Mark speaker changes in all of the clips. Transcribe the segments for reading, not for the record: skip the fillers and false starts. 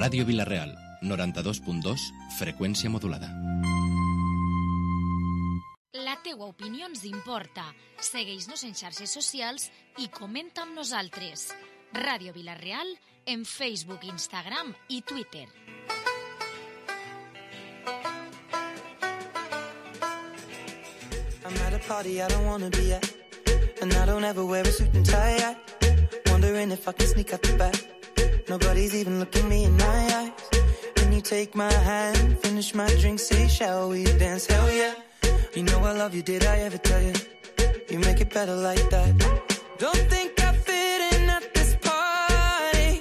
Speaker 1: Ràdio Vila-real, 92.2, freqüència modulada.
Speaker 2: La teua opinió ens importa. Segueix-nos en xarxes socials i comenta amb nosaltres. Ràdio Vila-real en Facebook, Instagram i Twitter.
Speaker 3: I'm at a party I don't wanna be at, and I don't ever wear a suit and tie yet. Wondering if I can sneak out the back. Nobody's even looking me in my eyes. Can you take my hand, finish my drink, say shall we dance? Hell yeah. You know I love you, did I ever tell you? You make it better like that. Don't think I fit in at this party.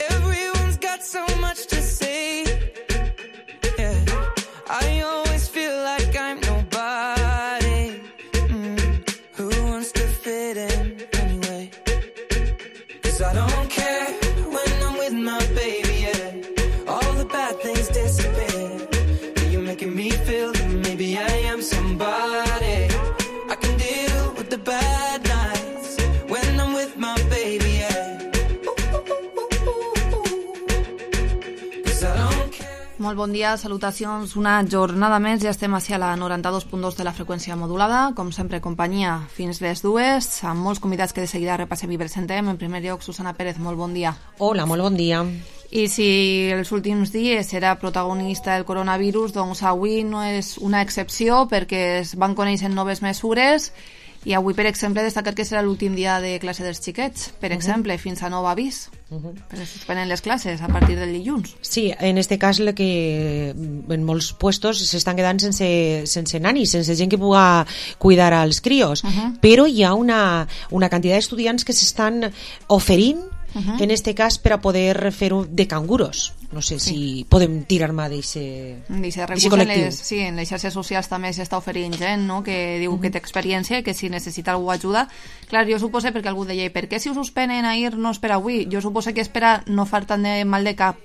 Speaker 3: Everyone's got so much to say. Yeah, I always feel like I'm nobody. Who wants to fit in anyway? 'Cause I don't care when I'm with my baby, yeah. All the bad things disappear. You're making me feel that maybe I am somebody. I can deal with the bad nights when I'm with my baby, yeah. 'Cause I don't care.
Speaker 4: Molt bon dia, salutacions. Una jornada més, ja estem ací a la 92.2 de la freqüència modulada. Com sempre, companyia fins les 2, amb molts convidats que de seguida repassem i presentem. En primer lloc, Susana Pérez, molt bon dia.
Speaker 5: Hola, molt bon dia.
Speaker 4: I si els últims dies era protagonista del coronavirus, doncs avui no és una excepció perquè es van conèixer noves mesures i avui, per exemple, destacar que serà l'últim dia de classe dels xiquets, per exemple, fins a nou avís. Però es suspenen les classes a partir del dilluns.
Speaker 5: Sí, en este cas que en molts puestos s'estan quedant sense nanis, sense gent que pugui cuidar als crios, però hi ha una quantitat d'estudiants que s'estan oferint en este cas per a poder fer-ho de canguros. No sé si podem tirar mà d'aquest col·lectiu.
Speaker 4: Sí, en les xarxes socials també s'està oferint gent, no?, que diu que té experiència i que si necessita algú ajuda. Clar, jo suposo, perquè algú deia, per què si ho suspenen ahir no és per avui? Jo suposo que és per a no fer tant de mal de cap,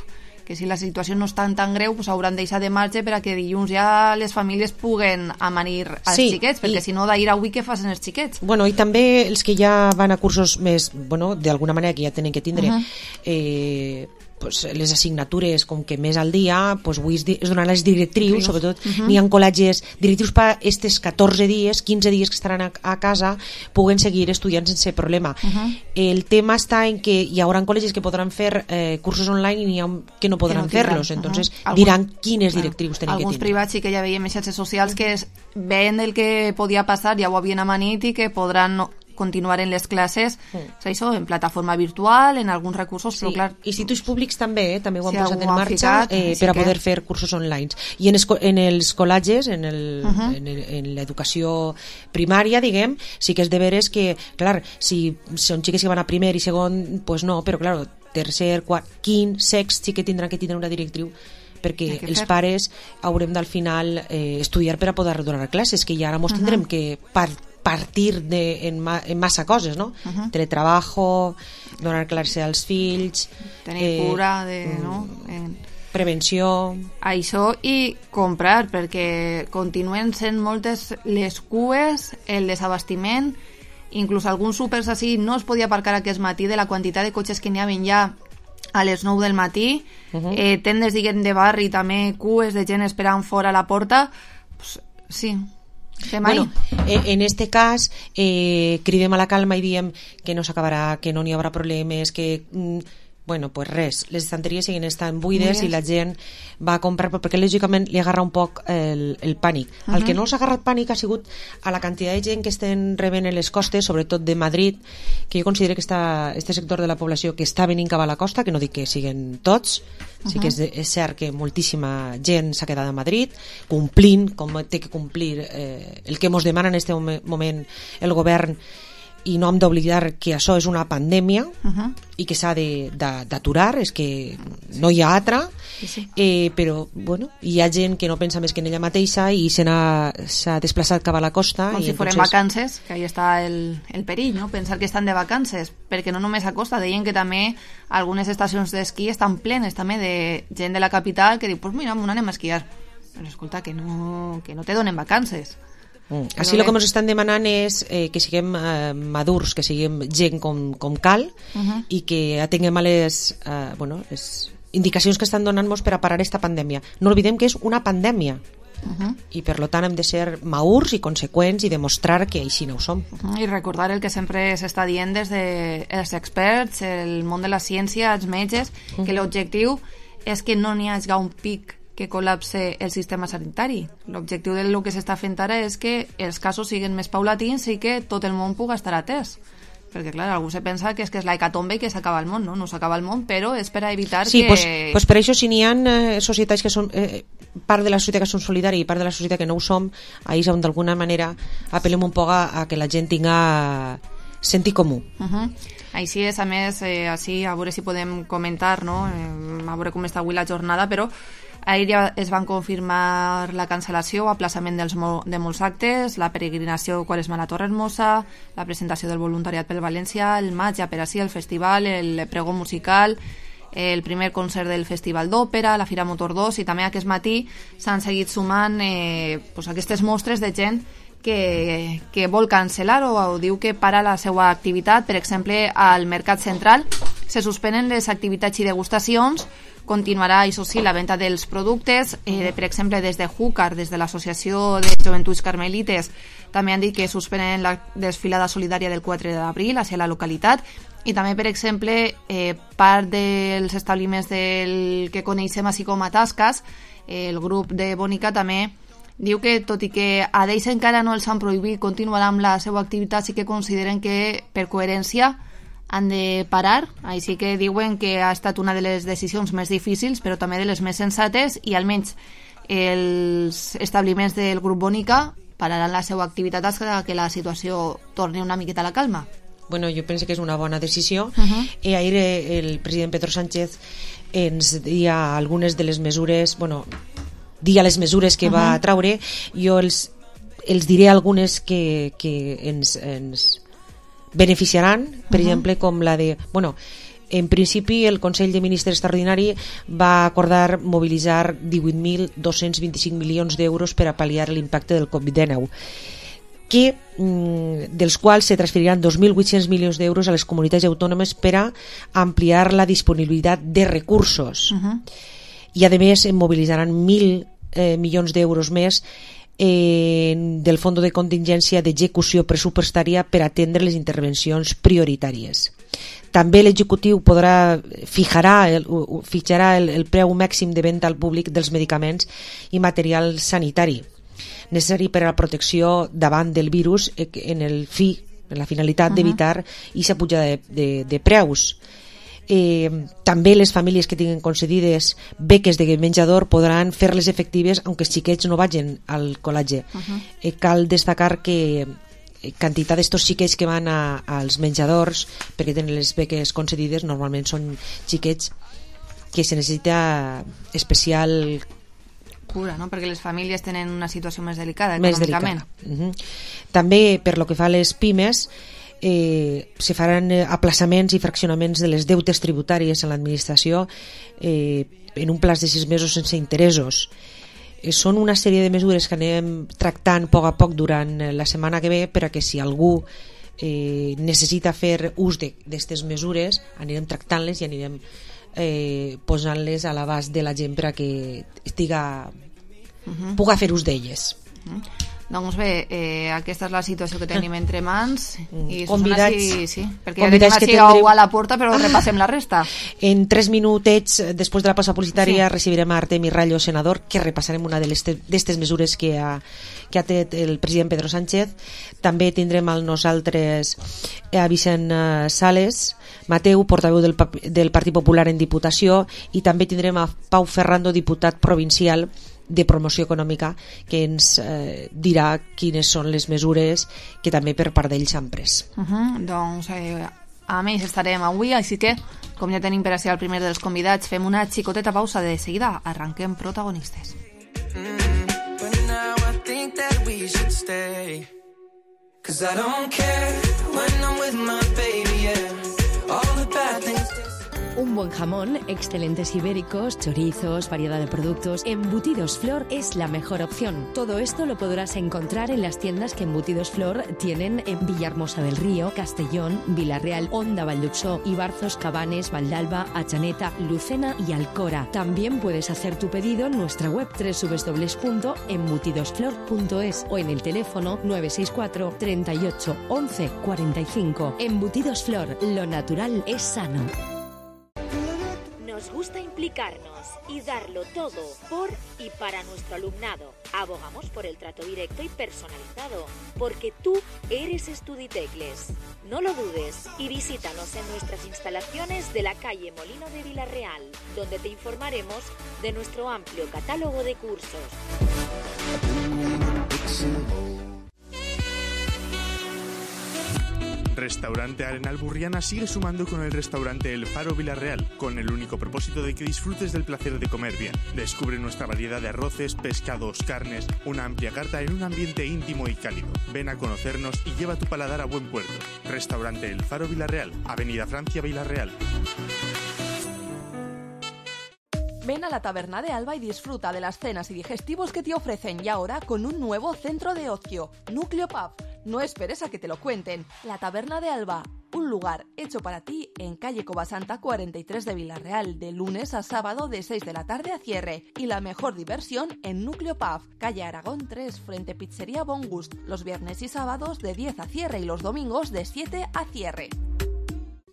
Speaker 4: que si la situació no és tan greu, pues hauran deixat de marge per a que dilluns ja les famílies puguen amanir als xiquets, perquè si no d'ahir a avui què facin els xiquets?
Speaker 5: Bueno, i també els que ja van a cursos més, bueno, d'alguna manera que ja tenen que tindre pues, les assignatures com que més al dia, pues, avui es donaran les directrius, sobretot n'hi ha col·legis directrius per aquests 14 dies, 15 dies que estaran a casa, puguen seguir estudiant sense problema. El tema està en que hi haurà col·legis que podran fer cursos online i n'hi ha que no podran fer-los, entonces diran quines directrius tenen que tindre.
Speaker 4: Alguns privats sí que ja veiem en xarxes socials que veien el que podia passar, ja ho havien amanit i que podran continuar en les classes, això, en plataforma virtual, en alguns recursos, però clar...
Speaker 5: Instituts públics també ho han posat en marxa per a poder fer cursos online. I en els col·legis, en l'educació primària, diguem, sí que és de veres que, clar, si són xiques que van a primer i segon, pues no, però clar, tercer, quart, quint, sext, sí que tindran que tindre una directriu perquè els pares haurem d'al final estudiar per a poder donar classes, que ja ara mos tindrem que partir en massa coses, no? Teletrabajo, donar classe als fills,
Speaker 4: tenir cura
Speaker 5: prevenció,
Speaker 4: això, i comprar, perquè continuen sent moltes les cues, el desabastiment, inclús alguns súpers així no es podia aparcar aquest matí de la quantitat de cotxes que n'hi havia ja a les 9 del matí, tendes, diguem, de barri, també cues de gent esperant fora a la porta, pues, sí.
Speaker 5: Bueno, en este cas cridem a la calma i diem que no s'acabarà, que no n'hi haurà problemes, que bueno, pues res, les estanteries siguen estant buides i la gent va a comprar, perquè lògicament li agarra un poc el pànic. El que no s'ha agarrat pànic ha sigut a la quantitat de gent que estan rebent en les costes, sobretot de Madrid, que jo considero que este sector de la població que està venint cap a la costa, que no dic que siguen tots, sí que és cert que moltíssima gent s'ha quedat a Madrid complint com té que complir el que ens demana en aquest moment el govern, i no hem d'oblidar que això és una pandèmia i que s'ha d'aturar, és que no hi ha altra, però bueno, hi ha gent que no pensa més que en ella mateixa i s'ha desplaçat cap a la costa.
Speaker 4: Com si foren vacances, que ahí està el perill, no? Pensar que estan de vacances, perquè no només a costa, deien que també algunes estacions d'esquí estan plenes també de gent de la capital que diu, pues mira, anem a esquiar, però escolta, que no te donen vacances.
Speaker 5: Així el que ens estan demanant és que siguem madurs, que siguem gent com cal i que atenguem a les indicacions que estan donant-nos per a parar esta pandèmia. No oblidem que és una pandèmia i per tant hem de ser madurs i conseqüents i demostrar que així no ho som.
Speaker 4: I recordar el que sempre s'està dient des dels experts, el món de la ciència, els metges, que l'objectiu és que no n'hi hagi un pic que col·lapse el sistema sanitari. L'objectiu del que s'està fent ara és que els casos siguin més paulatins i que tot el món pugui estar atès. Perquè, clar, algú se pensa que és la hecatombe i que s'acaba el món, no? No s'acaba el món, però és per a evitar que...
Speaker 5: Sí, pues per això, si n'hi ha societats que són... part de la societat que són solidàries i part de la societat que no ho som, ahí és on d'alguna manera apel·lem un poc a que la gent tinga sentit comú.
Speaker 4: Així és, a més, així, a veure si podem comentar, no? A veure com està avui la jornada, però ahir ja es van confirmar la cancel·lació o aplaçament de molts actes, la peregrinació Quaresma a la Torre Hermosa, la presentació del voluntariat pel València, el maig ja per així, el festival, el pregó musical, el primer concert del Festival d'Òpera, la Fira Motor 2, i també aquest matí s'han seguit sumant aquestes mostres de gent que vol cancel·lar o diu que para la seva activitat. Per exemple, al Mercat Central se suspenen les activitats i degustacions, continuarà, això sí, la venda dels productes, per exemple, des de Júcar, des de l'Associació de Joventuts Carmelites, també han dit que suspenen la desfilada solidària del 4 d'abril hacia la localitat, i també, per exemple, part dels establiments que coneixem així com a Tasques, el grup de Bònica també diu que, tot i que a d'ells encara no els han prohibit continuar amb la seva activitat, sí que consideren que, per coherència, han de parar. Així que diuen que ha estat una de les decisions més difícils, però també de les més sensates, i almenys els establiments del grup Bònica pararan la seva activitat fins que la situació torni una miqueta a la calma.
Speaker 5: Bueno, jo penso que és una bona decisió. I ahir el president Pedro Sánchez ens dia algunes de les mesures, les mesures que va traure. Jo els diré algunes que ens beneficiaran, per exemple, com la de... en principi el Consell de Ministres extraordinari va acordar mobilitzar 18.225 milions d'euros per a pal·liar l'impacte del Covid-19, dels quals se transferiran 2.800 milions d'euros a les comunitats autònomes per a ampliar la disponibilitat de recursos. I a més mobilitzaran 1.000 milions d'euros més del Fons de Contingència d'Execució Pressupostària per atendre les intervencions prioritàries. També l'executiu fixarà el preu màxim de venda al públic dels medicaments i material sanitari necessari per a la protecció davant del virus en la finalitat d'evitar aquesta pujada de preus. També les famílies que tinguin concedides beques de menjador podran fer-les efectives aunque els xiquets no vagin al col·legi. Cal destacar que quantitat d'estos xiquets que van als menjadors perquè tenen les beques concedides normalment són xiquets que se necessita especial
Speaker 4: cura, no? Perquè les famílies tenen una situació més delicada
Speaker 5: econòmicament. També per lo que fa a les pimes se faran aplaçaments i fraccionaments de les deutes tributàries en l'administració en un plaç de 6 mesos sense interessos. Són una sèrie de mesures que anem tractant a poc durant la setmana que ve per a que si algú necessita fer ús d'aquestes mesures anirem tractant-les i anirem posant-les a l'abast de la gent per a que puga fer ús d'elles.
Speaker 4: Doncs bé, aquesta és la situació que tenim entre mans i
Speaker 5: convidats,
Speaker 4: perquè ja tenim així a la porta, però repassem la resta.
Speaker 5: En 3 minutets després de la pausa publicitària recibirem a Artemi Rallo, senador, que repassarem una d'aquestes mesures que ha tret el president Pedro Sánchez. També tindrem amb nosaltres a Vicent Sales Mateu, portaveu del Partit Popular en Diputació, i també tindrem a Pau Ferrando, diputat provincial de promoció econòmica, que ens dirà quines són les mesures que també per part d'ells s'han pres.
Speaker 4: Doncs a més estarem avui, així que com ja tenim per a ser el primer dels convidats, fem una xicoteta pausa, de seguida arranquem protagonistes.
Speaker 3: But now I think that we should stay, 'cause I don't care when I'm with my baby, yeah. All the bad things
Speaker 6: Un buen jamón, excelentes ibéricos, chorizos, variedad de productos. Embutidos Flor es la mejor opción. Todo esto lo podrás encontrar en las tiendas que Embutidos Flor tienen en Villahermosa del Río, Castellón, Vila-real, Onda, Valldhuxó, Ibarzos, Cabanes, Valdalba, Atxaneta, Lucena y Alcora. También puedes hacer tu pedido en nuestra web www.embutidosflor.es o en el teléfono 964 38 11 45. Embutidos Flor, lo natural es sano.
Speaker 2: Nos gusta implicarnos y darlo todo por y para nuestro alumnado. Abogamos por el trato directo y personalizado, porque tú eres Estuditecles. No lo dudes y visítanos en nuestras instalaciones de la calle Molino de Vila-real, donde te informaremos de nuestro amplio catálogo de cursos.
Speaker 7: Restaurante Arenal Burriana sigue sumando con el restaurante El Faro Vila-real, con el único propósito de que disfrutes del placer de comer bien. Descubre nuestra variedad de arroces, pescados, carnes, una amplia carta en un ambiente íntimo y cálido. Ven a conocernos y lleva tu paladar a buen puerto. Restaurante El Faro Vila-real, Avenida Francia, Vila-real.
Speaker 8: Ven a la Taberna de Alba y disfruta de las cenas y digestivos que te ofrecen, y ahora con un nuevo centro de ocio, Núcleo Pub. No esperes a que te lo cuenten. La Taberna de Alba, un lugar hecho para ti en calle Covasanta 43 de Vila-real, de lunes a sábado de 6 de la tarde a cierre. Y la mejor diversión en Núcleo Pub, calle Aragón 3, frente Pizzería Bon Gust, los viernes y sábados de 10 a cierre y los domingos de 7 a cierre.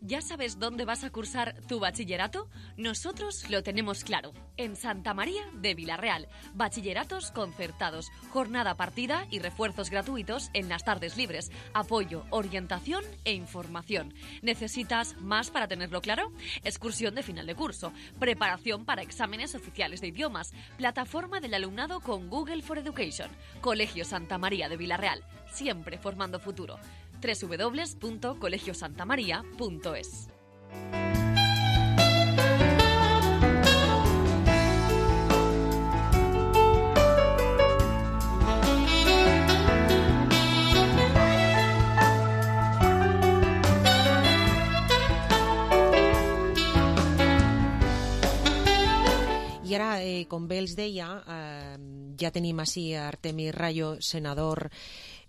Speaker 9: ¿Ya sabes dónde vas a cursar tu bachillerato? Nosotros lo tenemos claro. En Santa María de Vila-real. Bachilleratos concertados, jornada partida y refuerzos gratuitos en las tardes libres. Apoyo, orientación e información. ¿Necesitas más para tenerlo claro? Excursión de final de curso, preparación para exámenes oficiales de idiomas, plataforma del alumnado con Google for Education. Colegio Santa María de Vila-real, siempre formando futuro. www.colegiosantamaria.es.
Speaker 5: I ara, com bé els deia, ja tenim així a Artemi Rayo, senador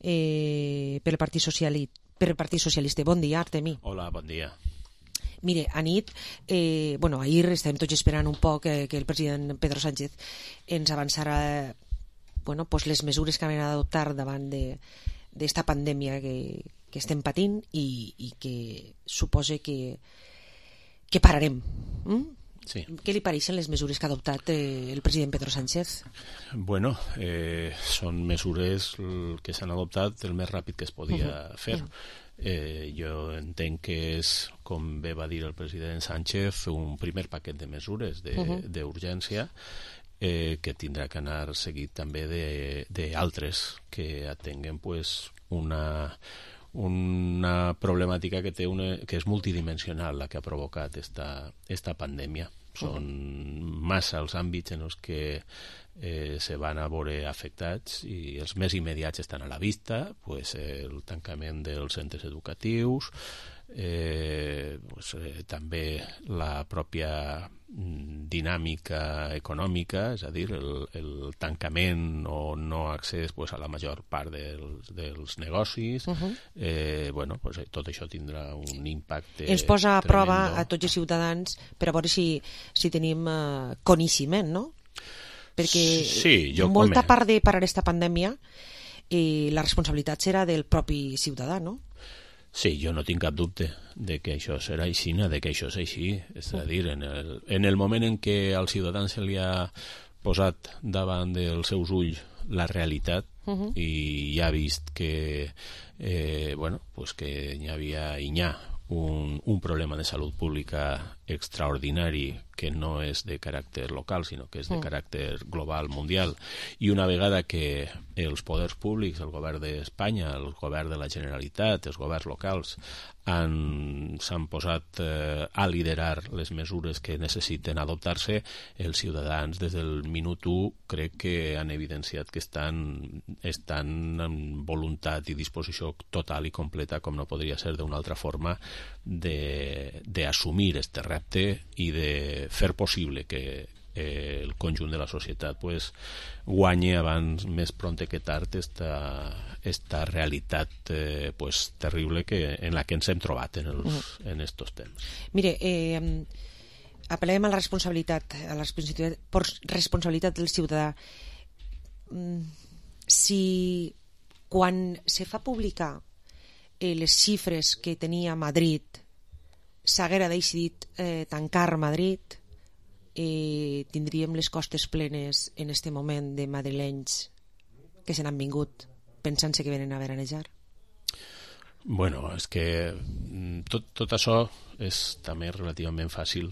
Speaker 5: pel Partit Socialista. Bon dia, Artemi.
Speaker 10: Hola, bon dia.
Speaker 5: Mire, anit, ahir estàvem tots esperant un poc que el president Pedro Sánchez ens avançarà les mesures que han d'adoptar davant d'esta pandèmia que estem patint i que suposa que pararem.
Speaker 10: Sí.
Speaker 5: Què li pareixen les mesures que ha adoptat el president Pedro Sánchez?
Speaker 10: Bueno, són mesures que s'han adoptat el més ràpid que es podia fer. Jo entenc que és, com bé va dir el president Sánchez, un primer paquet de mesures d'urgència que tindrà que anar seguit també d'altres que atenguen una problemàtica que és multidimensional, la que ha provocat esta pandèmia. Són massa els àmbits en els que se van a veure afectats i els més immediats estan a la vista, el tancament dels centres educatius, també la pròpia dinàmica econòmica, és a dir, el tancament o no accés a la major part dels negocis. Tot això tindrà un impacte
Speaker 5: ens posa a prova
Speaker 10: tremendo
Speaker 5: a tots els ciutadans per a veure si tenim coneixement, no? Perquè molta part de parar aquesta pandèmia la responsabilitat serà del propi ciutadà, no?
Speaker 10: Sí, jo no tinc cap dubte de que això serà així, de que això és així. És a dir, en el moment en què al ciutadà se li ha posat davant dels seus ulls la realitat i ja ha vist que que hi ha un problema de salut pública extraordinari que no és de caràcter local, sinó que és de caràcter global, mundial, i una vegada que els poders públics, el govern d'Espanya, el govern de la Generalitat, els governs locals, s'han posat a liderar les mesures que necessiten adoptar-se, els ciutadans des del minut 1 crec que han evidenciat que estan en voluntat i disposició total i completa, com no podria ser d'una altra forma, d'assumir este repte i de fer possible que el conjunt de la societat guanyi abans, més prompte que tard, esta realitat terrible en la que ens hem trobat en estos temps.
Speaker 5: Mire, apel·lem a la responsabilitat del ciutadà. Si quan se fa publicar les xifres que tenia Madrid s'haguera decidit tancar Madrid, tindríem les costes plenes en este moment de madrilenys que se n'han vingut pensant-se que venen a veranejar?
Speaker 10: Bueno, és que tot això és també relativament fàcil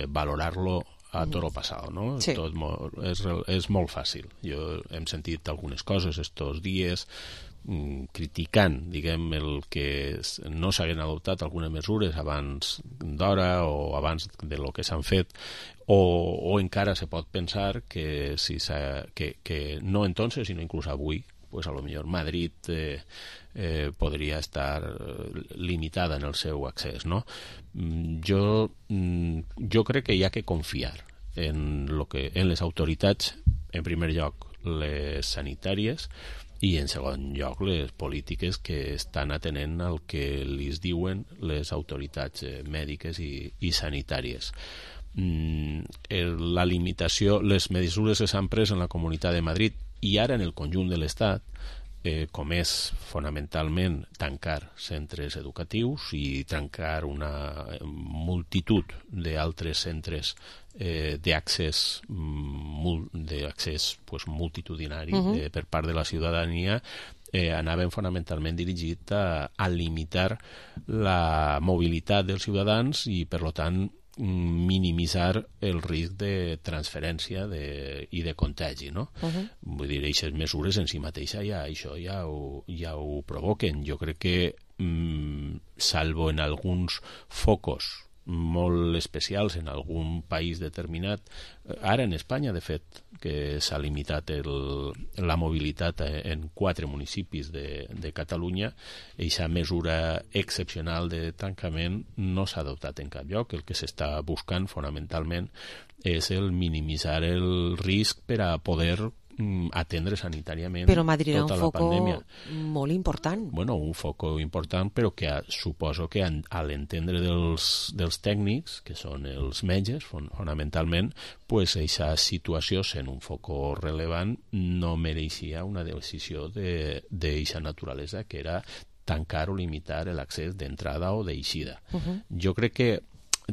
Speaker 10: valorar-lo a toro passat, no?
Speaker 5: Sí.
Speaker 10: És molt fàcil. Jo hem sentit algunes coses estos dies criticant, diguem, el que no s'haguen adoptat algunes mesures abans d'hora o abans de lo que s'han fet, o encara se pot pensar que no entonces, sinó inclús avui, pues a lo millor Madrid podria estar limitada en el seu accés, no? Jo crec que hi ha que confiar en les autoritats, en primer lloc les sanitàries, i en segon lloc les polítiques que estan atenent al que li diuen les autoritats mèdiques i sanitàries. La limitació, les mesures que s'han pres en la Comunitat de Madrid i ara en el conjunt de l'Estat, com és fonamentalment tancar centres educatius i tancar una multitud d'altres centres d'accés multitudinari per part de la ciutadania, anaven fonamentalment dirigit a limitar la mobilitat dels ciutadans i, per tant, minimitzar el risc de transferència i de contagi, no? Vull dir, aquestes mesures en si mateixa ja ho provoquen. Jo crec que, salvo en alguns focus molt especials en algun país determinat, ara en Espanya, de fet, que s'ha limitat la mobilitat en 4 municipis de Catalunya, aquesta mesura excepcional de tancament no s'ha adoptat en cap lloc. El que s'està buscant fonamentalment és el minimitzar el risc per a poder atendre sanitàriament
Speaker 5: però Madrid
Speaker 10: tota la pandèmia.
Speaker 5: Però Madrid era un foco molt important.
Speaker 10: Bueno, un foco important, però que suposo que a l'entendre dels tècnics, que són els metges, fonamentalment, pues aquesta situació, sent un foco rellevant, no mereixia una decisió d'eixa naturalesa, que era tancar o limitar l'accés d'entrada o d'eixida. Jo crec que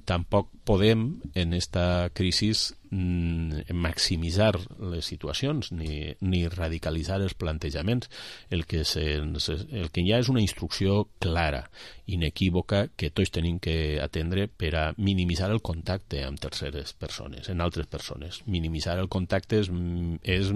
Speaker 10: tampoc podem en esta crisi maximitzar les situacions ni radicalitzar els plantejaments. El que hi ha és una instrucció clara, inequívoca, que tots tenim que atendre per a minimitzar el contacte amb terceres persones, en altres persones. Minimitzar el contacte és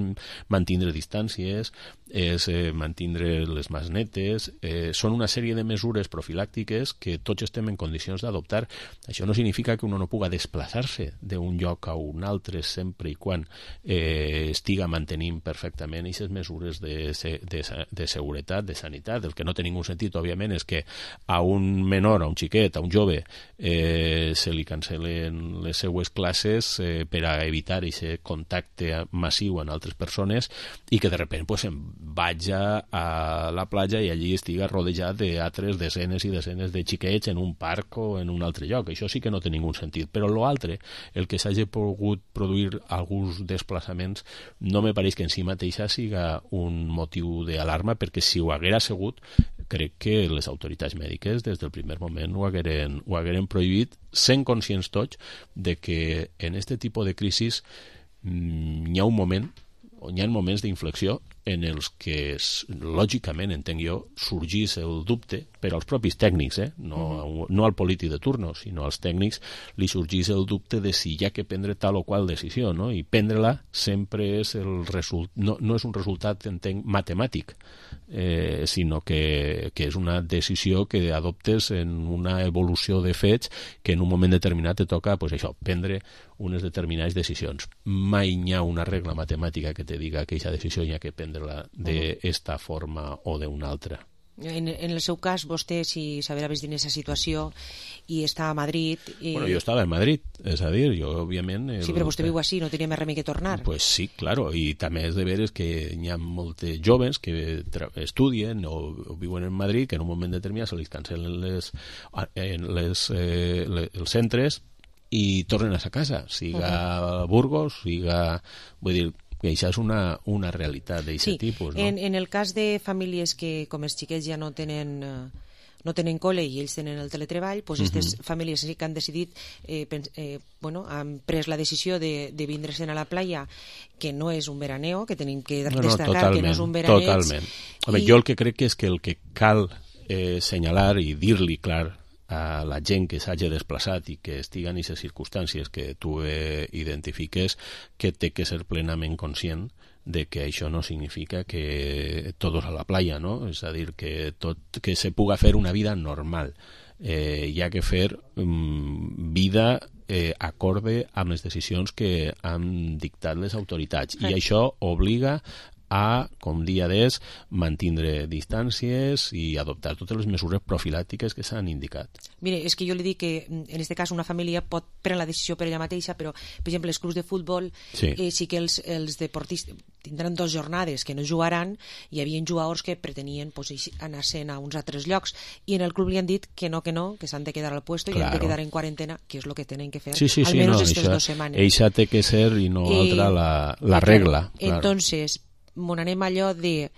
Speaker 10: mantindre distàncies, és mantindre les mans netes, són una sèrie de mesures profilàctiques que tots estem en condicions d'adoptar. Això no significa que uno no puga desplaçar-se d'un lloc a un altre sempre i quan estiga mantenint perfectament aquestes mesures de seguretat, de sanitat. El que no té ningú sentit, òbviament, és que a un menor, a un xiquet, a un jove, se li cancel·len les seues classes per a evitar aquest contacte massiu amb altres persones i que de sobte se'n vaig a la platja i allí estiga rodejat d'altres desenes i desenes de xiquets en un parc o en un altre lloc. Això sí que no té ningú sentit. Però l'altre, el que s'hagi pogut produir alguns desplaçaments, no me pareix que en si mateixa siga un motiu d'alarma, perquè si ho haguera sigut, crec que les autoritats mèdiques des del primer moment ho hagueren prohibit, sent conscients tots de que en aquest tipus de crisis hi ha un moment, on hi ha moments d'inflexió en els que, lògicament, entenc jo, sorgís el dubte per als propis tècnics, no al polític de turno, sinó als tècnics, li sorgís el dubte de si hi ha que prendre tal o qual decisió, no? I prendre-la sempre és no és un resultat, entenc, matemàtic, sinó que és una decisió que adoptes en una evolució de fets que en un moment determinat te toca, pues això, prendre unes determinades decisions. Mai hi ha una regla matemàtica que te diga que aquesta decisió hi ha que prendre-la d'esta forma o d'una altra.
Speaker 5: En el seu cas, vostè, si s'haver vist en aquesta situació i està a Madrid...
Speaker 10: Bueno, jo estava a Madrid, és a dir, jo, òbviament...
Speaker 5: Sí, però vostè viu així, no tenia més remei que tornar.
Speaker 10: Pues sí, claro, i també és de veres que hi ha molts joves que estudien o viuen en Madrid, que en un moment determinat se li cancel·len els centres i tornen a sa casa, siga a Burgos, siga... Vull dir, que això és una realitat d'aquest tipus, no?
Speaker 5: En el cas de famílies que, com els xiquets ja no tenen col·le i ells tenen el teletreball, doncs aquestes famílies sí que han decidit, han pres la decisió de vindre-se'n a la playa, que no és un veraneo, que tenim que destacar que no és un veraneig.
Speaker 10: Totalment. Jo el que crec és que el que cal senyalar i dir-li clar a la gent que s'hagi desplaçat i que estigui en aquestes circumstàncies que tu identifiques, que té que ser plenament conscient de que això no significa que todos a la playa, no? És a dir, que se puga fer una vida normal. Hi ha que fer vida acorde amb les decisions que han dictat les autoritats. I això obliga a, com dia d'és, mantindre distàncies i adoptar totes les mesures profilàctiques que s'han indicat.
Speaker 5: Mire, és que jo li dic que en aquest cas una família pot prendre la decisió per ella mateixa, però, per exemple, els clubs de futbol sí que els deportistes tindran 2 jornades que no jugaran, i hi havia jugadors que pretenien anar-se'n a uns altres llocs, i en el club li han dit que no, que s'han de quedar al puesto i han de quedar en quarantena, que és el que tenen que fer almenys aquestes 2 setmanes.
Speaker 10: Eixa té que ser i no altra la regla.
Speaker 5: Entonces, anem allò de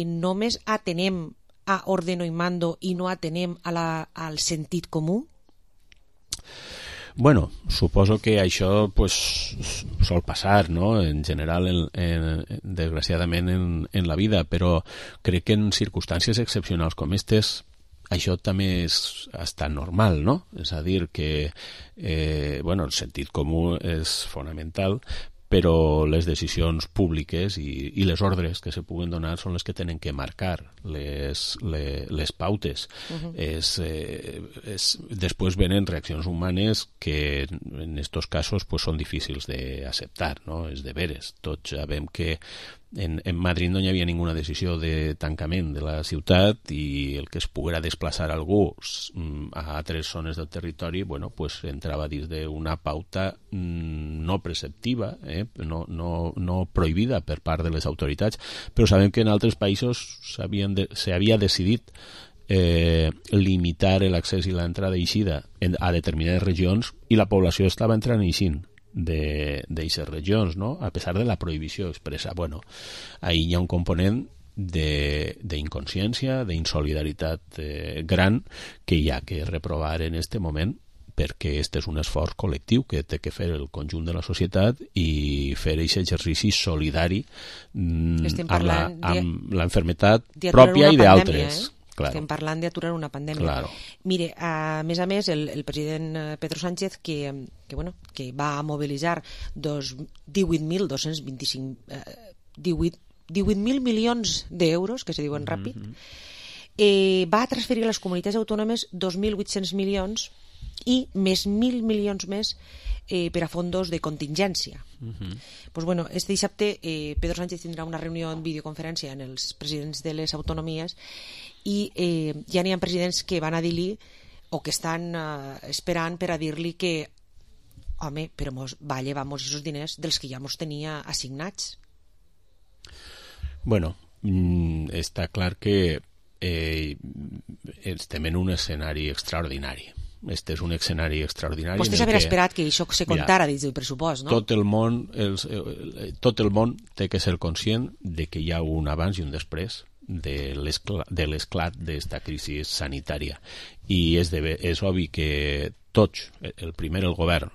Speaker 5: només atenem a ordeno i mando i no atenem al sentit comú?
Speaker 10: Bueno, suposo que això sol passar, no? En general, desgraciadament, en la vida, però crec que en circumstàncies excepcionals com aquestes això també és bastant normal, no? És a dir, que el sentit comú és fonamental, però les decisions públiques i les ordres que se puguen donar són les que tenen que marcar les pautes. Després venen reaccions humanes que en aquests casos són difícils d'acceptar, no? És de veres. Tots sabem que en Madrid no hi havia ninguna decisió de tancament de la ciutat i el que es poguera desplaçar algú a altres zones del territori entrava dins d'una pauta no preceptiva, no prohibida per part de les autoritats, però sabem que en altres països s'havia decidit limitar l'accés i l'entrada i eixida a determinades regions i la població estava entrant i eixint d'aquestes regions, no? A pesar de la prohibició expressa. Ahí hi ha un component d'inconsciència, d'insolidaritat gran que hi ha que reprovar en aquest moment, perquè este és un esforç col·lectiu que té que fer el conjunt de la societat i fer aquest exercici solidari amb l'enfermetat pròpia i d'altres. Claro.
Speaker 5: Estem parlant d'aturar una pandèmia.
Speaker 10: Claro.
Speaker 5: Mire, a més, el president Pedro Sánchez que va mobilitzar 18.000 milions d'euros, que se diuen ràpid, va transferir a les comunitats autònomes 2.800 milions i més 1.000 milions més per a fondos de contingència. Este dissabte Pedro Sánchez tindrà una reunió en videoconferència amb els presidents de les autonomies i ja n'hi ha presidents que van a dir-li o que estan esperant per a dir-li que home, però va llevar-nos aquests diners dels que ja mos tenia assignats.
Speaker 10: Està clar que estem en un escenari extraordinari. Este és un escenari extraordinari.
Speaker 5: Vostè s'haver esperat que això se contara dins del pressupost, no?
Speaker 10: Tot el món té que ser conscient de que hi ha un abans i un després de l'esclat d'esta crisi sanitària. I és obvi que tots, el govern,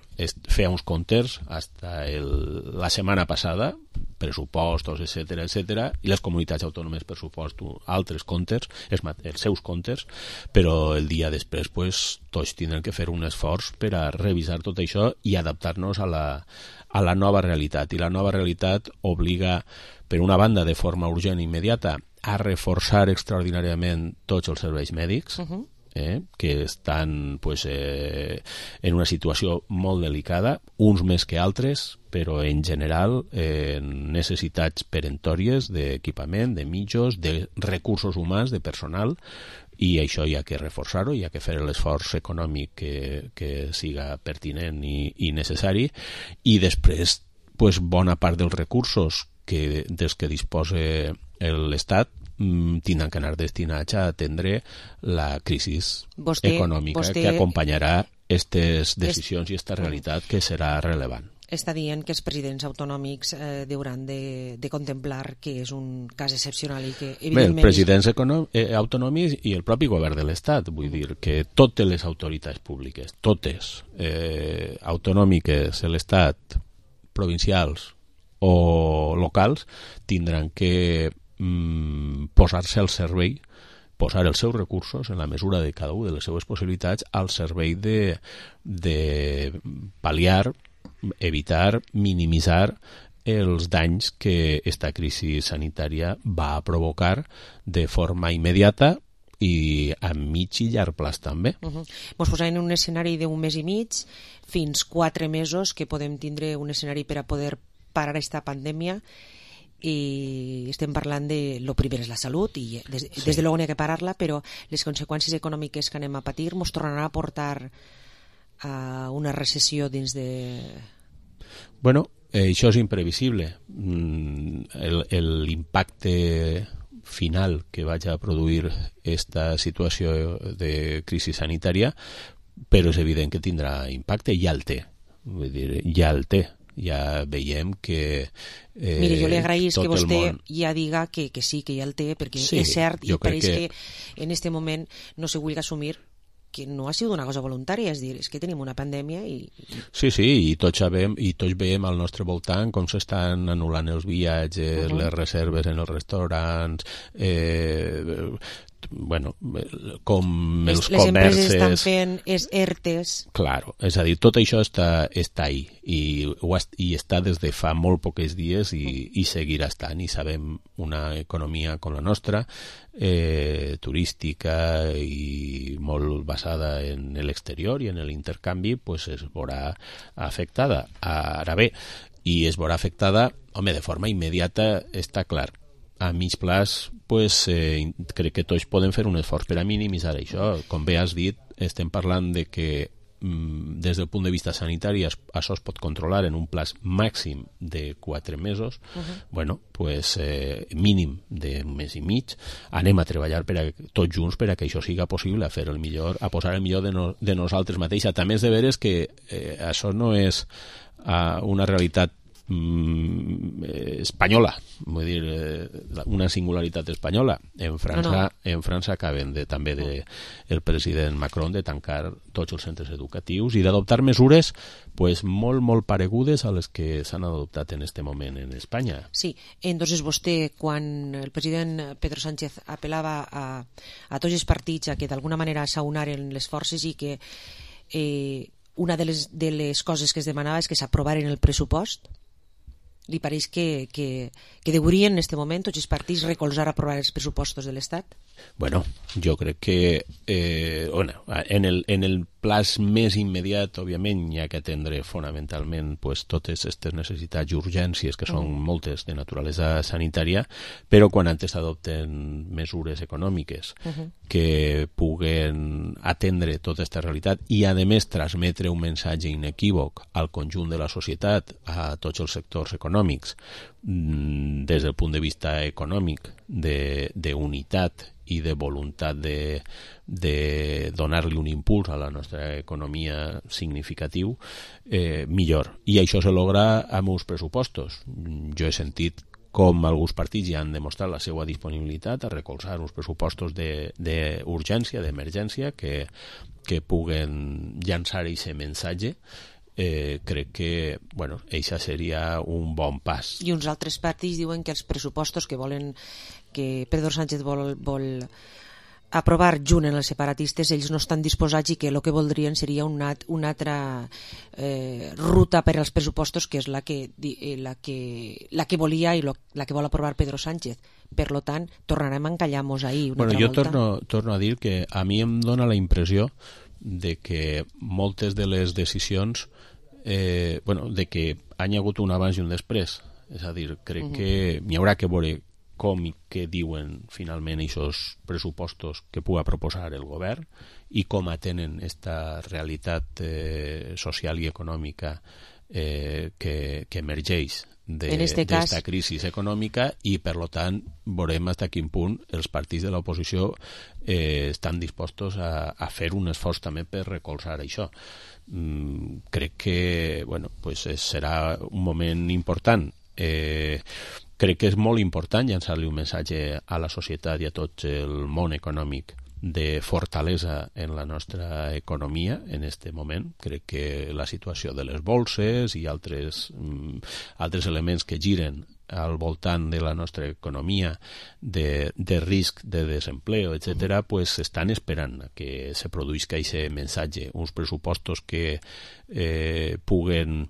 Speaker 10: feia uns comptes fins la setmana passada pressupostos, etc., i les comunitats autònomes pressuposten altres comptes, els seus comptes, però el dia després pues, tots tindran que fer un esforç per a revisar tot això i adaptar-nos a la nova realitat. I la nova realitat obliga, per una banda, de forma urgent i immediata, a reforçar extraordinàriament tots els serveis mèdics, que estan pues, en una situació molt delicada, uns més que altres, però en general necessitats peremptòries d'equipament, de mitjos, de recursos humans, de personal, i això hi ha que reforçar-ho, hi ha que fer l'esforç econòmic que siga pertinent i necessari, i després pues, bona part dels recursos dels que disposa l'Estat tindran que anar destinats a atendre la crisi econòmica que acompanyarà aquestes decisions i aquesta realitat que serà rellevant.
Speaker 5: Està dient que els presidents autonòmics hauran de contemplar que és un cas excepcional i que evidentment...
Speaker 10: Bé, els presidents autonòmics i el propi govern de l'Estat, vull dir que totes les autoritats públiques, totes, autonòmiques, l'Estat, provincials o locals, tindran que posar-se al servei, posar els seus recursos en la mesura de cada una de les seves possibilitats al servei de pal·liar, evitar, minimitzar els danys que aquesta crisi sanitària va provocar de forma immediata i a mig i llarg plaç també.
Speaker 5: Ens posem en un escenari d'un mes i mig fins 4 mesos que podem tindre un escenari per a poder parar aquesta pandèmia, i estem parlant de lo primer és la salut i des de luego n'hi ha que parar-la, però les conseqüències econòmiques que anem a patir ens tornaran a portar a una recessió dins de...
Speaker 10: Bueno, això és imprevisible. L'impacte final que vaig a produir esta situació de crisi sanitària, però és evident que tindrà impacte, ja el té. Vull dir, ja el té. Ja veiem que
Speaker 5: mire, jo li agraïs que vostè ja diga que sí, que ja el té, perquè és cert i pareix que en aquest moment no se vulgui assumir que no ha sigut una cosa voluntària, és dir, és que tenim una pandèmia i...
Speaker 10: Sí, i tots sabem i tots veiem al nostre voltant com s'estan anul·lant els viatges, les reserves en els restaurants, bueno, com els
Speaker 5: les empreses estan fent ERTEs.
Speaker 10: Claro, és a dir, tot això està ahí i està des de fa molt pocs dies i seguirà estant, i sabem una economia com la nostra, turística i molt basada en l'exterior i en l'intercanvi, pues es veurà afectada. Ara bé, i es veurà afectada, home, de forma immediata, està clar. A mig plaç, pues, crec que tots podem fer un esforç per a minimitzar això. Com bé has dit, estem parlant de que des del punt de vista sanitari això es pot controlar en un plaç màxim de 4 mesos. Bueno, pues mínim d'un mes i mig. Anem a treballar tots junts per a que això siga possible, a fer el millor, a posar el millor de nosaltres mateixos. També és de veres que això no és una realitat espanyola, vull dir, una singularitat espanyola. En França acaben també el president Macron de tancar tots els centres educatius i d'adoptar mesures pues, molt paregudes a les que s'han adoptat en este moment en Espanya.
Speaker 5: Sí, entonces vostè, quan el president Pedro Sánchez apel·lava a tots els partits a que d'alguna manera s'aunaren les forces i que una de les coses que es demanava és que s'aprovaren el pressupost, li pareix que deurien en aquest moment tots els partits recolzar a aprovar els pressupostos de l'Estat?
Speaker 10: Bueno, jo crec que en el plaç més immediat, òbviament, hi ha que atendre fonamentalment pues, totes aquestes necessitats i urgències, que són moltes de naturalesa sanitària, però quan antes adopten mesures econòmiques que puguen atendre tota aquesta realitat i, a més, transmetre un missatge inequívoc al conjunt de la societat, a tots els sectors econòmics, des del punt de vista econòmic, d'unitat i de voluntat de donar-li un impuls a la nostra economia significatiu, millor. I això se logra amb uns pressupostos. Jo he sentit com alguns partits ja han demostrat la seva disponibilitat a recolzar uns pressupostos d'urgència, d'emergència, que puguen llançar aquest missatge crec que, bueno, això seria un bon pas.
Speaker 5: I uns altres partits diuen que els pressupostos que Pedro Sánchez vol aprovar junt en els separatistes, ells no estan disposats i que el que voldrien seria una altra ruta per als pressupostos, que és la que volia i la que vol aprovar Pedro Sánchez. Per tant, tornarem a encallar-nos ahir una altra volta.
Speaker 10: Jo torno a dir que a mi em dona la impressió de que moltes de les decisions de que hi ha hagut un abans i un després. És a dir, crec que n'hi haurà que veure com i què diuen finalment aquests pressupostos que pugui proposar el govern i com atenen aquesta realitat social i econòmica que emergeix d'esta crisi econòmica, i per tant veurem fins a quin punt els partits de l'oposició estan dispostos a fer un esforç també per recolzar això. Crec que serà un moment important. Crec que és molt important llançar-li un missatge a la societat i a tot el món econòmic de fortalesa en la nostra economia en aquest moment. Crec que la situació de les bolses i altres elements que giren al voltant de la nostra economia de risc de desempleo, etc., pues estan esperant que se produïsca aquest missatge, uns pressupostos que puguen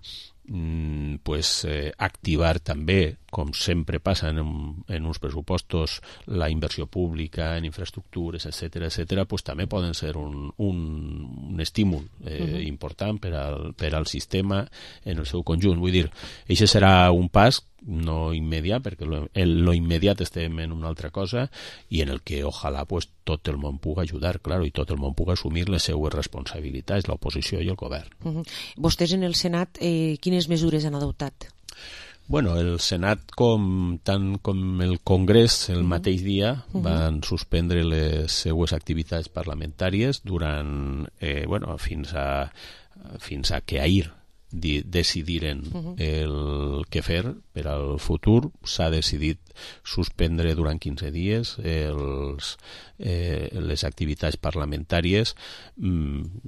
Speaker 10: activar també, com sempre passa en uns pressupostos, la inversió pública en infraestructures, etc., pues també poden ser un estímul important per al sistema en el seu conjunt. Vull dir, això serà un pas no immediat, perquè lo immediat estem en una altra cosa i en el que ojalà pues tot el món pugui ajudar, claro, i tot el món pugui assumir les seues responsabilitats, l'oposició i el govern.
Speaker 5: Vostès en el Senat quines mesures han adoptat?
Speaker 10: Bueno, el Senat, tant com el Congrés, el mateix dia van suspendre les seues activitats parlamentàries durant, fins a que ahir decidiren el que fer per al futur. S'ha decidit suspendre durant 15 dies les activitats parlamentàries.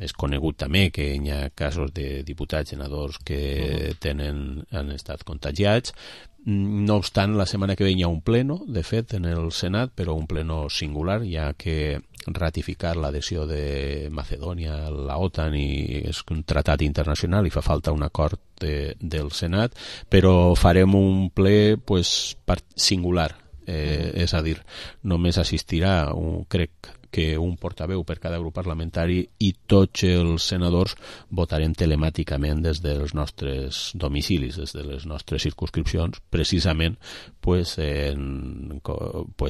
Speaker 10: És conegut també que hi ha casos de diputats, senadors que han estat contagiats. No obstant, la setmana que ve hi ha un pleno, de fet, en el Senat, però un pleno singular, ja que ratificar l'adhesió de Macedònia a la OTAN i és un tractat internacional i fa falta un acord del Senat, però farem un ple singular, és a dir, només assistirà, crec que un portaveu per cada grup parlamentari, i tots els senadors votarem telemàticament des dels nostres domicilis, des de les nostres circumscripcions, precisament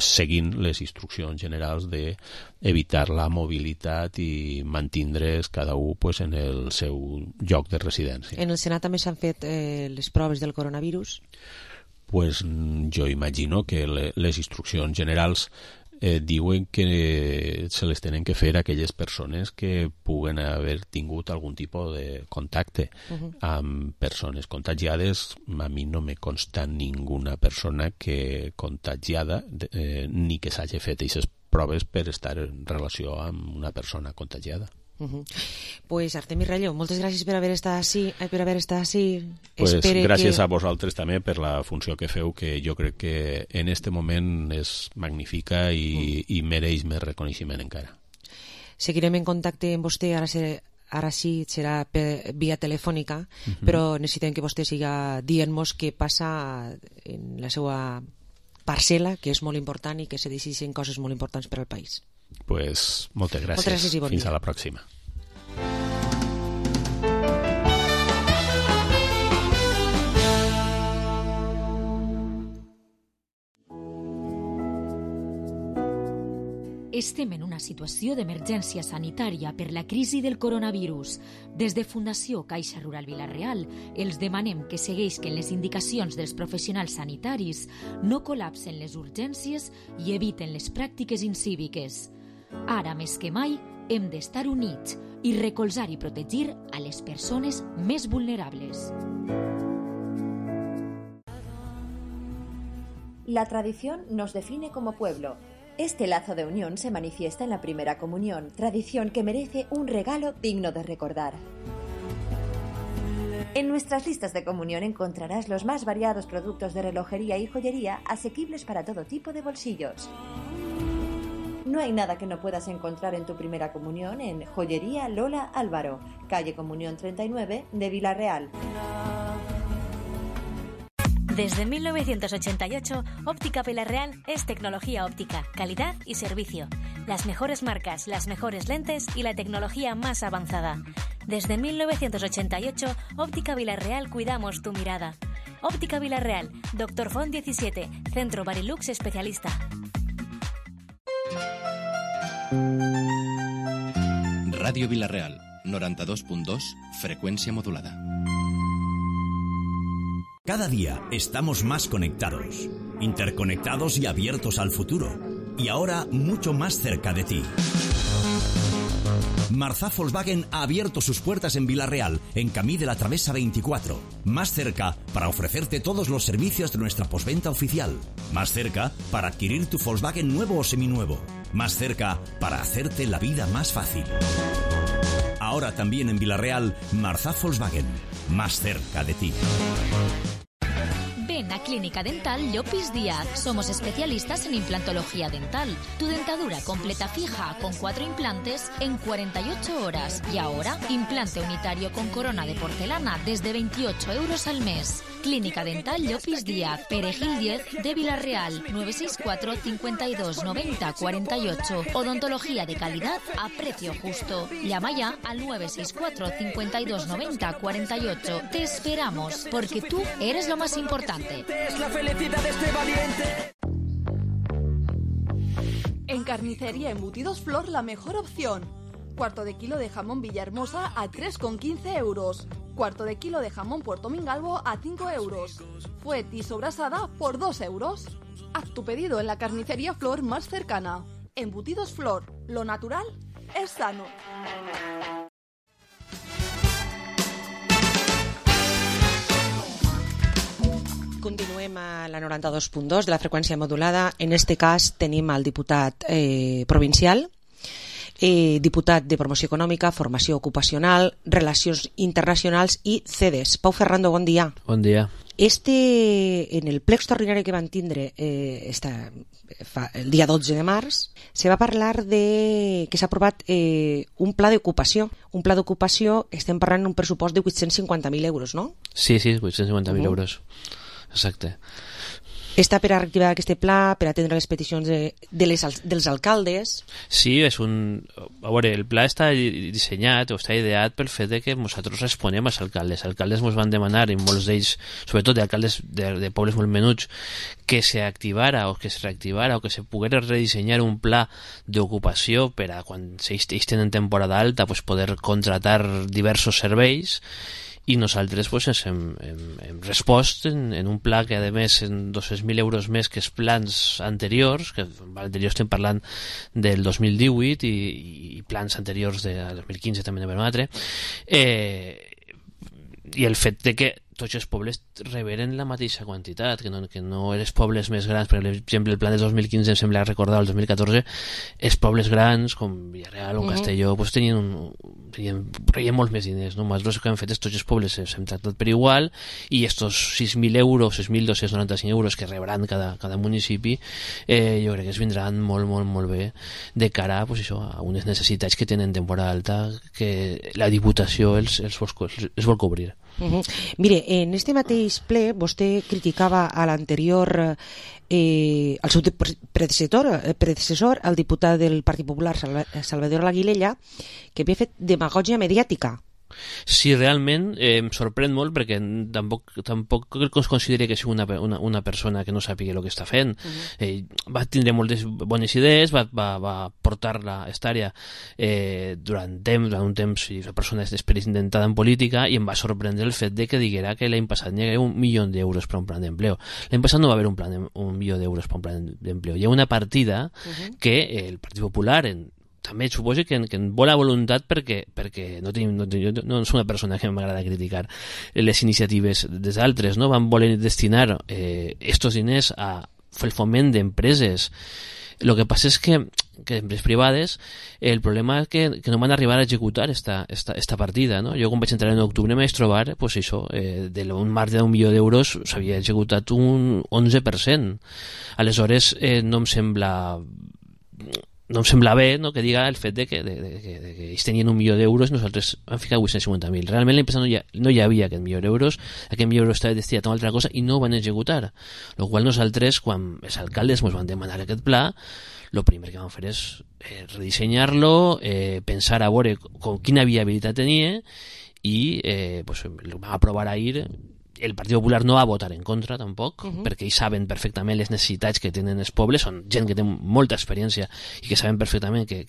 Speaker 10: seguint les instruccions generals d'evitar la mobilitat i mantindre's cada un en el seu lloc de residència.
Speaker 5: En el Senat també s'han fet les proves del coronavirus?
Speaker 10: Jo imagino que les instruccions generals diuen que se les tenen que fer a aquelles persones que puguen haver tingut algun tipus de contacte amb persones contagiades. A mi no me consta ninguna persona que contagiada ni que s'hagi fet aquestes proves per estar en relació amb una persona contagiada.
Speaker 5: Pues Artemi Rallo, moltes gràcies per haver estat ací.
Speaker 10: Gràcies a vosaltres també per la funció que feu, que jo crec que en este moment és magnífica i mereix més reconeixement encara.
Speaker 5: Seguirem en contacte amb vostè, ara sí serà via telefònica, però necessitem que vostè siga dient-nos què passa en la seva parcel·la, que és molt important i que se decideixen coses molt importants per al país.
Speaker 10: Moltes gràcies i bon dia. Fins a la pròxima.
Speaker 2: Estem en una situació d'emergència sanitària per la crisi del coronavirus. Des de Fundació Caixa Rural Vila-real els demanem que segueixin les indicacions dels professionals sanitaris, no col·lapsen les urgències i eviten les pràctiques incíviques. Ara més que mai hem d'estar units i recolzar i protegir a les persones més vulnerables.
Speaker 11: La tradición nos define como pueblo. Este lazo de unión se manifiesta en la primera comunión, tradición que merece un regalo digno de recordar. En nuestras listas de comunión encontrarás los más variados productos de relojería y joyería asequibles para todo tipo de bolsillos. No hay nada que no puedas encontrar en tu primera comunión en Joyería Lola Álvaro, calle Comunión 39 de Vila-real.
Speaker 12: Desde 1988, Óptica Vila-real es tecnología óptica, calidad y servicio. Las mejores marcas, las mejores lentes y la tecnología más avanzada. Desde 1988, Óptica Vila-real cuidamos tu mirada. Óptica Vila-real, Dr. Font 17, Centro Barilux Especialista.
Speaker 1: Radio Vila-real, 92.2, frecuencia modulada.
Speaker 13: Cada día estamos más conectados, interconectados y abiertos al futuro. Y ahora mucho más cerca de ti. Marzà Volkswagen ha abierto sus puertas en Vila-real, en Camí de la Travesa 24. Más cerca para ofrecerte todos los servicios de nuestra postventa oficial. Más cerca para adquirir tu Volkswagen nuevo o seminuevo. Más cerca para hacerte la vida más fácil. Ahora también en Vila-real, Marzà Volkswagen. Más cerca de ti.
Speaker 14: Ven a Clínica Dental Llopis Díaz. Somos especialistas en implantología dental. Tu dentadura completa fija con 4 implantes en 48 horas. Y ahora, implante unitario con corona de porcelana desde 28 euros al mes. Clínica Dental Llopis Díaz, Perejil 10 de Vila-real, 964 52 90 48. Odontología de calidad a precio justo. Llama ya al 964 52 90 48. Te esperamos, porque tú eres lo más importante.
Speaker 15: Es la felicidad de este valiente.
Speaker 8: En Carnicería Embutidos Flor, la mejor opción. Cuarto de kilo de jamón Villahermosa a 3,15 euros. Cuarto de kilo de jamón Puerto Mingalvo a 5 euros. Fuet y sobrasada por 2 euros. Haz tu pedido en la Carnicería Flor más cercana. Embutidos Flor, lo natural es sano.
Speaker 5: Continuem a la 92.2 de la freqüència modulada. En este cas tenim el diputat provincial, diputat de Promoció Econòmica, Formació Ocupacional, Relacions Internacionals i CEDES. Pau Ferrando, bon dia.
Speaker 16: Bon dia.
Speaker 5: En el ple extraordinari que van tindre el dia 12 de març, se va parlar que s'ha aprovat un pla d'ocupació. Un pla d'ocupació, estem parlant d'un pressupost de 850.000 euros, no?
Speaker 16: Sí, 850.000 euros. Exacte.
Speaker 5: Està per a reactivar aquest pla, per atendre les peticions dels alcaldes?
Speaker 16: Sí, és un... A veure, el pla està dissenyat o està ideat pel fet de que nosaltres responem als alcaldes. Els alcaldes ens van demanar, i molts d'ells, sobretot d'alcaldes de pobles molt menuts, que s'activara o que es reactivara o que se poguera redissenyar un pla d'ocupació per a quan ells tenen temporada alta poder contratar diversos serveis. I nosaltres hem respost en un pla que a més en 200.000 euros més que els plans anteriors, que anteriors estem parlant del 2018 i plans anteriors de 2015 també de permetre, i el fet de que tots els pobles reberen la mateixa quantitat, que no els pobles més grans, per exemple el plan del 2015 em sembla recordar el 2014, els pobles grans com Villarreal o Castelló rebien molts més diners, no? Nosaltres el que hem fet és tots els pobles hem tractat per igual i estos 6.000 euros, 6.295 euros que rebran cada municipi jo crec que es vindran molt bé de cara a unes necessitats que tenen temporada alta que la Diputació els vol cobrir.
Speaker 5: Mire, en este mateix ple vostè criticava a l'anterior al seu predecessor, el diputat del Partit Popular Salvador Laguilella, que havia fet demagògia mediàtica.
Speaker 16: Sí, realment em sorprèn molt perquè tampoc es consideri que sigui una persona que no sàpiga el que està fent. Va tindre moltes bones idees, va portar esta àrea durant un temps i la persona és experimentada en política i em va sorprendre el fet de que diguera que l'any passat hi havia 1 milió d'euros per un plan d'empleo. L'any passat no va haver 1 milió d'euros per un plan d'empleo. Hi ha una partida que el Partit Popular també suposo que en bona voluntat perquè no és una persona que m'agrada criticar les iniciatives dels altres, no? Van voler destinar estos diners a fer el foment d'empreses Lo que passa és que empreses privades, el problema és que no van arribar a executar esta partida, no? Jo quan vaig entrar en octubre m'vaig trobar, pues això, d'un marge d'1 milió d'euros s'havia executat un 11%. Aleshores no em sembla bé, no, que diga el fet de que ells tenien 1 milió d'euros i nosaltres vam ficar 850.000. Realment l'empresa no hi havia aquest milió d'euros, aquest milió d'euros estava destinat a una altra cosa i no ho van executar. Lo qual nosaltres, quan els alcaldes ens van demanar aquest pla, el primer que vam fer és redissenyar-lo, pensar a veure quina viabilitat tenia i pues, el vam aprovar ahir. El Partit Popular no va votar en contra tampoc, perquè ells saben perfectament les necessitats que tenen els pobles, són gent que té molta experiència i que saben perfectament que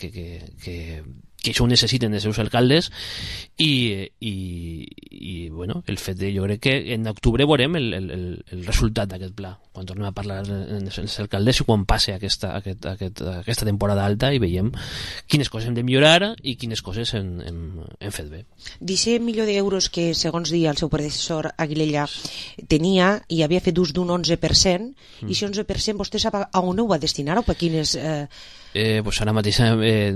Speaker 16: això ho necessiten els seus alcaldes i bueno, el fet de, jo crec que en octubre veurem el resultat d'aquest pla, quan tornem a parlar amb els alcaldes i quan passe aquesta temporada alta i veiem quines coses hem de millorar i quines coses hem fet bé.
Speaker 5: D'aquest milió d'euros que, segons dia el seu predecessor Aguilella tenia i havia fet ús d'un 11%, i aquest 11% vostè sap a on ho va destinar o per quines...
Speaker 16: Pues ara mateix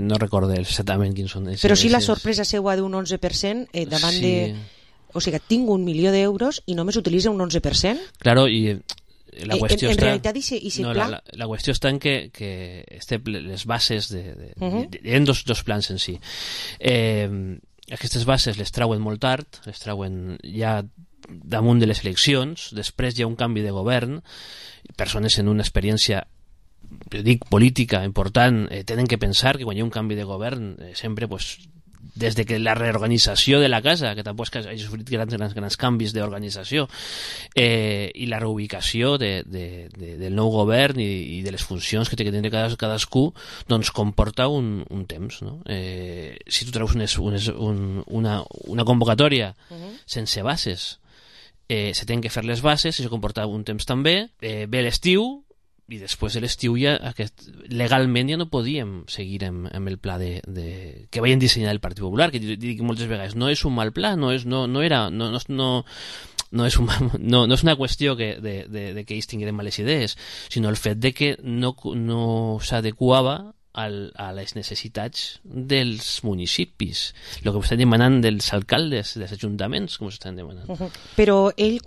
Speaker 16: no recordo exactament quins són.
Speaker 5: Però sí la sorpresa seua d'un 11% davant de... O sigui, tinc 1 milió d'euros i només utilitza un 11%?
Speaker 16: Claro, i la qüestió
Speaker 5: en
Speaker 16: està...
Speaker 5: realitat, no, pla...
Speaker 16: la qüestió està en que les bases hi ha dos plans en si. Aquestes bases les trauen molt tard, les trauen ja damunt de les eleccions, després hi ha un canvi de govern, persones en una experiència política important tenen que pensar que quan hi ha un canvi de govern sempre, pues, des de que la reorganització de la casa, que tampoc hagi sofrit grans canvis d'organització, i la reubicació del nou govern i de les funcions que té que tenir cadascú, doncs comporta un temps, no? Si tu treus una convocatòria sense bases, se tenen que fer les bases, això comporta un temps també, ve l'estiu, i després de l'estiu ja legalment ja no podíem seguir amb el pla que vayan dissenyar el Partit Popular, que dic moltes vegades, no és un mal pla, no és una qüestió de que ells tinguin males idees, sinó el fet de que no s'adequava a les necessitats dels municipis, el que estan demanant dels alcaldes, dels ajuntaments, com s'estan demanant.
Speaker 5: Però ell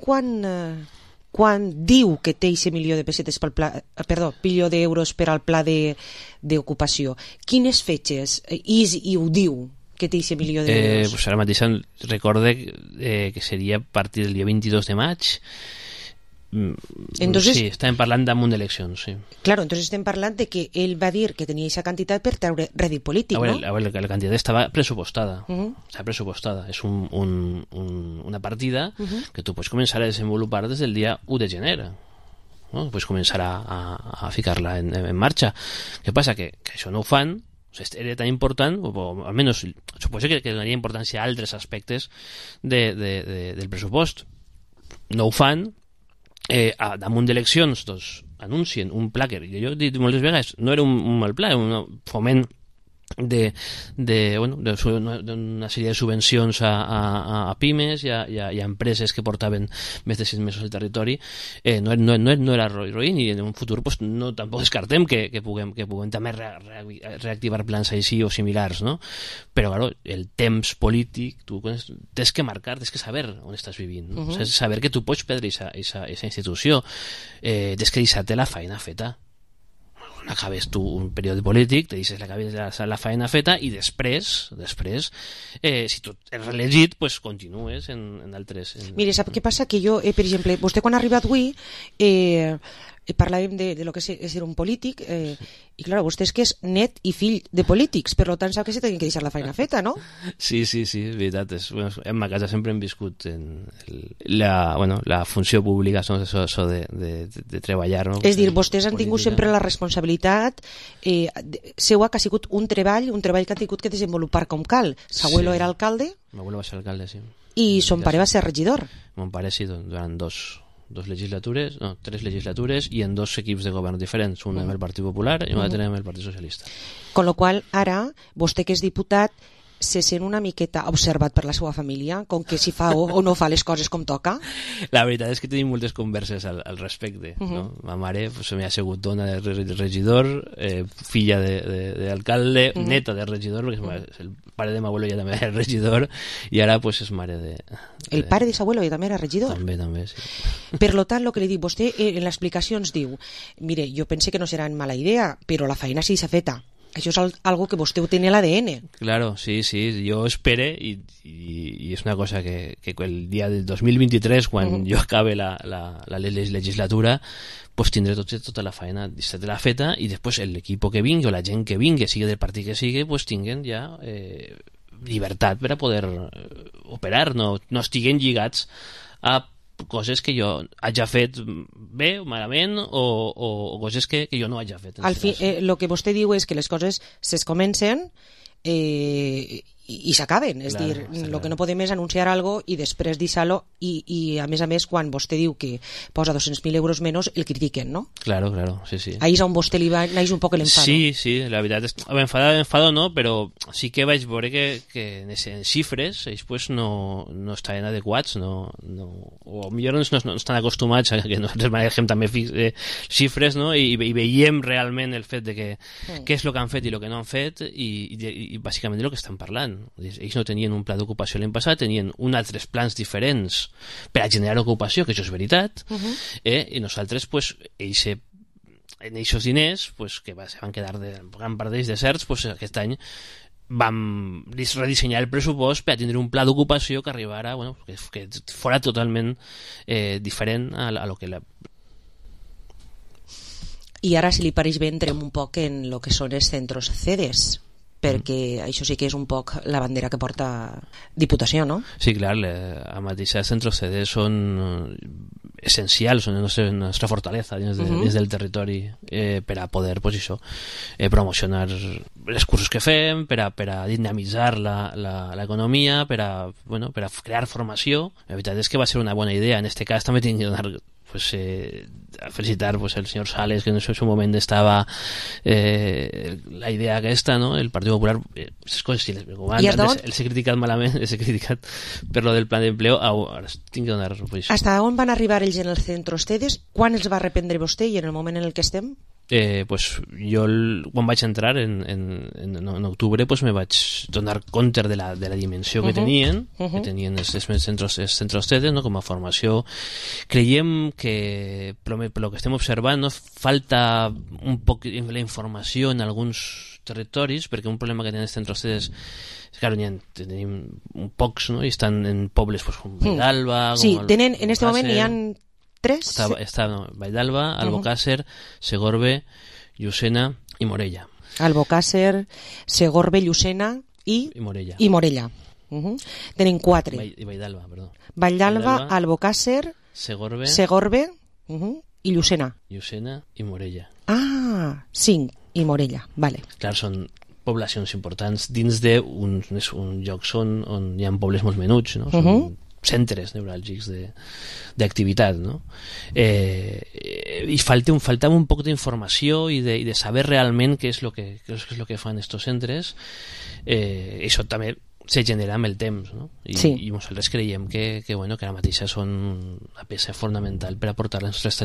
Speaker 5: quan diu que té aquest milió de pessetes milió d'euros per al pla d'ocupació, quines fetges i ho diu que té aquest milió d'euros?
Speaker 16: Pues ara mateix recorde que seria a partir del dia 22 de maig.
Speaker 5: Entonces,
Speaker 16: sí, estàvem parlant damunt d'eleccions, sí.
Speaker 5: Claro, entonces estem parlant de que ell va dir que tenia aquesta quantitat per treure rèdit polític,
Speaker 16: no?
Speaker 5: A
Speaker 16: veure, la quantitat estava pressupostada. Estava pressupostada. És una partida que tu pots començar a desenvolupar des del dia 1 de gener. No? Pots començar a ficar-la en marxa. Què passa? Que això no ho fan. Era tan important, o almenys suposo que donaria importància a altres aspectes del pressupost. No ho fan. Damunt d'eleccions, doncs, anuncien un pla que jo he dit moltes vegades, no era un mal pla, era un foment d'una sèrie de subvencions a pimes i a empreses que portaven més de 6 mesos al territori. No era roïn, i en un futur pues, tampoc descartem que puguem també reactivar plans així o similars, no? Però claro, el temps polític tu tens que marcar, tens que saber on estàs vivint, no? Saber que tu pots perdre aquesta institució, tens que deixar-te la feina feta. Acabes tu un període polític, te deixes la feina feta i després si tu ets reelegit, pues continues en altres...
Speaker 5: Mire, sap què passa? Que jo, per exemple, vostè quan ha arribat avui parlàvem de lo que és ser un polític i clar, vostè és que és net i fill de polítics, per tant sap que se tenen que deixar la feina feta, no?
Speaker 16: Sí, és veritat. En ma casa sempre hem viscut la funció pública, això de treballar, no?
Speaker 5: És dir, vostès han tingut sempre la responsabilitat seua que ha sigut un treball que han tingut que desenvolupar com cal. S'abuelo era alcalde?
Speaker 16: M'abuelo va ser alcalde, sí.
Speaker 5: I son pare va ser regidor?
Speaker 16: Mon pare sí, durant 3 legislatures i en 2 equips de govern diferents, un amb el Partit Popular i un altre amb el Partit Socialista.
Speaker 5: Con lo qual, ara, vostè que és diputat se sent una miqueta observat per la seva família, com que si fa o no fa les coses com toca?
Speaker 16: La veritat és que tenim moltes converses al respecte. No? Ma mare m'ha sigut dona de regidor, filla d'alcalde, neta de regidor, perquè el pare de m'abuelo ja també era regidor, i ara pues, és mare de...
Speaker 5: El pare de s'abuelo ja també era regidor?
Speaker 16: També, sí.
Speaker 5: Per lo tant, el que li dic, vostè en l'explicació ens diu, mire, jo pense que no serà en mala idea, però la feina sí s'ha feta. Això és algo que vostè ho té en l'ADN.
Speaker 16: Claro, sí, jo espere i és una cosa que el dia del 2023, quan jo acabe la legislatura, pues tindré tota la feina de la feta i després l'equip que vingui o la gent que vingui, sigui del partit que sigui, pues tinguen ja llibertat per a poder operar, no estiguen lligats a coses que jo hagi fet bé o malament o coses que jo no hagi fet.
Speaker 5: Al fi, el que vostè diu és que les coses comencen i s'acaben, és dir, el que no podem és anunciar algo i després deixar-lo i a més quan vostè diu que posa 200.000 euros menys el critiquen, no?
Speaker 16: Claro, sí.
Speaker 5: Ahí és on vostè li va naix un poc l'enfado.
Speaker 16: Sí, la veritat és que enfado no, però sí que vaig veure que en xifres ells pues, no estaven adequats, o millor no estan acostumats a que nosaltres manegem també xifres, no? I veiem realment el fet de què és el que han fet i el que no han fet i bàsicament del que estan parlant. Ells no tenien un pla d'ocupació l'any passat, tenien uns plans diferents per a generar ocupació, que això és veritat, i nosaltres, pues, en aquests diners, pues, que se van quedar gran part d'ells deserts, pues, aquest any vam redissenyar el pressupost per a tindre un pla d'ocupació que arribara, bueno, que fora totalment diferent a lo que
Speaker 5: I ara, si li pareix bé, entrem un poc en el que són els centros CEDES, perquè això sí que és un poc la bandera que porta Diputació, no?
Speaker 16: Sí, clar, a mateixa els centres CEDES són essencials, són la nostra fortalesa dins del territori per a poder, pues, això, promocionar els cursos que fem, per a dinamitzar l'economia, per a crear formació. La veritat és que va ser una bona idea. En aquest cas també tinc que donar a felicitar el señor Sales, que en su moment estava la idea aquesta, no? El Partit Popular, esas coses, si els he criticat malament, els he criticat per lo del plan d'empleo, ara tinc que donar posició.
Speaker 5: Hasta on van arribar ells en els centros CEDES? Quan els va reprendre vostè i en el moment en el que estem?
Speaker 16: Pues jo quan vaig entrar en octubre pues me vaig donar compte de la dimensió que tenien els centres CEDES, no? Com a formació. Creiem que per lo que estem observant, no? Falta un poc la informació en alguns territoris, perquè un problema que tenen els centres CEDES és que tenim pocs, no? I estan en pobles com Valldalba.
Speaker 5: Sí, en aquest moment hi ha 3?
Speaker 16: Està Vall d'Alba, Albocàsser, Segorbe, Llucena i Morella.
Speaker 5: Albocàsser, Segorbe, Llucena i Morella. Tenen 4.
Speaker 16: I Vall d'Alba, perdó.
Speaker 5: Vall d'Alba, Albocàsser, Segorbe i Llucena.
Speaker 16: Llucena i Morella.
Speaker 5: 5 i Morella, vale.
Speaker 16: Clar, són poblacions importants dins d'un lloc on hi ha pobles molt menuts, no? Són centres neuràlgics d'activitat, no? I faltava un poc d'informació i de saber realment què és el que fan estos centres. Això també se genera amb el temps, no? I nosaltres creiem que ara mateixa són una peça fonamental per aportar les nostres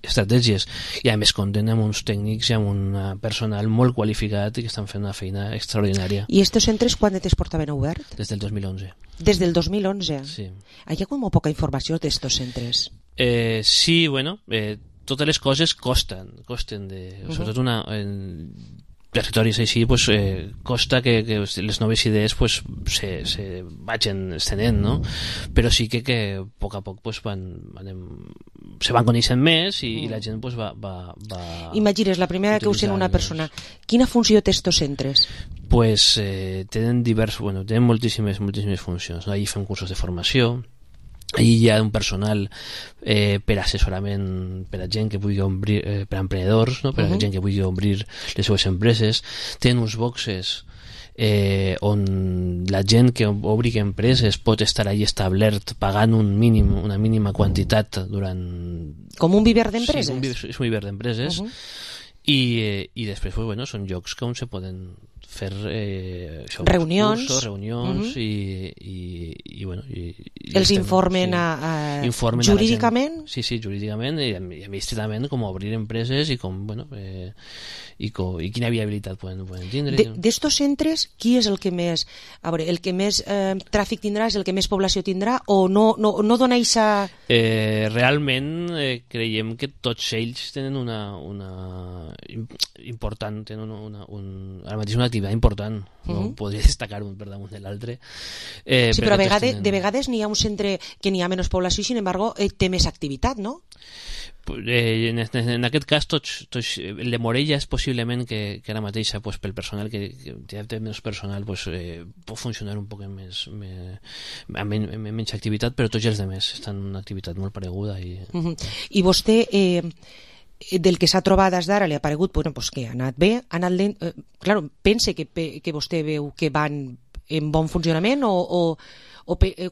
Speaker 16: estratègies, i a més compten amb uns tècnics i amb un personal molt qualificat i que estan fent una feina extraordinària.
Speaker 5: I estos centres quan es portaven obert?
Speaker 16: Des del 2011.
Speaker 5: Des del 2011?
Speaker 16: Sí.
Speaker 5: Hi ha com poca informació d'estos centres?
Speaker 16: Sí, totes les coses costen sobretot territoris així, pues, costa que les noves idees pues, se vagin estenent, no? Però sí que a poc pues, se van coneixent més i la gent pues, va
Speaker 5: Imagines, la primera que usen una persona, quina funció té estos centres?
Speaker 16: Pues tenen tenen moltíssimes funcions, no? Allí fem cursos de formació, allí hi ha un personal per assessorament per a gent que vulgui obrir, per a emprenedors, no? Per a gent que vulgui obrir les seves empreses. Tenen uns boxes on la gent que obri empreses pot estar allí establert pagant una mínima quantitat durant...
Speaker 5: Com un viver d'empreses?
Speaker 16: Sí, és un viver d'empreses. I després són llocs on se poden fer
Speaker 5: reunions,
Speaker 16: i bueno,
Speaker 5: els informen jurídicament?
Speaker 16: Sí, jurídicament i administrativament, com obrir empreses i com, bueno, i quina viabilitat poden tindre.
Speaker 5: D'estos centres, qui és el que més, a veure, el que més tràfic tindrà, és el que més població tindrà, o no dona eixa...
Speaker 16: Realment creiem que tots ells tenen una important, tenen ara mateix una activitat important, no podria destacar un per damunt de l'altre.
Speaker 5: Sí, però de vegades n'hi ha un centre que n'hi ha menys població i, sin embargo, té més activitat, no?
Speaker 16: En aquest cas el de Morella és possiblement que ara mateix pel personal que té menys personal pot funcionar un poc amb menys activitat, però tots els altres estan en una activitat molt pareguda.
Speaker 5: I vostè del que s'ha trobat des d'ara li ha paregut que ha anat bé, ha anat lent, claro, pense que vostè veu que van en bon funcionament o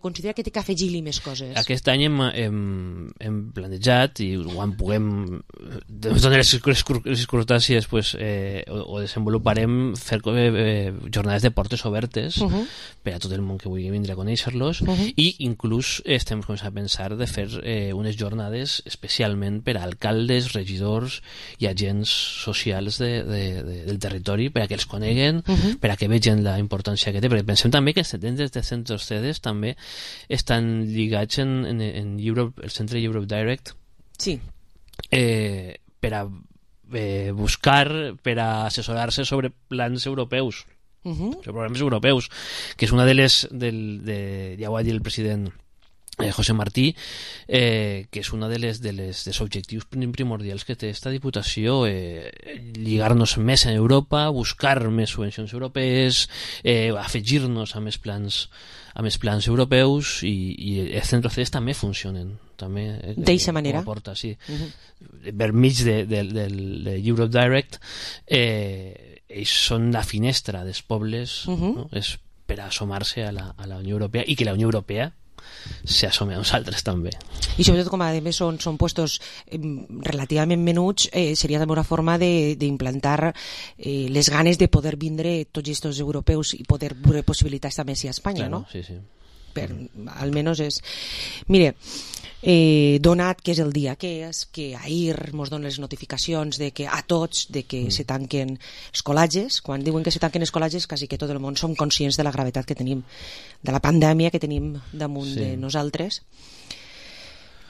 Speaker 5: considera que té que afegir-li més coses?
Speaker 16: Aquest any hem planejat, i quan puguem donar les circumstàncies ho desenvoluparem, fer jornades de portes obertes per a tot el món que vulgui vindre a conèixer-los, i inclús estem començant a pensar de fer unes jornades especialment per a alcaldes, regidors i agents socials del territori, per a que els coneguen, per a que vegin la importància que té, perquè pensem també que dins de centres CEDES també estan lligats en Europe, el centre Europe Direct,
Speaker 5: sí,
Speaker 16: per a buscar, per a assessorar-se sobre plans europeus, sobre programes europeus, que és una de les ja ho ha dit el president José Martí, que és una dels objectius primordials que té esta Diputació, lligar-nos més en Europa, buscar més subvencions europees, afegir-nos a més plans europeus, i els centres CEDES també funcionen
Speaker 5: d'eixa manera,
Speaker 16: per mig de Europe Direct. Ells són la finestra dels pobles, és per assomar-se a la Unió Europea, i que la Unió Europea s'assome a nosaltres també.
Speaker 5: I sobretot, com a més són puestos relativament menuts, seria també una forma d'implantar les ganes de poder vindre tots aquests europeus i poder veure possibilitats també a Espanya, no?
Speaker 16: Sí.
Speaker 5: Almenys és... Mire, donat que és el dia que és, que ahir ens donen les notificacions de que a tots de que se tanquen escolatges, quan diuen que se tanquen escolatges quasi que tot el món som conscients de la gravetat que tenim, de la pandèmia que tenim damunt de nosaltres.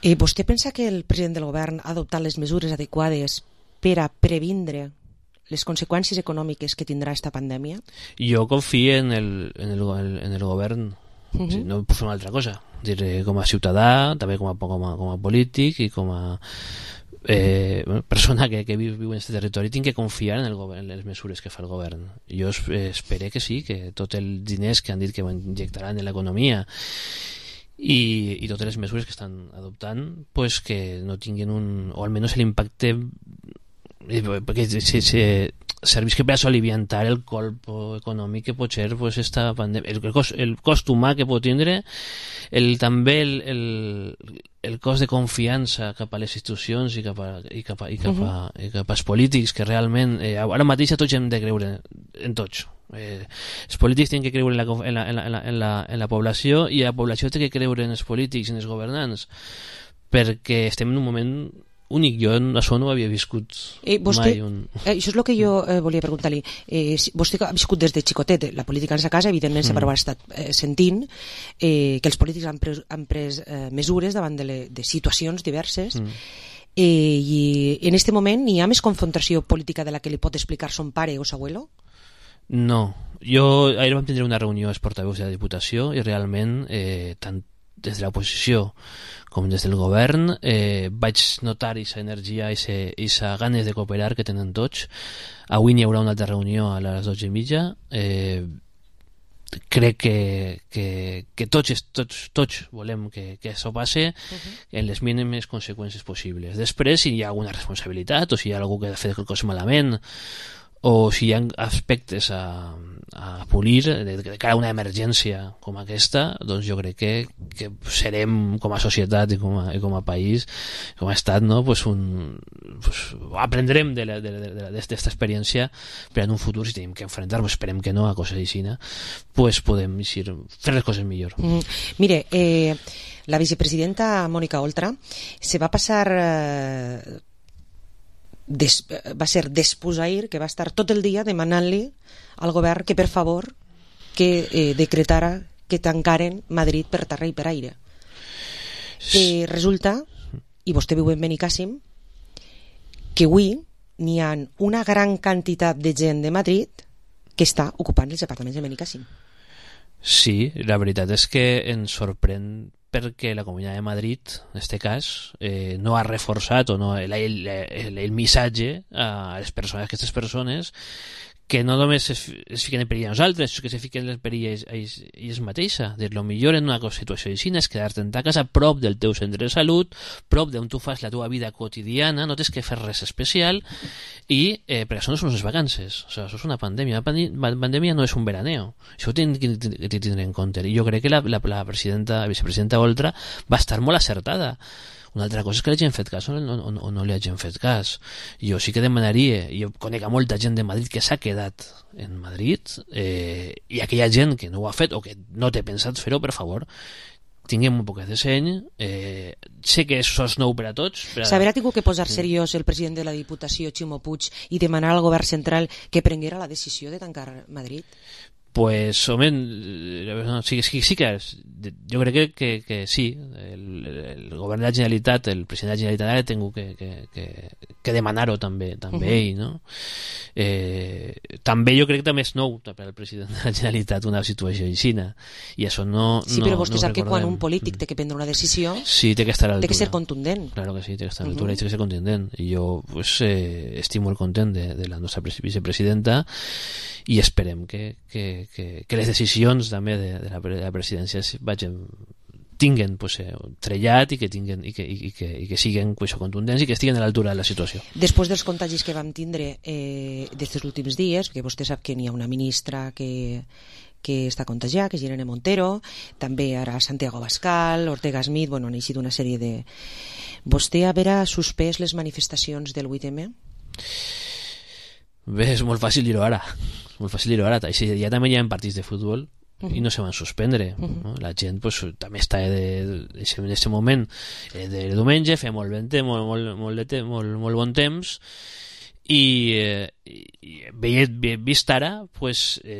Speaker 5: Vostè pensa que el president del govern ha adoptat les mesures adequades per a previndre les conseqüències econòmiques que tindrà esta pandèmia?
Speaker 16: Jo confio en el govern. No puc fer una altra cosa, com a ciutadà, també com a polític i com a persona que viu en aquest territori. Tinc que confiar en les mesures que fa el govern. Jo espero que sí, que tots els diners que han dit que injectaran en l'economia i totes les mesures que estan adoptant, pues que no tinguin o almenys l'impacte, perquè servisca per aliviantar el colp econòmic que pot ser esta pandèmia, el cost humà que pot tindre, també el cost de confiança cap a les institucions i cap als polítics, que realment ara mateix tots hem de creure en tots. Els polítics tenen que creure en la població, i la població té que creure en els polítics i en els governants, perquè estem en un moment únic. Jo això no ho havia viscut mai.
Speaker 5: Això és el que jo volia preguntar-li. Vostè ha viscut des de xicotet la política en sa casa, evidentment sempre ha estat sentint que els polítics han pres mesures davant de situacions diverses, i en aquest moment hi ha més confrontació política de la que li pot explicar son pare o s'abuelo?
Speaker 16: No. Ahir vam tindre una reunió als portaveus de la Diputació, i realment tant des de l'oposició com des del govern vaig notar aquesta energia i aquesta ganes de cooperar que tenen tots. Avui n'hi haurà una altra reunió a les 12:30. Crec que tots volem que això passe en les mínimes conseqüències possibles. Després, si hi ha alguna responsabilitat o si hi ha algú que ha fet qualque cosa malament o si hi ha aspectes a polir de cara a una emergència com aquesta, doncs jo crec que serem com a societat i com a país, com a estat, no? Aprendrem d'esta experiència per en un futur, si tenim que enfrentar, esperem que no, a coses així, podem fer les coses millor.
Speaker 5: Mire, la vicepresidenta Mónica Oltra se va passar va ser despusair, que va estar tot el dia demanant-li al govern que per favor que decretara que tancaren Madrid per terra i per aire. Que resulta, i vostè viu en Benicàssim, que avui n'hi ha una gran quantitat de gent de Madrid que està ocupant els apartaments de Benicàssim.
Speaker 16: Sí, la veritat és que ens sorprèn perquè la Comunitat de Madrid, en aquest cas, no ha reforçat o no el missatge a les persones, a aquestes persones que no només es fiquen en perill a nosaltres, sinó que se fiquen en perill a ells mateixes. El millor en una situació així és quedar-te en ta casa, prop del teu centre de salut, prop d'on tu fas la teva vida quotidiana, no tens que fer res especial, i perquè això no són unes vacances, o sigui, això és una pandèmia. La pandèmia no és un veraneo, això ho hem de tindre en compte, i jo crec que la vicepresidenta Oltra va estar molt acertada. Una altra cosa és que l'hagin fet cas o no li hagin fet cas. Jo sí que demanaria, jo conec a molta gent de Madrid que s'ha quedat en Madrid, i aquella gent que no ho ha fet o que no té pensat fer-ho, per favor, tinguem un poquet de seny. Sé que això és nou per a tots.
Speaker 5: S'haurà tingut que posar seriós el president de la Diputació, Ximo Puig, i demanar al govern central que prenguera la decisió de tancar Madrid?
Speaker 16: Pues, home, sí que jo crec que sí, el govern de la Generalitat, el president de la Generalitat ha tingut que demanar-ho també ell, no? També jo crec que també és nou per al president de la Generalitat una situació així, i això no
Speaker 5: sí, però vostè sap que quan un polític té que prendre una decisió,
Speaker 16: sí, té que estar a l'altura,
Speaker 5: té que ser contundent.
Speaker 16: Claro que sí, té que estar a l'altura i té que ser contundent, i jo estic molt content de la nostra vicepresidenta, i esperem que les decisions també de la presidència tinguen trellat i que siguen contundents i que estiguen a l'altura de la situació.
Speaker 5: Després dels contagis que vam tindre d'estos últims dies, perquè vostè sap que n'hi ha una ministra que està contagiada, que és Irene Montero, també ara Santiago Abascal, Ortega Smith, han eixit una sèrie de... Vostè haurà suspès les manifestacions del 8M?
Speaker 16: Bé, és molt fàcil dir-ho ara. Ja també hi ha partits de futbol i no se van suspendre, no? La gent també està en aquest moment de diumenge, fa molt bon temps, i vist ara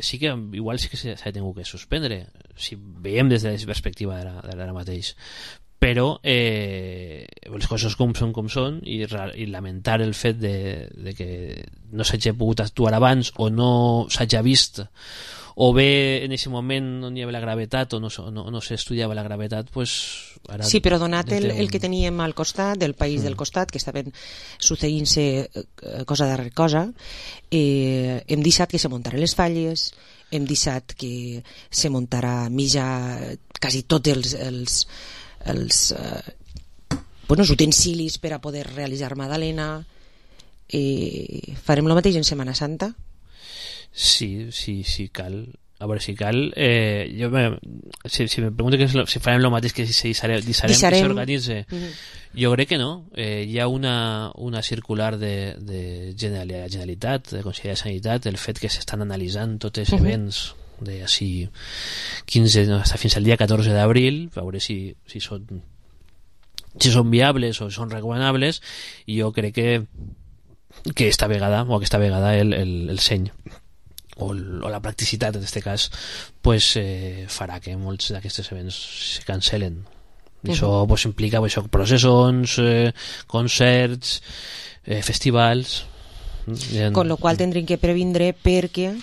Speaker 16: sí que igual sí que s'ha tingut que suspendre, si veiem des de la perspectiva d'ara mateix, però les coses com són, i lamentar el fet de que no s'hagi pogut actuar abans o no s'hagi vist, o bé en aquest moment no hi havia la gravetat o no s'estudiava la gravetat, ara...
Speaker 5: Sí, però donat el que teníem al costat, del país del costat, que estaven succeint-se cosa darrere cosa, hem deixat que se muntaren les falles, hem deixat que se muntarà quasi tots els utensilis per a poder realitzar Madalena. Farem el mateix en Setmana Santa?
Speaker 16: Sí, cal. A veure, si cal, si me pregunto si farem el mateix que si deixarem que s'organitze, jo crec que no. Hi ha una circular de la Generalitat, de Consell de Sanitat, el fet que s'estan analitzant tots els events de així 15 fins al dia 14 d'abril, a veure si són viables o són recomanables, i jo crec que aquesta vegada el seny o la practicitat en aquest cas farà que molts d'aquests events se cancelen. Això implica processons, concerts, festivals,
Speaker 5: con lo qual tindrem que previndre, perquè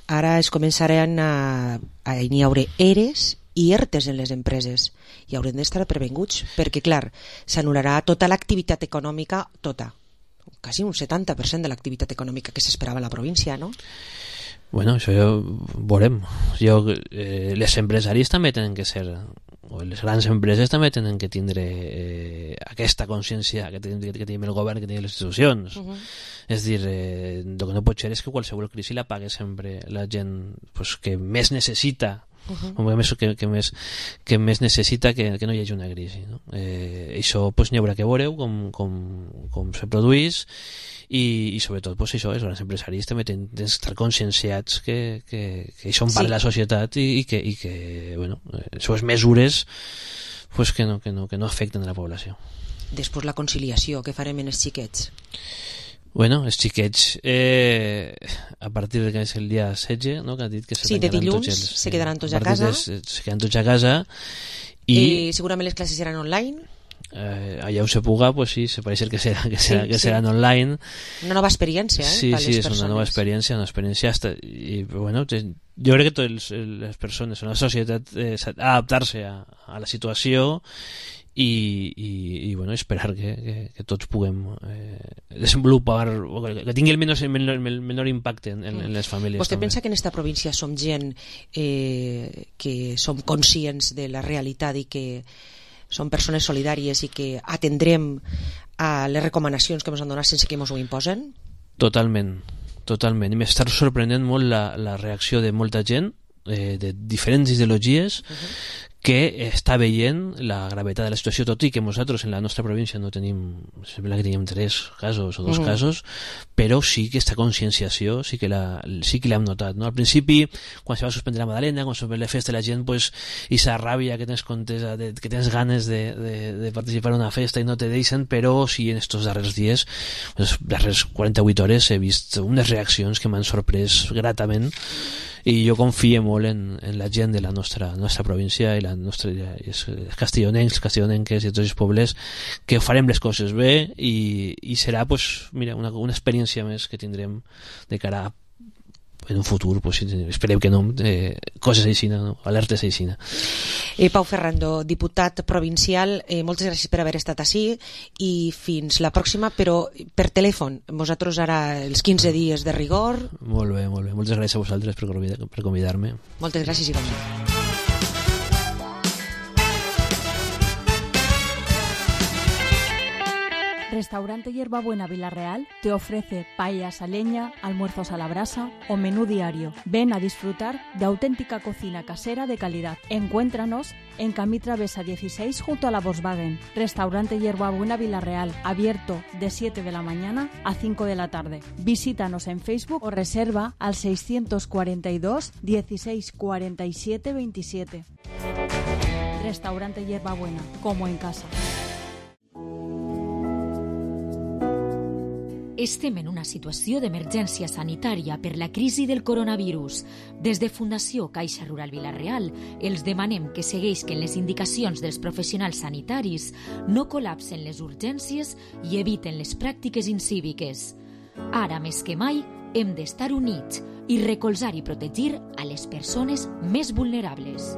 Speaker 5: ara es començaran n'hi haurà ERES i ERTES en les empreses, i haurem d'estar previnguts, perquè clar, s'anul·larà tota l'activitat econòmica, quasi un 70% de l'activitat econòmica que s'esperava a la província, no?
Speaker 16: Bueno, això ja ho veurem. Les empresaris també tenen que ser les grans empreses també tenen que tindre aquesta consciència que tenim el govern, que tenim les institucions. És dir, el que no pot ser és que qualsevol crisi la pague sempre la gent pues, que més necessita, que més necessita que no hi hagi una crisi, no? Això pues, n'hi haurà que veure com se produeix i sobretot pues, això, els grans empresaris també tenen d'estar conscienciats que són part de la societat i que bueno, les mesures pues, que no afecten a la població.
Speaker 5: Després la conciliació, què farem en els xiquets?
Speaker 16: Bueno, els xiquets a partir de que és el dia 16, no? Que ha dit que
Speaker 5: de dilluns se quedaran tots a casa.
Speaker 16: Se quedan tots a casa
Speaker 5: i segurament les classes seran online.
Speaker 16: Allà on se puga, pues sí, se pareix que seran online.
Speaker 5: Una nova experiència,
Speaker 16: sí, és una nova experiència, i bueno, jo crec que totes les persones en la societat adaptar-se a la situació i bueno, esperar que tots puguem desenvolupar, que tingui el menor impacte en les famílies.
Speaker 5: Vostè pensa que en esta província som gent que som conscients de la realitat i que som persones solidàries i que atendrem a les recomanacions que ens han donat sense que ens ho imposen?
Speaker 16: Totalment. I m'està sorprenent molt la reacció de molta gent de diferents ideologies que està veient la gravetat de la situació, tot i que nosaltres en la nostra província no tenim, sembla que tenim 3 casos o 2 casos, però sí que aquesta conscienciació sí que l'hem notat, no? Al principi, quan se va suspendre la Madalena, quan se va fer la festa, la gent, pues, i esa ràbia que tens contesa, que tens ganes de participar en una festa i no te deixen, però sí en estos darrers dies, les darreres 48 hores, he vist unes reaccions que m'han sorprès gratament, i jo confio molt en la gent de la nostra província i els castellonenques i tots els pobles, que farem les coses bé i serà pues, mira, una experiència més que tindrem de cara a en un futur, pues, esperem que no, coses així, no? Alertes així.
Speaker 5: Pau Ferrando, diputat provincial, moltes gràcies per haver estat ací i fins la pròxima, però per telèfon. Vosaltres ara els 15 dies de rigor.
Speaker 16: Molt bé. Moltes gràcies a vosaltres per convidar-me.
Speaker 5: Moltes gràcies igualment.
Speaker 17: Restaurante Hierbabuena Villarreal te ofrece paellas a leña, almuerzos a la brasa o menú diario. Ven a disfrutar de auténtica cocina casera de calidad. Encuéntranos en Camí Travesa 16 junto a la Volkswagen. Restaurante Hierbabuena Villarreal, abierto de 7 de la mañana a 5 de la tarde. Visítanos en Facebook o reserva al 642 16 47 27. Restaurante Hierbabuena, como en casa.
Speaker 14: Estem en una situació d'emergència sanitària per la crisi del coronavirus. Des de Fundació Caixa Rural Vila-real els demanem que segueixin les indicacions dels professionals sanitaris, no col·lapsen les urgències i eviten les pràctiques incíviques. Ara més que mai hem d'estar units i recolzar i protegir a les persones més vulnerables.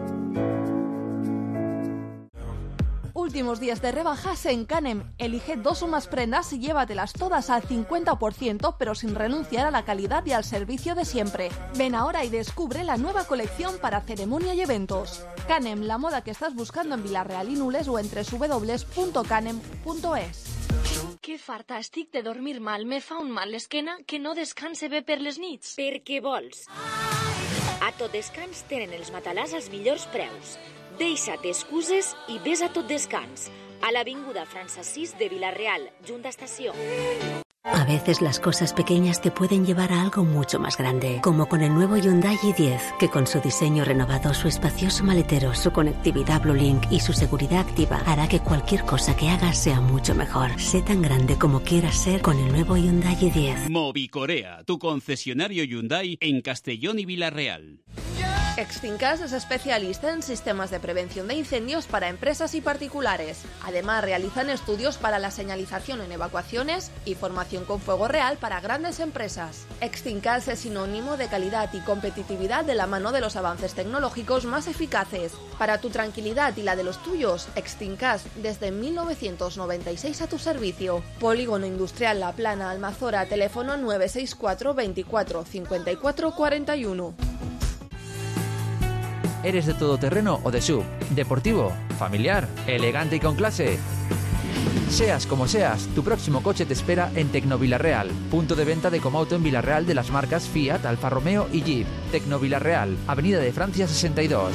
Speaker 8: Últimos días de rebajas en Canem. Elige 2 o más prendas y llévatelas todas al 50%, pero sin renunciar a la calidad y al servicio de siempre. Ven ahora y descubre la nueva colección para ceremonia y eventos. Canem, la moda que estás buscando en Vila-real i Nules o en www.canem.es.
Speaker 9: Que farta estic de dormir mal. Me fa un mal l'esquena que no descanse bé per les nits.
Speaker 2: Per què vols? A Tot Descans tenen els matalàs als millors preus. Deixa't excuses i ves a Tot Descans, a l'avinguda Francesís de Vila-real, junta estació.
Speaker 18: A veces las cosas pequeñas te pueden llevar a algo mucho más grande, como con el nuevo Hyundai i10, que con su diseño renovado, su espacioso maletero, su conectividad Blue Link y su seguridad activa hará que cualquier cosa que hagas sea mucho mejor. Sé tan grande como quieras ser con el nuevo Hyundai i10.
Speaker 19: Movicorea, tu concesionario Hyundai en Castellón y Vila-real.
Speaker 8: Extincas es especialista en sistemas de prevención de incendios para empresas y particulares. Además, realizan estudios para la señalización en evacuaciones y formación con fuego real para grandes empresas. Extincas es sinónimo de calidad y competitividad de la mano de los avances tecnológicos más eficaces. Para tu tranquilidad y la de los tuyos, Extincas desde 1996 a tu servicio. Polígono Industrial La Plana, Almazora, teléfono 964 24 54 41.
Speaker 20: ¿Eres de todoterreno o de SUV? ¿Deportivo? familiar, elegante y con clase. Seas como seas, tu próximo coche te espera en Tecnovilarreal, punto de venta de Comauto en Villarreal de las marcas Fiat, Alfa Romeo y Jeep. Tecnovilarreal, Avenida de Francia 62.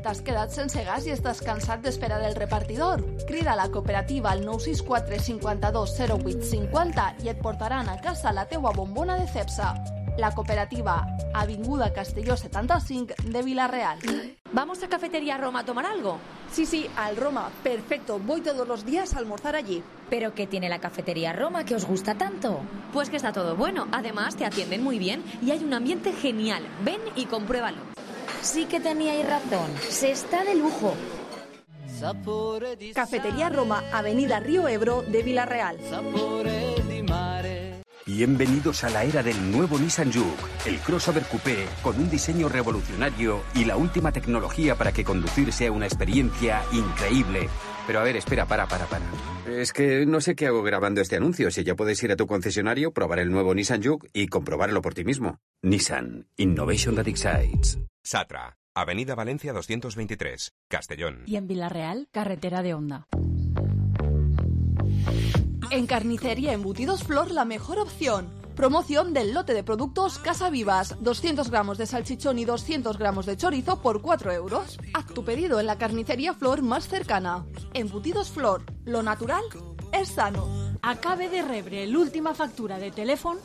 Speaker 8: T'has quedat sense gas i estàs cansat d'esperar el repartidor? Crida a la cooperativa al 964 52 08 50 i et portaran a casa la teua bombona de Cepsa. La cooperativa, Avinguda Castelló 75 de Villarreal.
Speaker 2: ¿Vamos a Cafetería Roma a tomar algo?
Speaker 21: Sí, al Roma. Perfecto, voy todos los días a almorzar allí.
Speaker 2: ¿Pero qué tiene la Cafetería Roma que os gusta tanto? Pues que está todo bueno. Además, te atienden muy bien y hay un ambiente genial. Ven y compruébalo. Sí que teníais razón. Se está de lujo.
Speaker 21: Cafetería Roma, Avenida Río Ebro de Villarreal.
Speaker 22: Bienvenidos a la era del nuevo Nissan Juke, el crossover coupé con un diseño revolucionario y la última tecnología para que conducir sea una experiencia increíble. Pero a ver, espera, para. Es que no sé qué hago grabando este anuncio. Si ya puedes ir a tu concesionario, probar el nuevo Nissan Juke y comprobarlo por ti mismo. Nissan, Innovation that excites.
Speaker 23: Satra, Avenida Valencia 223, Castellón.
Speaker 17: Y en Villarreal, carretera de Onda.
Speaker 8: En Carnicería Embutidos Flor, la mejor opción. Promoción del lote de productos Casa Vivas. 200 gramos de salchichón y 200 gramos de chorizo por 4 euros. Haz tu pedido en la Carnicería Flor más cercana. Embutidos Flor, lo natural és sano.
Speaker 17: Acabe de rebre l'última factura de telèfon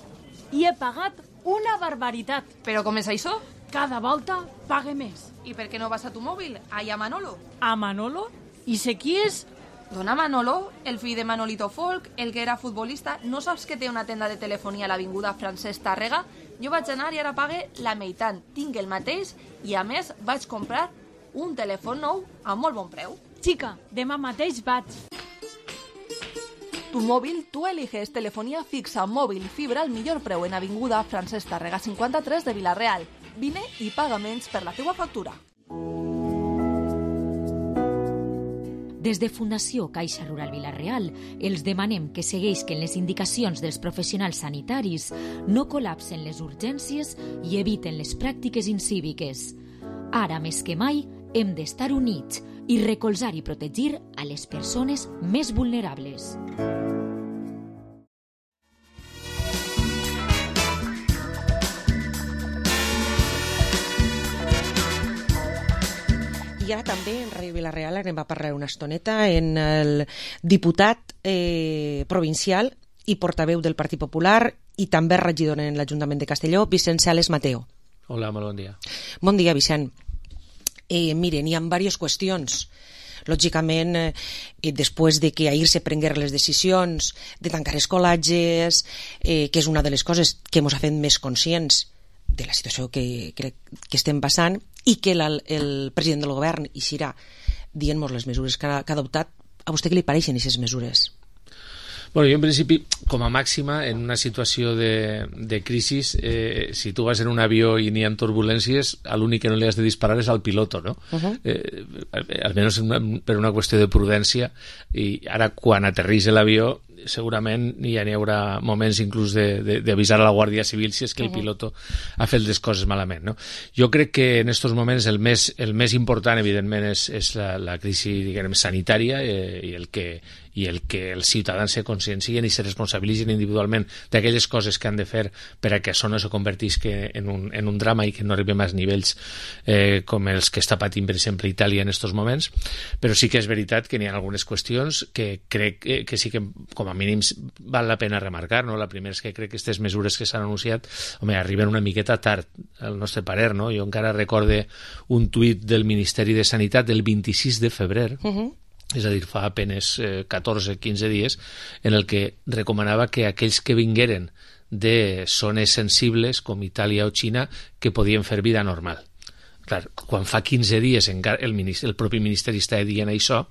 Speaker 17: i he pagat una barbaritat.
Speaker 4: Però com és això?
Speaker 17: Cada volta pague més.
Speaker 4: I per què no vas a tu mòbil? Allà a Manolo.
Speaker 17: A Manolo? I sé qui és?
Speaker 4: Dona Manolo, el fill de Manolito Folk, el que era futbolista. No saps que té una tenda de telefonia a l'avinguda Francesc Tàrrega? Jo vaig anar i ara pague la meitat. Tinc el mateix i, a més, vaig comprar un telèfon nou a molt bon preu.
Speaker 17: Chica, demà mateix vaig.
Speaker 8: Tu móvil, tú eliges telefonía fixa, móvil y fibra al millor preu en avinguda Francesc Tàrrega 53 de Villarreal. Vine i paga menys per la teua factura.
Speaker 12: Des de Fundació Caixa Rural Villarreal els demanem que segueixin les indicacions dels professionals sanitaris, no col·lapsen les urgències i eviten les pràctiques incíviques. Ara més que mai hem d'estar units i recolzar i protegir a les persones més vulnerables.
Speaker 5: I ara també en Ràdio Villarreal anem a parlar una estoneta en el diputat provincial i portaveu del Partit Popular i també regidor en l'Ajuntament de Castelló, Vicent Sales Mateo.
Speaker 16: Hola, molt bon dia.
Speaker 5: Bon dia, Vicent. Miren, hi ha diverses qüestions. Lògicament, després de que ahir se prengueren les decisions de tancar escolatges, que és una de les coses que ens ha fet més conscients de la situació que estem passant, i que el president del govern eixirà dient-nos les mesures que ha adoptat. A vostè què li pareixen aquestes mesures?
Speaker 16: Bueno, jo en principi, com a màxima, en una situació de crisi, si tu vas en un avió i n'hi ha turbulències, l'únic que no li has de disparar és al piloto, no? Almenys per una qüestió de prudència, i ara quan aterrisse l'avió segurament ja n'hi haurà moments inclús d'avisar a la Guàrdia Civil si és que el piloto ha fet les coses malament, no? Jo crec que en aquests moments el més important, evidentment, és la crisi, diguem, sanitària i el que els ciutadans se consciencien i se responsabilitzen individualment d'aquelles coses que han de fer per a que això no se convertisca en un drama i que no arribem als nivells com els que està patint, per exemple, Itàlia en aquests moments. Però sí que és veritat que n'hi ha algunes qüestions que crec que sí que, com a mínims, val la pena remarcar, no? La primera és que crec que aquestes mesures que s'han anunciat, arriben una miqueta tard, al nostre parer, no? Jo encara recorde un tuit del Ministeri de Sanitat del 26 de febrer, és a dir, fa apenes 14-15 dies, en el que recomanava que aquells que vingueren de zones sensibles com Itàlia o Xina que podien fer vida normal. Clar, quan fa 15 dies el propi Ministeri està dient això,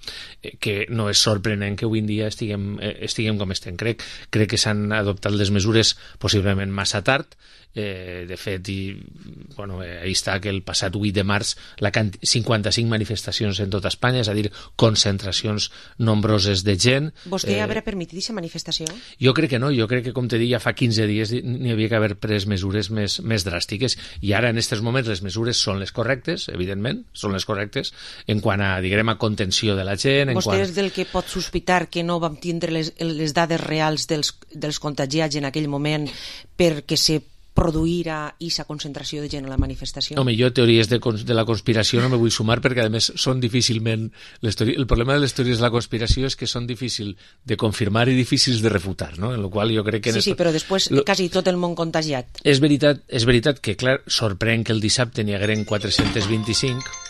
Speaker 16: que no és sorprenent que avui en dia estiguem com estem. Crec que s'han adoptat les mesures possiblement massa tard. De fet, ahí està que el passat 8 de març 55 manifestacions en tota Espanya, és a dir, concentracions nombroses de gent.
Speaker 5: Vostè haurà permitit aquesta manifestació?
Speaker 16: Jo crec que no, jo crec que, com te dic, ja fa 15 dies n'hi havia que haver pres mesures més dràstiques, i ara en aquests moments les mesures són les correctes,
Speaker 3: correctes, evidentment, són les correctes, en quant a, diguem, a contenció de la gent...
Speaker 5: Vostè és del que pot sospitar que no vam tindre les dades reals dels contagiats en aquell moment perquè se produirà aquesta concentració de gent a la manifestació?
Speaker 3: Home, jo teories de la conspiració no me vull sumar perquè, a més, són difícilment... El problema de les teories de la conspiració és que són difícils de confirmar i difícils de refutar, no? En el qual jo crec que...
Speaker 5: Sí, però després quasi tot el món contagiat.
Speaker 3: És veritat que, clar, sorprèn que el dissabte n'hi hagueren 425...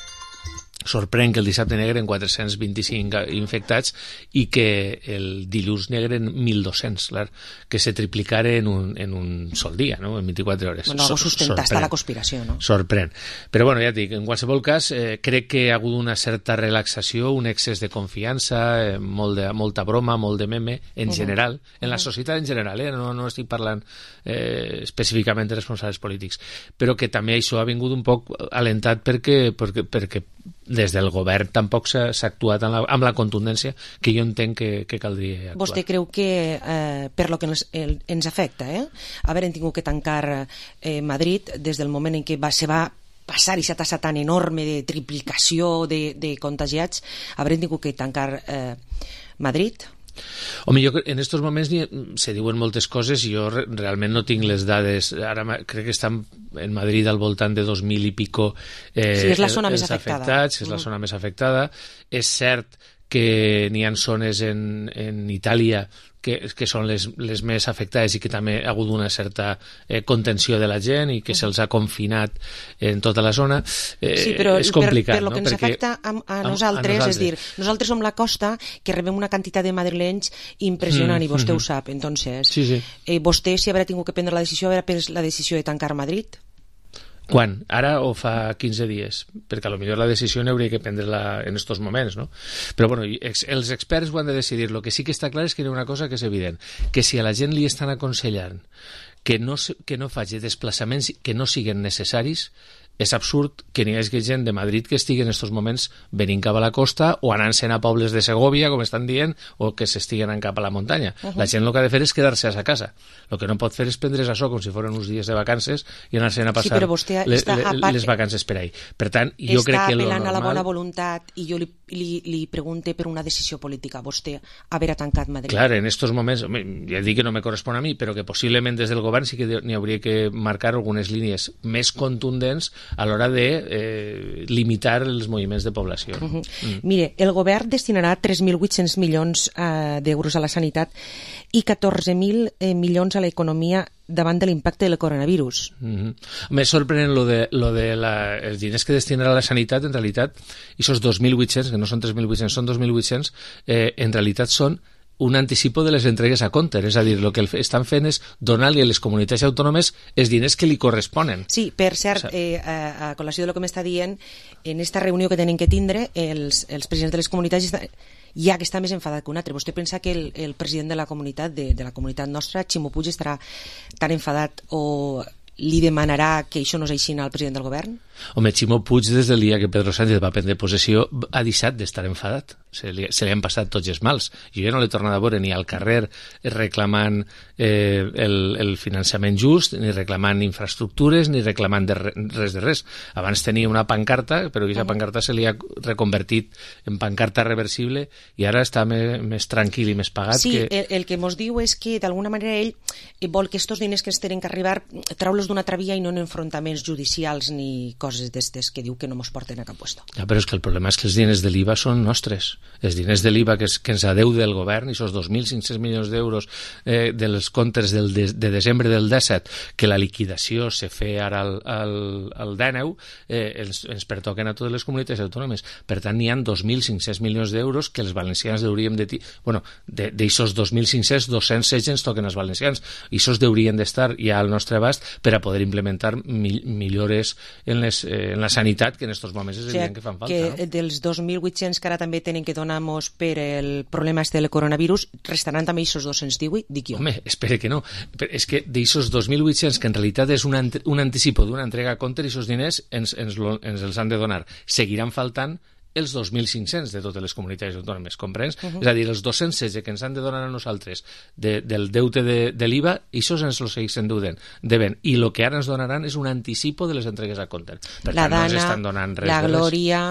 Speaker 3: Sorprèn que el dissabte n'hi hagueren 425 infectats i que el dilluns n'hi hagueren 1.200, clar, que se triplicaren en un sol dia, no? En 24 hores.
Speaker 5: Bueno, algo sustentar està la conspiració, no?
Speaker 3: Sorprèn. Però, bueno, ja et dic, en qualsevol cas, crec que hi ha hagut una certa relaxació, un excés de confiança, molta broma, molt de meme, en general, en la societat en general, no estic parlant específicament de responsables polítics, però que també això ha vingut un poc alentat perquè des del govern tampoc s'ha actuat amb la contundència que jo entenc que caldria actuar.
Speaker 5: Vostè creu que per lo que ens afecta, haver tingut que tancar Madrid des del moment en què se va passar aquesta tassa tan enorme de triplicació de contagiats, haver tingut que tancar Madrid?
Speaker 3: Home, jo en aquests moments se diuen moltes coses i jo realment no tinc les dades. Ara crec que estan en Madrid al voltant de 2.000 i pico
Speaker 5: sí, és la zona més afectada.
Speaker 3: És la zona més afectada. És cert que n'hi ha zones en Itàlia que són les més afectades i que també ha hagut una certa contenció de la gent i que se'ls ha confinat en tota la zona.
Speaker 5: Sí, però
Speaker 3: és complicat,
Speaker 5: per lo que ens afecta a nosaltres, és dir, nosaltres som la costa que rebem una quantitat de madrilenys impressionant i vostè ho sap, entonces vostè si haurà tingut que prendre la decisió haurà pres la decisió de tancar Madrid?
Speaker 3: Quan? Ara o fa 15 dies? Perquè potser la decisió n'hauria que prendre-la en aquests moments, no? Però bueno, els experts ho han de decidir. El que sí que està clar és que hi ha una cosa que és evident, que si a la gent li estan aconsellant que no faci desplaçaments que no siguin necessaris, és absurd que n'hi hagi gent de Madrid que estigui en aquests moments venint cap a la costa o anant-se'n a pobles de Segòvia, com estan dient, o que s'estiguen anant cap a la muntanya. La gent el que ha de fer és quedar-se a casa. El que no pot fer és prendre's això com si foren uns dies de vacances i anar-se'n a passar les vacances per ahí. Per tant, jo crec que
Speaker 5: està apel·lant a la bona voluntat i jo li pregunte per una decisió política. Vostè haver tancat Madrid.
Speaker 3: Clar, en aquests moments, ja dic que no me correspon a mi, però que possiblement des del govern sí que n'hi hauria que marcar algunes línies més contundents a l'hora de limitar els moviments de població.
Speaker 5: Mire, el govern destinarà 3.800 milions d'euros a la sanitat i 14.000 milions a l'economia davant de l'impacte del coronavirus.
Speaker 3: Més sorprenent els diners que destinarà a la sanitat, en realitat, i aquests 2.800, que no són 3.800, són 2.800, en realitat són un anticipo de les entregues a compte, és a dir, el que estan fent és donar-li a les comunitats autònomes els diners que li corresponen.
Speaker 5: Sí, per cert, a col·lació del que m'està dient, en aquesta reunió que tenen que tindre, els presidents de les comunitats hi ha que està més enfadat que un altre. Vostè pensa que el president de la comunitat nostra, Ximo Puig, estarà tan enfadat o li demanarà que això no és així al president del govern?
Speaker 3: Home, Ximo Puig, des del dia que Pedro Sánchez va prendre possessió, ha deixat d'estar enfadat. Se li han passat tots els mals. Jo ja no l'he tornat a veure ni al carrer reclamant el finançament just, ni reclamant infraestructures, ni reclamant res de res. Abans tenia una pancarta, però aquesta pancarta se li ha reconvertit en pancarta reversible i ara està més tranquil i més pagat.
Speaker 5: Sí, el que mos diu és que d'alguna manera ell vol que estos diners que ens tenen que arribar traure'ls d'una altra via i no en enfrontaments judicials ni coses d'estes que diu que no mos porten a cap puesto.
Speaker 3: Ja, però és que el problema és que els diners de l'IVA són nostres. Els diners de l'IVA que ens adeu del govern, i aquests 2.500 milions d'euros dels comptes de desembre del 17, que la liquidació se fe ara al 19, ens pertoquen a totes les comunitats autònomes. Per tant, n'hi ha 2.500 milions d'euros que els valencians hauríem de... Bueno, d'aixòs 2.500, 216 ens toquen als valencians. I això haurien d'estar ja al nostre abast per a poder implementar millores en la sanitat, que en aquests moments és evident que fan falta.
Speaker 5: Que dels 2.800 que ara també tenen que donar-nos per el problema del coronavirus, restaran també aquests 218, dic jo.
Speaker 3: Home, espere que no. És que d'aquests 2.800, que en realitat és un anticipo d'una entrega a compte, aquests diners ens els han de donar. Seguiran faltant els 2.500 de totes les comunitats autònomes, comprens? És a dir, els 216 que ens han de donar a nosaltres del deute de l'IVA, això ens lo segueixen devent, i el que ara ens donaran és un anticipo de les entregues a compte. Per
Speaker 5: la
Speaker 3: tant, no ens
Speaker 5: Dana,
Speaker 3: estan donant res
Speaker 5: la
Speaker 3: de res.
Speaker 5: Glòria...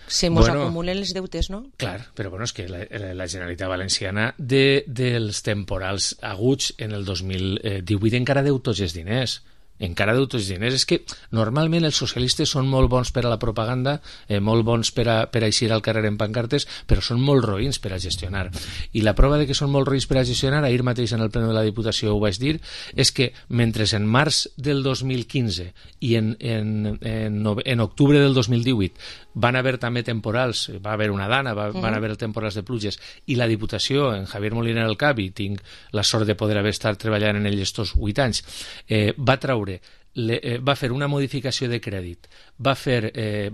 Speaker 5: Se mos acumulen els deutes, no?
Speaker 3: Clar, però és que la Generalitat Valenciana dels temporals aguts en el 2018 encara deu tots els diners. Encara deu tots els diners. És que normalment els socialistes són molt bons per a la propaganda, molt bons per a eixir al carrer en pancartes, però són molt roïns per a gestionar. I la prova de que són molt roïns per a gestionar, ahir mateix en el pleno de la Diputació ho vaig dir, és que mentre en març del 2015 i en octubre del 2018 van haver també temporals, va haver una Dana, van haver temporals de pluges, i la Diputació, en Javier Moliner al cap, i tinc la sort de poder haver estat treballant en ell estos 8 anys, va traure va fer una modificació de crèdit, va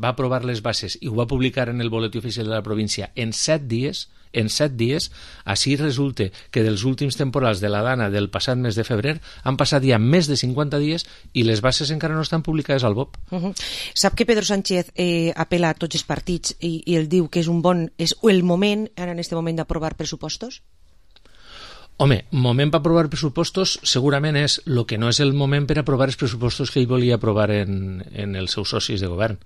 Speaker 3: aprovar les bases i ho va publicar en el boletí oficial de la província en 7 dies, així resulta que dels últims temporals de la Dana del passat mes de febrer han passat ja més de 50 dies i les bases encara no estan publicades al BOP.
Speaker 5: Sap que Pedro Sánchez apela a tots els partits i el diu que és el moment, ara en este moment, d'aprovar pressupostos?
Speaker 3: Home, moment per aprovar pressupostos segurament és el que no és el moment per aprovar els pressupostos que ell volia aprovar en els seus socis de govern.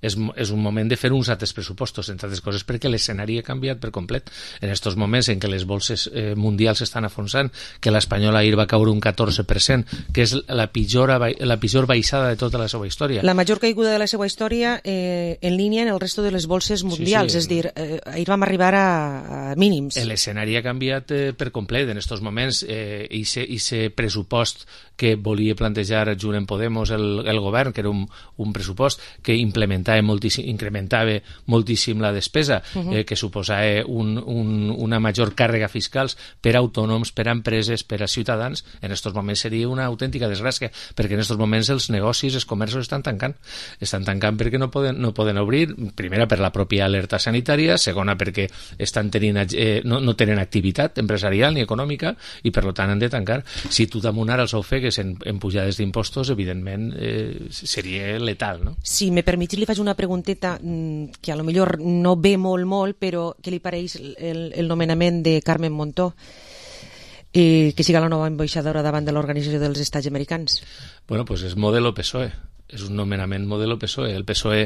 Speaker 3: És un moment de fer uns altres pressupostos, entre altres coses perquè l'escenari ha canviat per complet. En aquests moments en què les bolses mundials s'estan afonsant, que l'espanyola ahir va caure un 14%, que és la pitjor baixada de tota la seva història.
Speaker 5: La major caiguda de la seva història en línia en el resto de les bolses mundials, és dir, ahir vam arribar a mínims.
Speaker 3: L'escenari ha canviat per complet. En aquests moments, i pressupost que volia plantejar junt amb Podemos el govern, que era un pressupost que incrementava moltíssim la despesa, que suposava una major càrrega fiscals per a autònoms, per a empreses, per a ciutadans. En aquests moments seria una autèntica desgràcia, perquè en aquests moments els negocis, els comerços estan tancant perquè no poden obrir, primera per la pròpia alerta sanitària, segona perquè no tenen activitat empresarial ni econòmica i per tant han de tancar. Si tu damunt ara els ofegues en pujades d'impostos, evidentment seria letal, no?
Speaker 5: Si me permets, li faig una pregunteta que a lo millor no ve molt, però què li pareix el nomenament de Carmen Montó, que siga la nova ambaixadora davant de l'Organització dels Estats Americans?
Speaker 3: Bueno, pues és modelo PSOE. És un nomenament modelo PSOE. El PSOE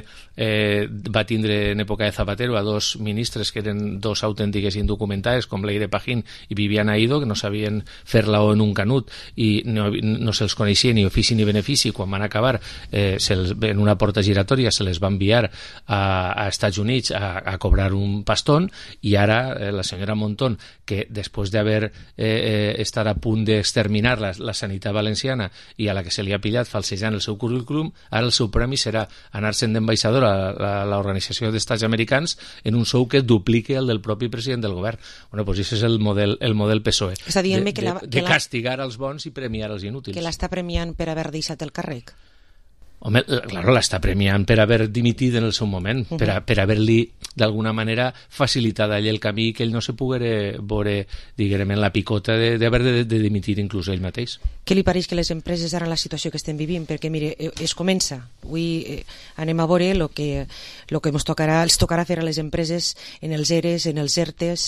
Speaker 3: va tindre en època de Zapatero a dos ministres que eren dos autèntiques indocumentades, com Leire Pajín i Viviana Aido, que no sabien fer la O en un canut i no se'ls coneixia ni ofici ni benefici. Quan van acabar en una porta giratòria se les va enviar a Estats Units a cobrar un pastón, i ara la senyora Montón, que després d'haver estat a punt d'exterminar la sanitat valenciana i a la que se li ha pillat falsejant el seu currículum, ara el seu premi serà anar-se'n d'ambaixador a l'Organització d'Estats Americans en un sou que duplique el del propi president del govern. Bueno, doncs això és el model PSOE, de castigar els bons i premiar els inútils.
Speaker 5: Que l'està premiant per haver deixat el càrrec?
Speaker 3: Home, claro, l'està premiant per haver dimitit en el seu moment, per haver-li d'alguna manera facilitat a ell el camí, que ell no se poguera veure, diguem, en la picota d'haver de dimitir inclús ell mateix.
Speaker 5: Què li pareix que les empreses ara en la situació que estem vivint? Perquè, mire, es comença. Avui anem a veure el que els tocarà fer a les empreses en els ERES, en els ERTES.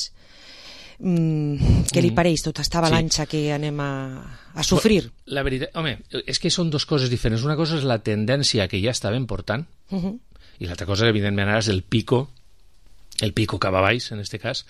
Speaker 5: Què li pareix tota esta avalanxa que anem a sofrir?
Speaker 3: La veritat, home, és que són dues coses diferents. Una cosa és la tendència que ja estàvem portant, i l'altra cosa, evidentment, ara és el pico cap a baix, en aquest cas,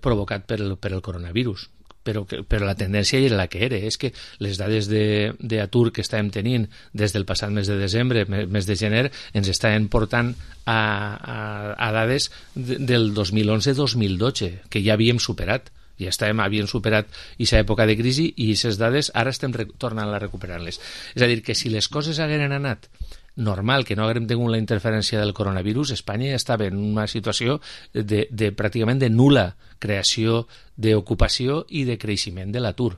Speaker 3: provocat per el coronavirus. Però la tendència era la que era. És que les dades d'atur que estàvem tenint des del passat mes de desembre, mes de gener, ens estaven portant a dades del 2011-2012, que ja havíem superat. Havíem superat aquesta època de crisi i aquestes dades ara estem tornant a recuperar-les. És a dir, que si les coses hagueren anat normal, que no haguem tingut la interferència del coronavirus, Espanya ja estava en una situació de pràcticament de nul·la creació d'ocupació i de creixement de l'atur.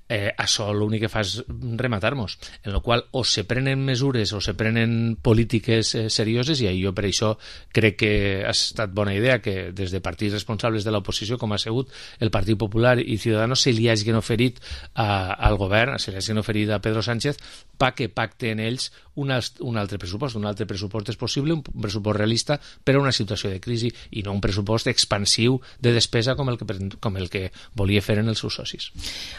Speaker 3: Això l'únic que fa és rematar-nos, en la qual o se prenen mesures o se prenen polítiques serioses, i jo per això crec que ha estat bona idea que des de partits responsables de l'oposició, com ha sigut el Partit Popular i Ciudadanos, se li hagin oferit al govern, se li hagin oferit a Pedro Sánchez perquè pacten ells un altre pressupost. Un altre pressupost és possible, un pressupost realista per a una situació de crisi, i no un pressupost expansiu de despesa com el que volia fer en els seus socis.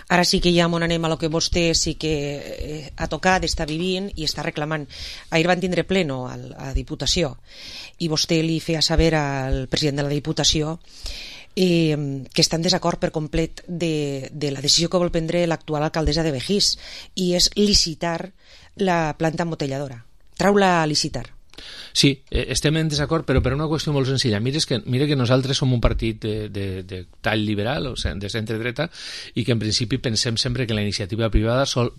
Speaker 5: Ara sí que ja m'on anem a lo que vostè sí que ha tocat, està vivint i està reclamant. Ahir van tindre pleno a la Diputació i vostè li feia saber al president de la Diputació que està en desacord per complet de la decisió que vol prendre l'actual alcaldessa de Begís, i és licitar la planta embotelladora, trau-la a licitar.
Speaker 3: Sí, estem en desacord, però per una qüestió molt senzilla. Mira que nosaltres som un partit de tall liberal, o sigui, de centre-dreta, i que en principi pensem sempre que la iniciativa privada sol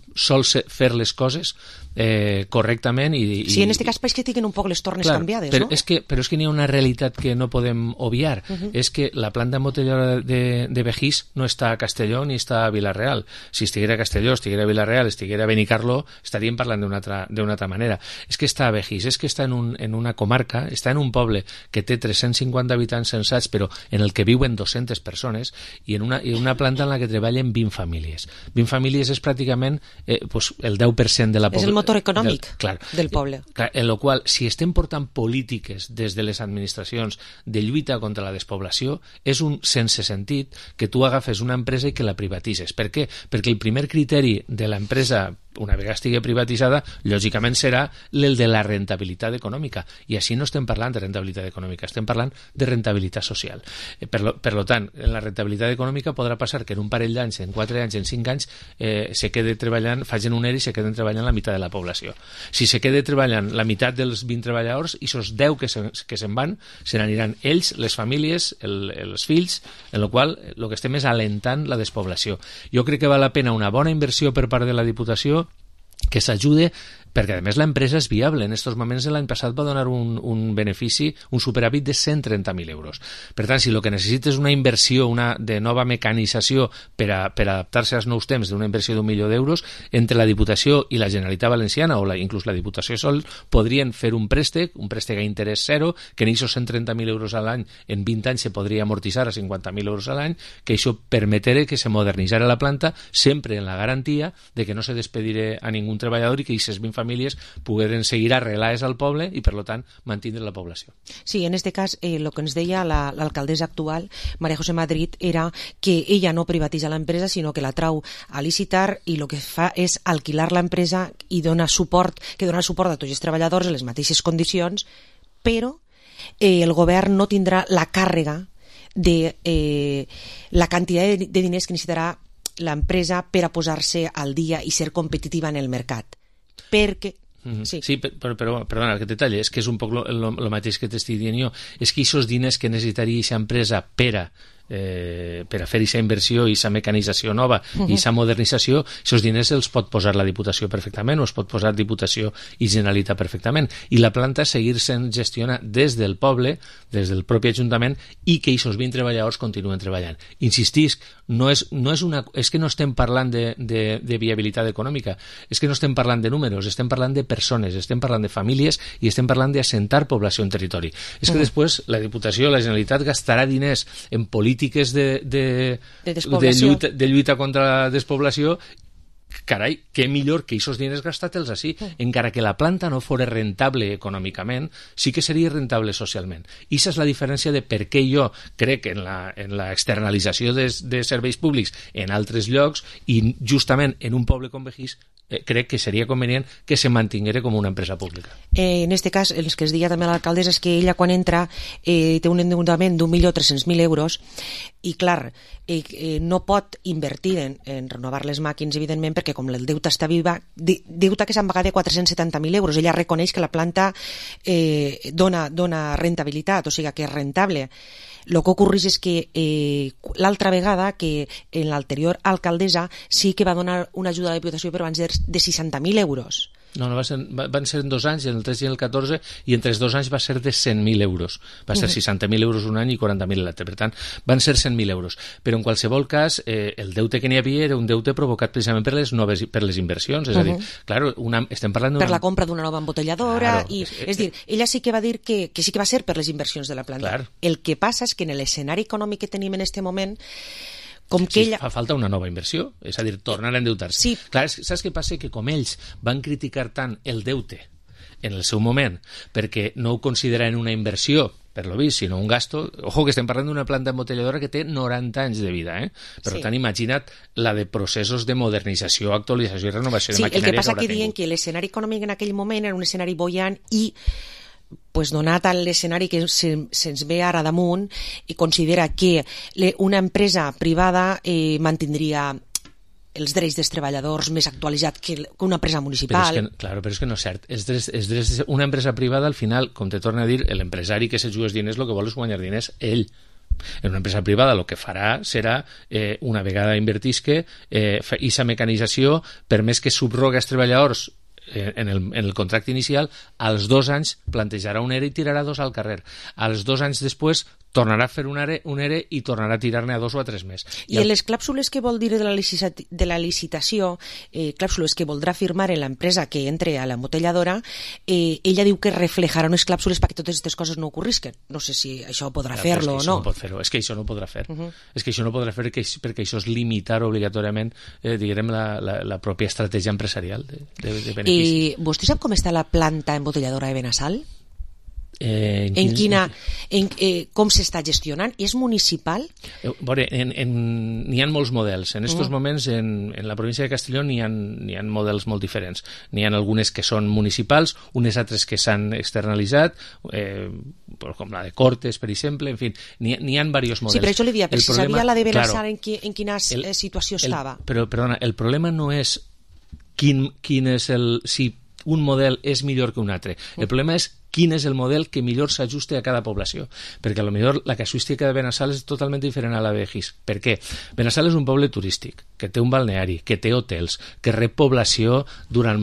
Speaker 3: fer les coses correctament.
Speaker 5: Sí, en aquest cas pareix que tinguin un poc les tornes canviades,
Speaker 3: però
Speaker 5: no?
Speaker 3: Però és que n'hi ha una realitat que no podem obviar. És que la planta embotelladora de Begís no està a Castelló ni està a Vila-real. Si estiguera a Castelló, estiguera a Vila-real, estiguera a Benicarló, estaríem parlant d'una altra manera. És que està a Begís, és que està en una comarca, està en un poble que té 350 habitants censats, però en el que viuen 200 persones, i en una planta en la que treballen 20 famílies. 20 famílies és pràcticament el 10% de la població.
Speaker 5: És el motor econòmic del poble.
Speaker 3: En la qual, si estem portant polítiques des de les administracions de lluita contra la despoblació, és un sense sentit que tu agafes una empresa i que la privatitzes. Per què? Perquè el primer criteri de l'empresa, una vegada estigui privatitzada, lògicament serà el de la rentabilitat econòmica, i així no estem parlant de rentabilitat econòmica, estem parlant de rentabilitat social. Per tant, en la rentabilitat econòmica podrà passar que en un parell d'anys, en 4 anys, en 5 anys, se quede treballant, facin un ERE i se queden treballant la meitat de la població. Si se quede treballant la meitat dels 20 treballadors, i esos 10 que se'n van, se n'aniran ells, les famílies, els fills, en la qual el que estem és alentant la despoblació. Jo crec que val la pena una bona inversió per part de la Diputació, que s'ajude, perquè a més l'empresa és viable. En aquests moments l'any passat va donar un benefici, un superàvit de 130.000 euros. Per tant, si el que necessita és una inversió de nova mecanització per adaptar-se als nous temps, d'una inversió d'1 milió d'euros, entre la Diputació i la Generalitat Valenciana, o inclús la Diputació sol, podrien fer un préstec a interès zero, que en aquests 130.000 euros a l'any en 20 anys se podria amortitzar a 50.000 euros a l'any, que això permetés que se modernitzara la planta, sempre en la garantia de que no se despediré a ningú treballador i que aquestes 20 famílies pogueren seguir arrelades al poble i, per tant, mantindre la població.
Speaker 5: Sí, en aquest cas, el que ens deia l'alcaldessa actual, María José Madrid, era que ella no privatitza l'empresa, sinó que la trau a licitar i el que fa és alquilar l'empresa i donar suport a tots els treballadors en les mateixes condicions, però el govern no tindrà la càrrega de la quantitat de diners que necessitarà l'empresa per a posar-se al dia i ser competitiva en el mercat. Perquè...
Speaker 3: Sí, però perdona, aquest detall és que és un poc el mateix que t'estic dient jo. És que aquests diners que necessitaria aquesta empresa per a fer aquesta inversió i aquesta mecanització nova i aquesta modernització, aquests diners els pot posar la Diputació perfectament, o es pot posar Diputació i Generalitat perfectament, i la planta seguir sent gestionada des del poble, des del propi Ajuntament, i que aquests 20 treballadors continuen treballant. Insistisc, és que no estem parlant de viabilitat econòmica, és que no estem parlant de números, estem parlant de persones, estem parlant de famílies i estem parlant d'assentar població en territori. És que després la Diputació, la Generalitat gastarà diners en polítiques de lluita contra la despoblació. Carai, què millor que aquests diners gastar-te'ls així. Encara que la planta no fos rentable econòmicament, sí que seria rentable socialment. I aquesta és la diferència de per què jo crec en la externalització de serveis públics en altres llocs, i justament en un poble com Begís crec que seria convenient que se mantinguera com una empresa pública.
Speaker 5: En aquest cas, el que es deia també a l'alcaldessa és que ella, quan entra, té un endeutament d'1.300.000 euros, i clar, no pot invertir en renovar les màquines, evidentment, perquè com el deute està viva, deute que s'han pagat de 470.000 euros, ella reconeix que la planta dona rentabilitat, o sigui que és rentable. El que ocorreix és que l'altra vegada, que en l'anterior alcaldessa sí que va donar una ajuda a la Diputació, però van ser de 60.000 euros.
Speaker 3: No, van ser en 2 anys, en el 13 i en el 14, i entre els 2 anys va ser de 100.000 euros. Va ser 60.000 euros un any i 40.000 l'altre. Per tant, van ser 100.000 euros. Però en qualsevol cas, el deute que n'hi havia era un deute provocat precisament per les inversions. És a dir, clar, estem parlant
Speaker 5: per la compra d'una nova embotelladora. És dir, ella sí que va dir que sí que va ser per les inversions de la planta.
Speaker 3: Clar.
Speaker 5: El que passa és que en l'escenari econòmic que tenim en aquest moment, com que ella...
Speaker 3: Fa falta una nova inversió, és a dir, tornar a endeutar-se.
Speaker 5: Sí.
Speaker 3: Clar, saps què passa? Que com ells van criticar tant el deute en el seu moment perquè no ho consideraven una inversió, per lo vist, sinó un gasto... Ojo, que estem parlant d'una planta embotelladora que té 90 anys de vida, Per tant, imagina't la de processos de modernització, actualització i renovació de maquinària.
Speaker 5: Sí, el que passa que diuen que l'escenari econòmic en aquell moment era un escenari boiant i pues donat l'escenari que se'ns ve ara damunt, i considera que una empresa privada mantindria els drets dels treballadors més actualitzats que una empresa municipal.
Speaker 3: Però és que no és cert. Una empresa privada, al final, com te torna a dir, l'empresari que se juga els diners, el que vol és guanyar diners ell. En una empresa privada el que farà serà, una vegada invertisque, aquesta mecanització, per més que subroga els treballadors en el contracte inicial, als 2 anys plantejarà un ERE i tirarà 2 al carrer. Als 2 anys després tornarà a fer un ERE i tornarà a tirar-ne a 2 o a 3 més.
Speaker 5: I en les clàusules que vol dir de la licitació, clàusules que voldrà firmar en l'empresa que entre a l'embotelladora, ella diu que reflejarà unes clàusules perquè totes aquestes coses no ocorrisquen. No sé si això podrà fer-lo o no.
Speaker 3: És que això no podrà fer. És que això no podrà fer perquè això és limitar obligatòriament, diguem, la pròpia estratègia empresarial de beneficis.
Speaker 5: I vostè sap com està la planta embotelladora de Benassal? Com s'està gestionant? És municipal?
Speaker 3: N'hi ha molts models. En aquests moments, en la província de Castelló, n'hi ha models molt diferents. N'hi ha algunes que són municipals, unes altres que s'han externalitzat, com la de Cortes, per exemple, en fi, n'hi ha diversos models.
Speaker 5: Sí, però això li dia, però si sabia la de Benassal en quina situació estava.
Speaker 3: Però, perdona, el problema no és quin és si un model és millor que un altre. El problema és quin és el model que millor s'ajuste a cada població, perquè potser la casuística de Benassal és totalment diferent a la de Begís. Per què? Benassal és un poble turístic, que té un balneari, que té hotels, que rep població durant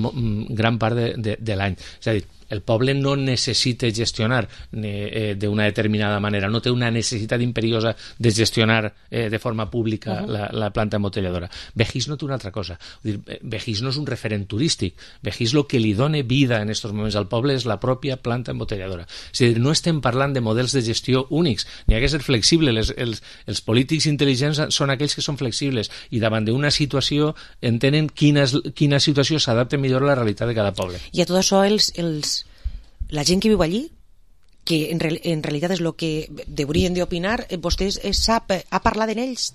Speaker 3: gran part de l'any. És a dir, el poble no necessita gestionar d'una determinada manera, no té una necessitat imperiosa de gestionar de forma pública la planta embotelladora. Begís no té una altra cosa. Begís no és un referent turístic. Begís el que li dona vida en aquests moments al poble és la pròpia planta embotelladora. És a dir, no estem parlant de models de gestió únics. N'hi ha que ser flexible. Els polítics intel·ligents són aquells que són flexibles i davant d'una situació entenen quina situació s'adapta millor a la realitat de cada poble.
Speaker 5: I a tot això la gent que viu allí, que en realitat és el que haurien d'opinar, vostè sap, ha parlat amb ells,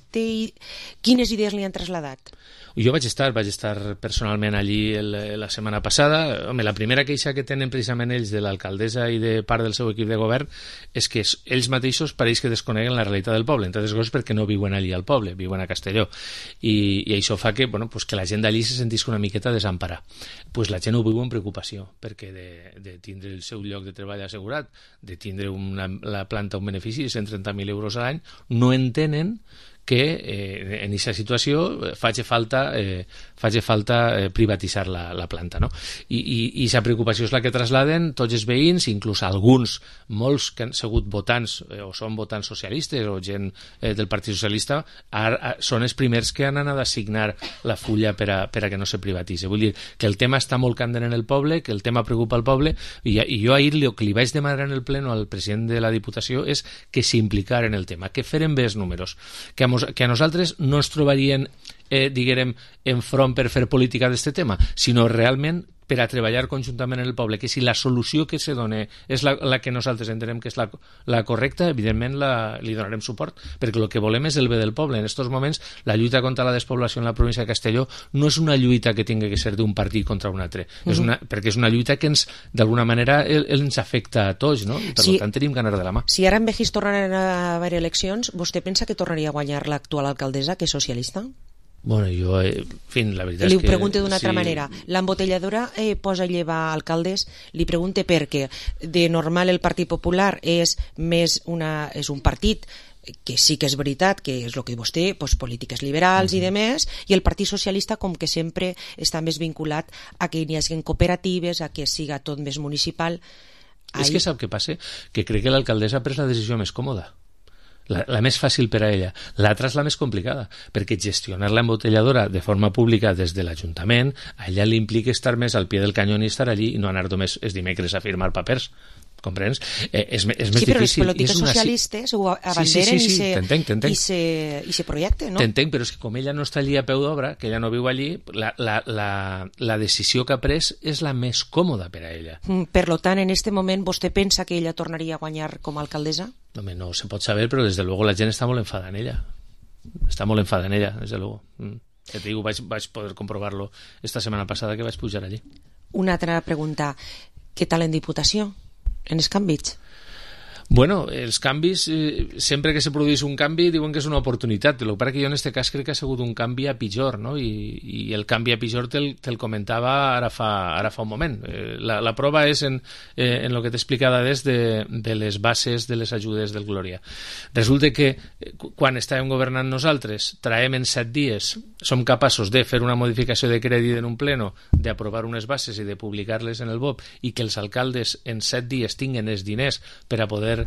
Speaker 5: quines idees li han traslladat?
Speaker 3: Jo vaig estar personalment allí la setmana passada. Home, la primera queixa que tenen precisament ells de l'alcaldessa i de part del seu equip de govern és que ells mateixos pareix que desconeguen la realitat del poble, entre altres coses perquè no viuen allí al poble, viuen a Castelló, i això fa que la gent d'allí se sentisca una miqueta desemparada. La gent ho viu amb preocupació, perquè de tindre el seu lloc de treball assegurat, de tindre la planta un benefici de 130.000 euros a l'any, no entenen que en aquesta situació faci falta privatitzar la planta, no? I aquesta preocupació és la que trasladen tots els veïns, inclús alguns, molts que han sigut votants o són votants socialistes o gent del Partit Socialista, són els primers que han anat a signar la fulla per a que no se privatitzi. Vull dir que el tema està molt candent en el poble, que el tema preocupa el poble, i jo ahir el que li vaig demanar en el pleno al president de la Diputació és que s'implicara en el tema, que feren bé els números, que a nosaltres no ens trobarien diguem, enfront per fer política d'aquest tema, sinó realment per a treballar conjuntament en el poble, que si la solució que se dona és la que nosaltres entenem que és la correcta, evidentment li donarem suport, perquè el que volem és el bé del poble. En aquests moments, la lluita contra la despoblació en la província de Castelló no és una lluita que tingui que ser d'un partit contra un altre, perquè és una lluita que d'alguna manera ens afecta a tots, no? I per tant tenim que anar de la mà.
Speaker 5: Si ara en Begís tornaran a haver eleccions, vostè pensa que tornaria a guanyar l'actual alcaldessa, que és socialista?
Speaker 3: Bueno, jo, en fi, la veritat és que...
Speaker 5: Li pregunto d'una altra manera. L'embotelladora posa a llevar alcaldes, li pregunte perquè de normal el Partit Popular és un partit que sí que és veritat que és el que vostè, doncs, polítiques liberals i demés, i el Partit Socialista com que sempre està més vinculat a que hi hagi cooperatives, a que siga tot més municipal.
Speaker 3: És que sap què passa? Que crec que l'alcaldessa ha pres la decisió més còmoda, la més fàcil per a ella. L'altra és la més complicada, perquè gestionar l'embotelladora de forma pública des de l'Ajuntament, a ella li implica estar més al pie del canyó i estar allí i no anar només els dimecres a firmar papers. Comprens? És més difícil.
Speaker 5: Sí, però les polítiques socialistes ho abanderen i se projecten, no?
Speaker 3: T'entenc, però és que com ella no està allí a peu d'obra, que ella no viu allí, la decisió que ha pres és la més còmoda per a ella.
Speaker 5: Per tant, en aquest moment, vostè pensa que ella tornaria a guanyar com a alcaldessa?
Speaker 3: Home, no se pot saber, però desde luego la gent està molt enfada en ella. Està molt enfada en ella, desde luego. Ja te digo, vaig poder comprovar-lo esta setmana passada que vaig pujar allí.
Speaker 5: Una altra pregunta. Què tal en Diputació? En els canvis?
Speaker 3: Bueno, els canvis, sempre que se produeix un canvi diuen que és una oportunitat. El que passa que jo en aquest cas crec que ha sigut un canvi a pitjor, no? I el canvi a pitjor te'l comentava ara fa un moment. La prova és en el que t'he explicat des de les bases de les ajudes del Glòria. Resulta que quan estàvem governant nosaltres, traiem en 7 dies, som capaços de fer una modificació de crèdit en un pleno, d'aprovar unes bases i de publicar-les en el BOP i que els alcaldes en 7 dies tinguen els diners per a poder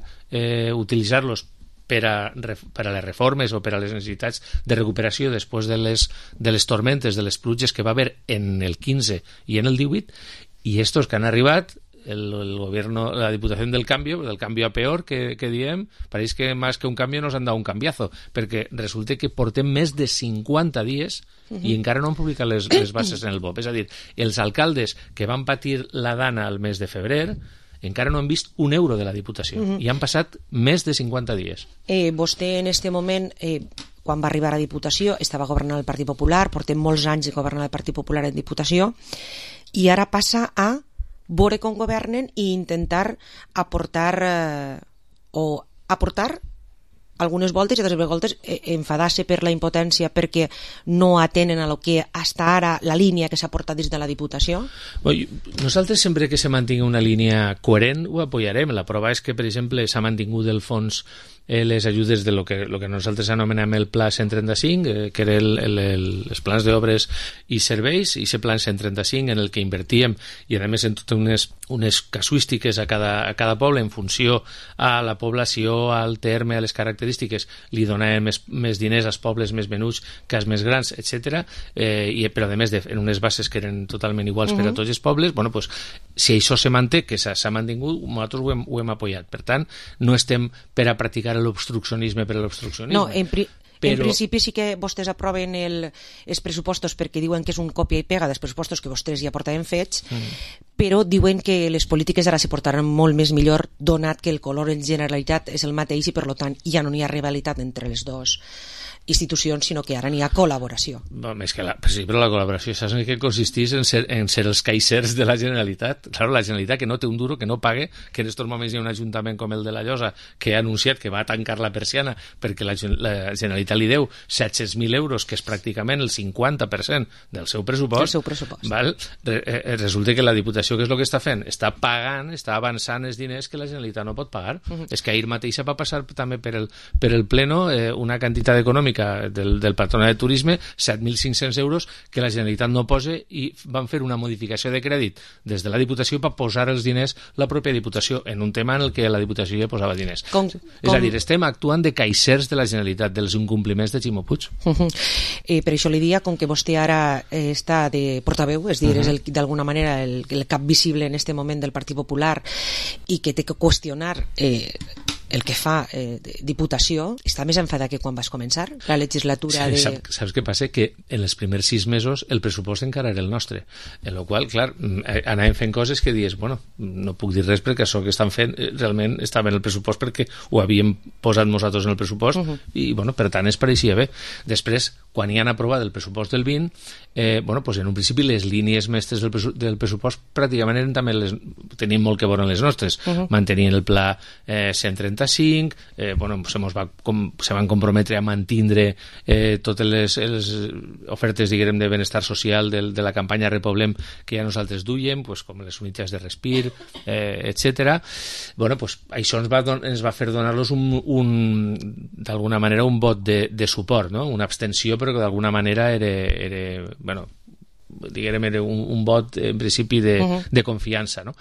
Speaker 3: utilitzar-los per a les reformes o per a les necessitats de recuperació després de les tormentes, de les pluges que va haver en el 15 i en el 18, i estos que han arribat, el gobierno, la Diputación del Cambio a peor que diem, pareix que més que un canvi nos han dado un canviazo, perquè resulta que portem més de 50 dies i encara no han publicat les bases en el BOP. És a dir, els alcaldes que van patir la dana al mes de febrer encara no han vist un euro de la Diputació i han passat més de 50 dies.
Speaker 5: Vostè en aquest moment, quan va arribar a Diputació, estava governant el Partit Popular, portem molts anys de governar el Partit Popular en Diputació, i ara passa a veure com governen i intentar aportar algunes voltes i altres voltes enfadar-se per la impotència perquè no atenen a lo que hasta ara la línia que s'ha portat des de la Diputació?
Speaker 3: Nosaltres sempre que se mantingui una línia coherent ho apoyarem. La prova és que, per exemple, s'ha mantingut el fons les ajudes de lo que nosaltres anomenem el Pla 135, que era els plans d'obres i serveis, i aquest Pla 135 en el que invertíem, i a més en totes unes casuístiques a cada poble en funció a la població, al terme, a les característiques, li donàvem més diners als pobles més menuts que als més grans, etc. Però a més en unes bases que eren totalment iguals per a tots els pobles. Bueno, pues, si això se manté, que s'ha mantingut, nosaltres ho hem apoyat. Per tant, no estem per a practicar l'obstruccionisme per a l'obstruccionisme.
Speaker 5: No, en principi sí que vostès aproven els pressupostos perquè diuen que és un còpia i pega dels pressupostos que vostès ja portaven fets, però diuen que les polítiques ara se portaran molt més millor donat que el color en Generalitat és el mateix i per tant ja no hi ha rivalitat entre les dues institucions, sinó que ara n'hi ha col·laboració.
Speaker 3: Més que sí, però la col·laboració saps en què consisteix? En ser els caixers de la Generalitat. Claro, la Generalitat que no té un duro, que no pague, que en aquests moments hi ha un ajuntament com el de la Llosa que ha anunciat que va tancar la persiana perquè la Generalitat li deu 700.000 euros, que és pràcticament el 50% del seu pressupost. Val? Resulta que la Diputació, què és el que està fent? Està pagant, està avançant els diners que la Generalitat no pot pagar. És que ahir mateixa va passar també per el pleno una quantitat econòmica del Patronat de Turisme, 7.500 euros, que la Generalitat no posa, i van fer una modificació de crèdit des de la Diputació per posar els diners la pròpia Diputació en un tema en el que la Diputació ja posava diners. És a dir, estem actuant de caixers de la Generalitat, dels incompliments de Ximo Puig.
Speaker 5: Per això li dia, com que vostè ara està de portaveu, és dir, és d'alguna manera el cap visible en este moment del Partit Popular i que té que qüestionar el que fa Diputació, està més enfadat que quan vas començar la legislatura de...
Speaker 3: Saps què passa? Que en els primers 6 mesos el pressupost encara era el nostre, en la qual, clar, anàvem fent coses que dius, bueno, no puc dir res perquè això que estan fent realment estava en el pressupost perquè ho havíem posat nosaltres en el pressupost i, bueno, per tant, es pareixia bé. Després, quan hi han aprovat el pressupost del 20, pues en un principi les línies mestres del pressupost pràcticament eren també tenim molt que veure en les nostres. Mantenien el pla 135, se van comprometre a mantindre totes les ofertes, diguem, de benestar social de la campanya Repoblem que ja nosaltres duiem, com les unitats de respir, etc. Això ens va fer donar-los d'alguna manera un vot de suport, no? Una abstenció, però que d'alguna manera era un vot en principi de confiança, no?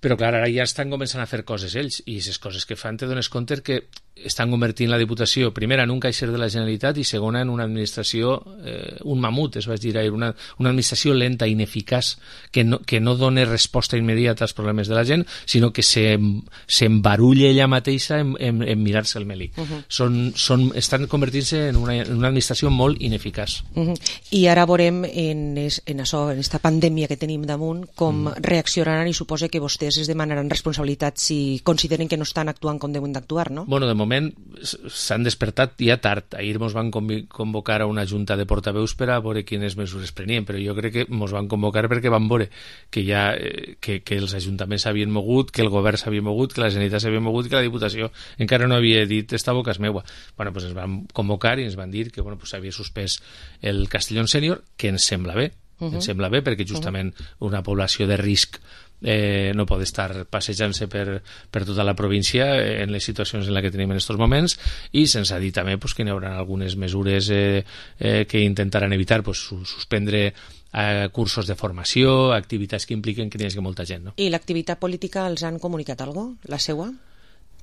Speaker 3: Però clar, ara ja estan començant a fer coses ells, i les coses que fan te dones compte que estan convertint la Diputació, primera, en un caixer de la Generalitat, i segona, en una administració, un mamut, es va dir ahir, una administració lenta, ineficaç, que no dona resposta immediata als problemes de la gent, sinó que s'embarulla ella mateixa en mirar-se el melic. Estan convertint-se en una administració molt ineficaç.
Speaker 5: I ara veurem en això, en aquesta pandèmia que tenim damunt, com reaccionaran, i suposa que vostès es demanaran responsabilitats si consideren que no estan actuant com deuen d'actuar, no?
Speaker 3: Bueno, de moment s'han despertat ja tard. Ahir ens van convocar a una junta de portaveus per a veure quines mesures prenien, però jo crec que ens van convocar perquè van veure que els ajuntaments s'havien mogut, que el govern s'havia mogut, que la Generalitat s'havia mogut, que la Diputació encara no havia dit esta boca és meua. Ens van convocar i ens van dir que s'havia suspès el Castellón Sènior, que ens sembla bé. Ens sembla bé perquè justament una població de risc no pot estar passejant-se per tota la província en les situacions en les que tenim en aquests moments, i se'ns ha dit també que hi haurà algunes mesures que intentaran evitar, suspendre cursos de formació, activitats que impliquen que hi hagi molta gent, no?
Speaker 5: I l'activitat política els han comunicat alguna cosa? La seua?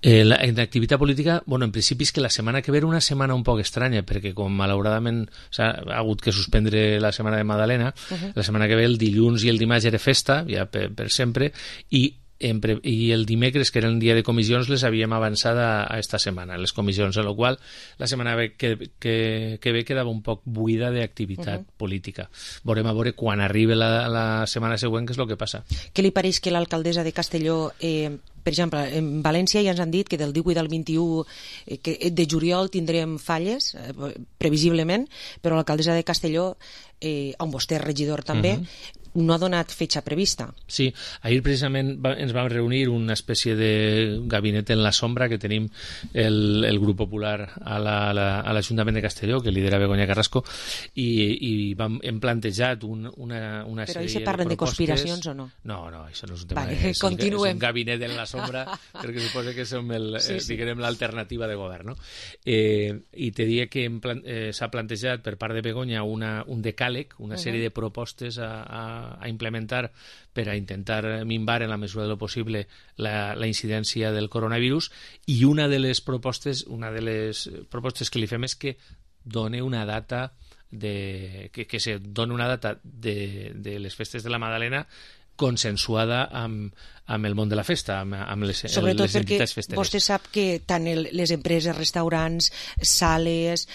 Speaker 3: En activitat política, en principi és que la setmana que ve era una setmana un poc estranya, perquè com malauradament s'ha hagut que suspendre la setmana de Madalena, la setmana que ve el dilluns i el dimarts era festa, ja per sempre, i el dimecres, que era el dia de comissions, les havíem avançat a esta setmana, les comissions, en la qual la setmana que ve quedava un poc buida d'activitat política. Veurem a veure quan arribi la setmana següent què és el que passa.
Speaker 5: Què li pareix que l'alcaldessa de Castelló, per exemple, en València ja ens han dit que del 18 al 21 de juliol tindrem falles, previsiblement, però l'alcaldessa de Castelló, on vostè és regidor també, no ha donat fetxa prevista.
Speaker 3: Sí, ahir precisament ens vam reunir una espècie de gabinet en la sombra que tenim el grup popular a l'Ajuntament de Castelló, que lidera Begoña Carrasco, i hem plantejat una sèrie de propostes.
Speaker 5: Però ahir se parlen de conspiracions o no?
Speaker 3: No, això no és un tema.
Speaker 5: Continuem.
Speaker 3: És un gabinet en la sombra, perquè suposa que som l'alternativa de govern, no? I te diria que s'ha plantejat per part de Begoña un decàleg, una sèrie de propostes a implementar per a intentar minvar en la mesura de lo possible la incidència del coronavirus, i una de les propostes que li fem és que doni una data que se doni una data de les festes de la Magdalena consensuada amb el món de la festa, amb les entitats festeres.
Speaker 5: Vostè sap que tant les empreses, restaurants, sales,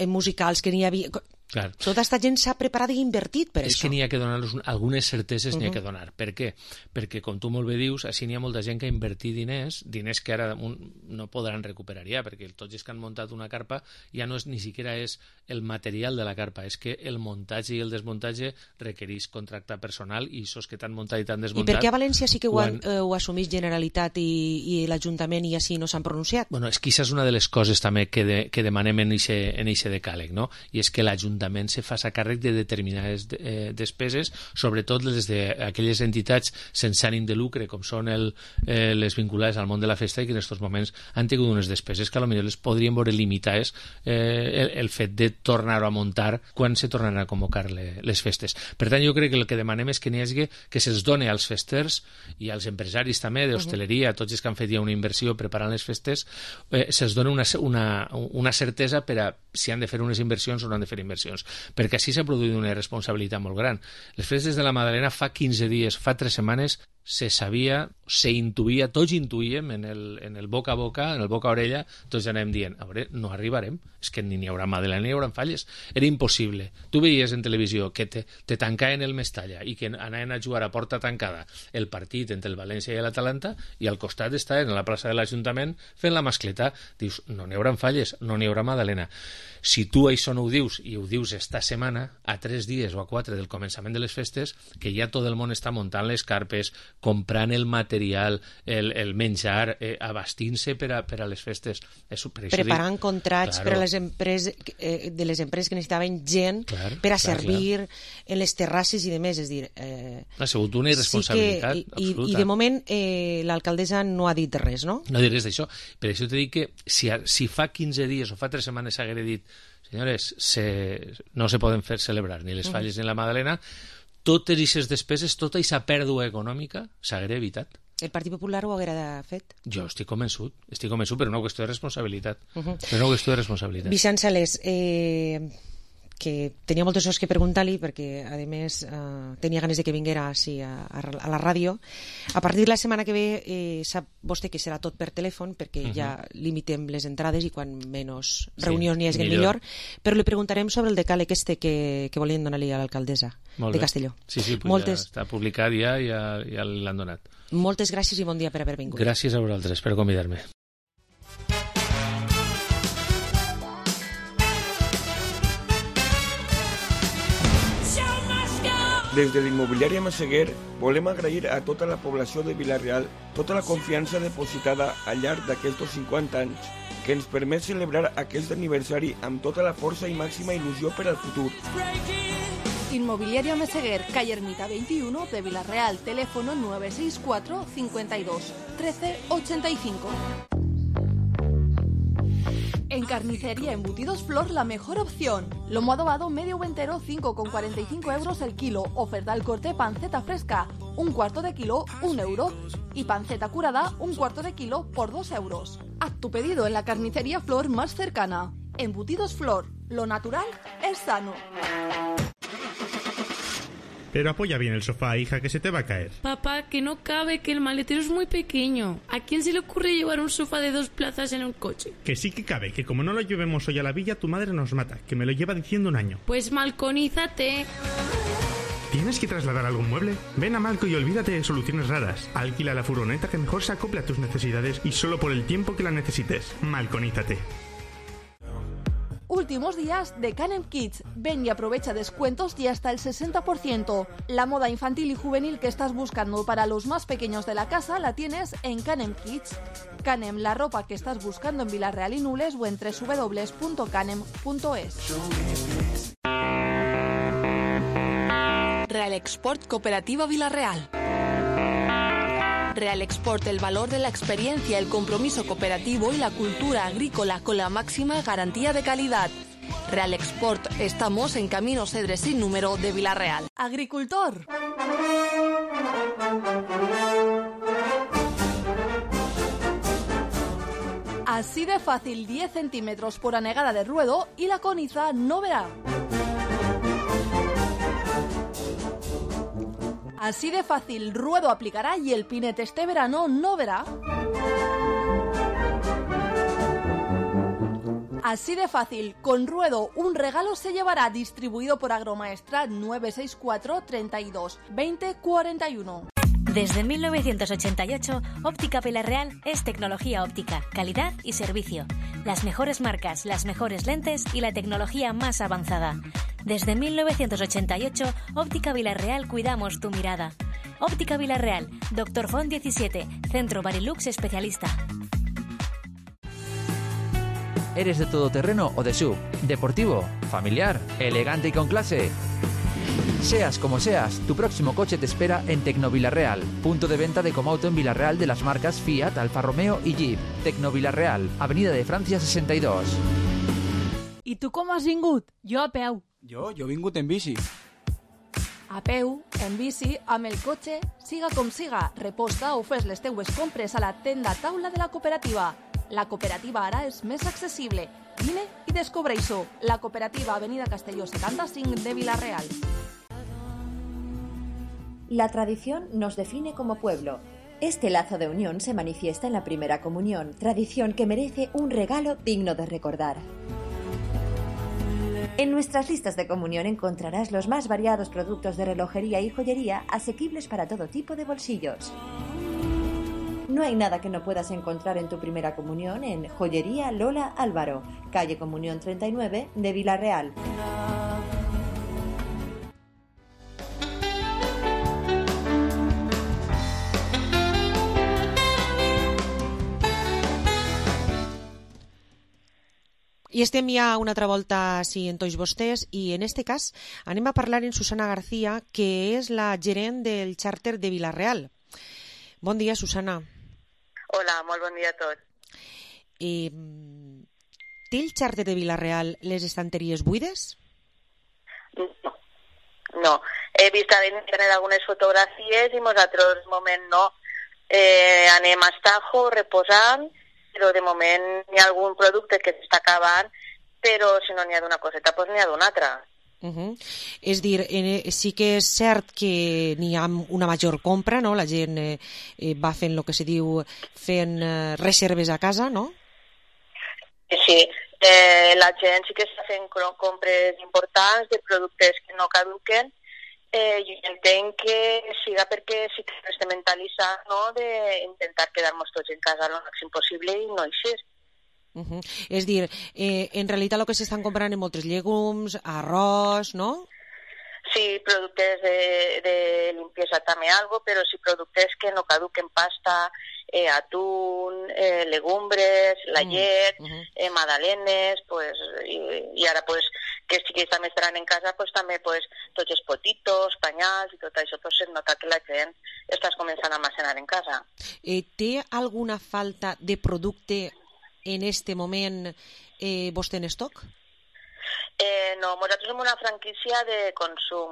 Speaker 5: musicals, que n'hi havia...
Speaker 3: Clar.
Speaker 5: Tota aquesta gent s'ha preparat i invertit per
Speaker 3: això. És que n'hi ha que donar-los algunes certeses, n'hi ha que donar. Per què? Perquè, com tu molt bé dius, així n'hi ha molta gent que ha invertit diners que ara no podran recuperar ja, perquè tots els que han muntat una carpa ja no és ni siquiera és el material de la carpa, és que el muntatge i el desmuntatge requereix contractar personal, i els que t'han muntat i t'han desmuntat...
Speaker 5: I per què a València sí que ho assumeix Generalitat i l'Ajuntament i així no s'han pronunciat?
Speaker 3: Bueno, és que això és una de les coses també que demanem en eixe decàleg, no? I és que l'Ajuntament se faci càrrec de determinades despeses, sobretot les d'aquelles entitats sense ànim de lucre, com són les vinculades al món de la festa, i que en aquests moments han tingut unes despeses que potser les podrien veure limitades el fet de tornar a muntar quan se tornaran a convocar les festes. Per tant, jo crec que el que demanem és que n'hi hagi, que se'ls doni als festers i als empresaris també d'hostaleria, tots els que han fet ja una inversió preparant les festes, se'ls doni una certesa per a si han de fer unes inversions o no han de fer inversions, perquè així s'ha produït una responsabilitat molt gran. Les festes de la Magdalena fa 15 dies, fa 3 setmanes, se sabia, se intuïa, tots intuïem en el boca a boca, en el boca a orella, tots anem dient, a veure, no arribarem, és que ni hi haurà Madeleine ni hi haurà falles, era impossible. Tu veies en televisió que te tancaven el Mestalla i que anaven a jugar a porta tancada el partit entre el València i l'Atalanta i al costat estaven a la plaça de l'Ajuntament fent la mascleta. Dius, no n'hi haurà falles, no n'hi haurà Madalena. Si tu això no ho dius, i ho dius esta setmana, a 3 dies o a 4 del començament de les festes, que ja tot el món està muntant les carpes, comprant el material, el menjar, abastint-se per a les festes.
Speaker 5: Preparant contrats per a les empreses, de les empreses que necessitaven gent per a servir en les terrasses i demés. És dir,
Speaker 3: ha sigut una irresponsabilitat absoluta.
Speaker 5: I de moment l'alcaldessa no ha dit res, no?
Speaker 3: No ha dit res d'això. Per això t'he dit que si fa 15 dies o fa 3 setmanes s'hagués dit senyores, no se poden fer celebrar ni les falles ni la Madalena, totes aquestes despeses, tota aquesta pèrdua econòmica s'hagués evitat.
Speaker 5: El Partit Popular ho haguera fet?
Speaker 3: Jo estic convençut per una qüestió de responsabilitat. Per una qüestió de responsabilitat.
Speaker 5: Vicent Salés, que tenia moltes coses que preguntar-li perquè, a més, tenia ganes de que vinguera així a la ràdio. A partir de la setmana que ve sap vostè que serà tot per telèfon perquè ja limitem les entrades i quan menys reunions n'hi hagi millor, però li preguntarem sobre el decàleg que volien donar-li a l'alcaldessa de Castelló.
Speaker 3: Sí, ja està publicat ja l'han donat.
Speaker 5: Moltes gràcies i bon dia per haver vingut.
Speaker 3: Gràcies a vosaltres per convidar-me.
Speaker 6: Des de l'immobiliària Masseguer volem agrair a tota la població de Vila-real tota la confiança depositada al llarg d'aquests 50 anys que ens permet celebrar aquest aniversari amb tota la força i màxima il·lusió per al futur.
Speaker 8: Inmobiliaria Meseguer, calle Ermita 21 de Vila-real, teléfono 964 52 13 85. En Carnicería Embutidos Flor, la mejor opción. Lomo adobado medio o entero, 5,45 euros el kilo. Oferta al corte panceta fresca, un cuarto de kilo, 1 euro. Y panceta curada, un cuarto de kilo por 2 euros. Haz tu pedido en la Carnicería Flor más cercana. Embutidos Flor, lo natural es sano.
Speaker 7: Pero apoya bien el sofá, hija, que se te va a caer.
Speaker 10: Papá, que no cabe, que el maletero es muy pequeño. ¿A quién se le ocurre llevar un sofá de 2 plazas en un coche?
Speaker 7: Que sí que cabe, que como no lo llevemos hoy a la villa, tu madre nos mata, que me lo lleva diciendo un año.
Speaker 10: Pues malconízate.
Speaker 7: ¿Tienes que trasladar algún mueble? Ven a Malco y olvídate de soluciones raras. Alquila la furgoneta que mejor se acople a tus necesidades y solo por el tiempo que la necesites. Malconízate.
Speaker 8: Últimos días de Canem Kids. Ven y aprovecha descuentos y hasta el 60%. La moda infantil y juvenil que estás buscando para los más pequeños de la casa la tienes en Canem Kids. Canem, la ropa que estás buscando en Vila-real y Nules o en www.canem.es. Real Export Cooperativa Vila-real. Real Export, el valor de la experiencia, el compromiso cooperativo y la cultura agrícola con la máxima garantía de calidad. Real Export, estamos en Camino Cedre sin número de Vila-real. Agricultor. Así de fácil, 10 centímetros por anegada de ruedo y la coniza no verá. Así de fácil, ruedo aplicará y el pinete este verano no verá. Así de fácil, con ruedo un regalo se llevará, distribuido por Agromaestra 964 32 20 41.
Speaker 12: Desde 1988, Óptica Vila-real es tecnología óptica, calidad y servicio. Las mejores marcas, las mejores lentes y la tecnología más avanzada. Desde 1988, Óptica Vila-real cuidamos tu mirada. Óptica Vila-real, Dr. Font 17, Centro Barilux especialista.
Speaker 20: ¿Eres de todoterreno o de SUV? ¿Deportivo? ¿Familiar? ¿Elegante y con clase? Seas como seas, tu próximo coche te espera en Tecnovilareal, punto de venta de Comauto en Vila-real de las marcas Fiat, Alfa Romeo y Jeep. Tecnovilareal, Avenida de Francia 62.
Speaker 17: I tu com has vingut? Jo a peu.
Speaker 24: Jo he vingut en bici.
Speaker 8: A peu, en bici, amb el cotxe, siga com siga, reposta o fes les teues compres a la tenda taula de la cooperativa. La cooperativa ara és més accessible. Vine i descobreix-ho. La cooperativa Avenida Castelló 75 de Vila-real.
Speaker 1: La tradición nos define como pueblo. Este lazo de unión se manifiesta en la primera comunión, tradición que merece un regalo digno de recordar. En nuestras listas de comunión encontrarás los más variados productos de relojería y joyería asequibles para todo tipo de bolsillos. No hay nada que no puedas encontrar en tu primera comunión en Joyería Lola Álvaro, calle Comunión 39 de Vila-real.
Speaker 5: I estem ja una altra volta en tots vostès i en este cas anem a parlar amb Susana García, que és la gerent del xàrter de Vila-real. Bon dia, Susana.
Speaker 11: Hola, molt bon dia a tots.
Speaker 5: Té el xàrter de Vila-real les estanteries buides?
Speaker 11: No. He vist a internet algunes fotografies i nosaltres, de moment, no. Anem a Estajo reposant, però de moment hi ha algun producte que s'està acabant, però si no n'hi ha d'una coseta, doncs n'hi ha d'una altra.
Speaker 5: És dir, sí que és cert que n'hi ha una major compra, no? La gent va fent el que se diu fent reserves a casa, no?
Speaker 11: Sí, la gent sí que està fent compres importants de productes que no caduquen. Jo entenc que siga perquè sí que estem mentalitzant, no?, d'intentar quedar-nos tots en casa el màxim possible i no així.
Speaker 5: És dir, en realitat el que s'estan comprant en moltes llegums, arròs, no?
Speaker 11: Sí, productes de limpieza també algo, però sí productes que no caduquen, pasta, atún, legumbres, la llet, magdalenes, pues, i ara pues, que sí que també estaran en casa, pues, també pues, tots els potitos, panyals i tot això, pues, es nota que la gent està començant a almacenar en casa.
Speaker 5: Té alguna falta de producte en este moment vostè en estoc?
Speaker 11: No, nosaltres som una franquícia de consum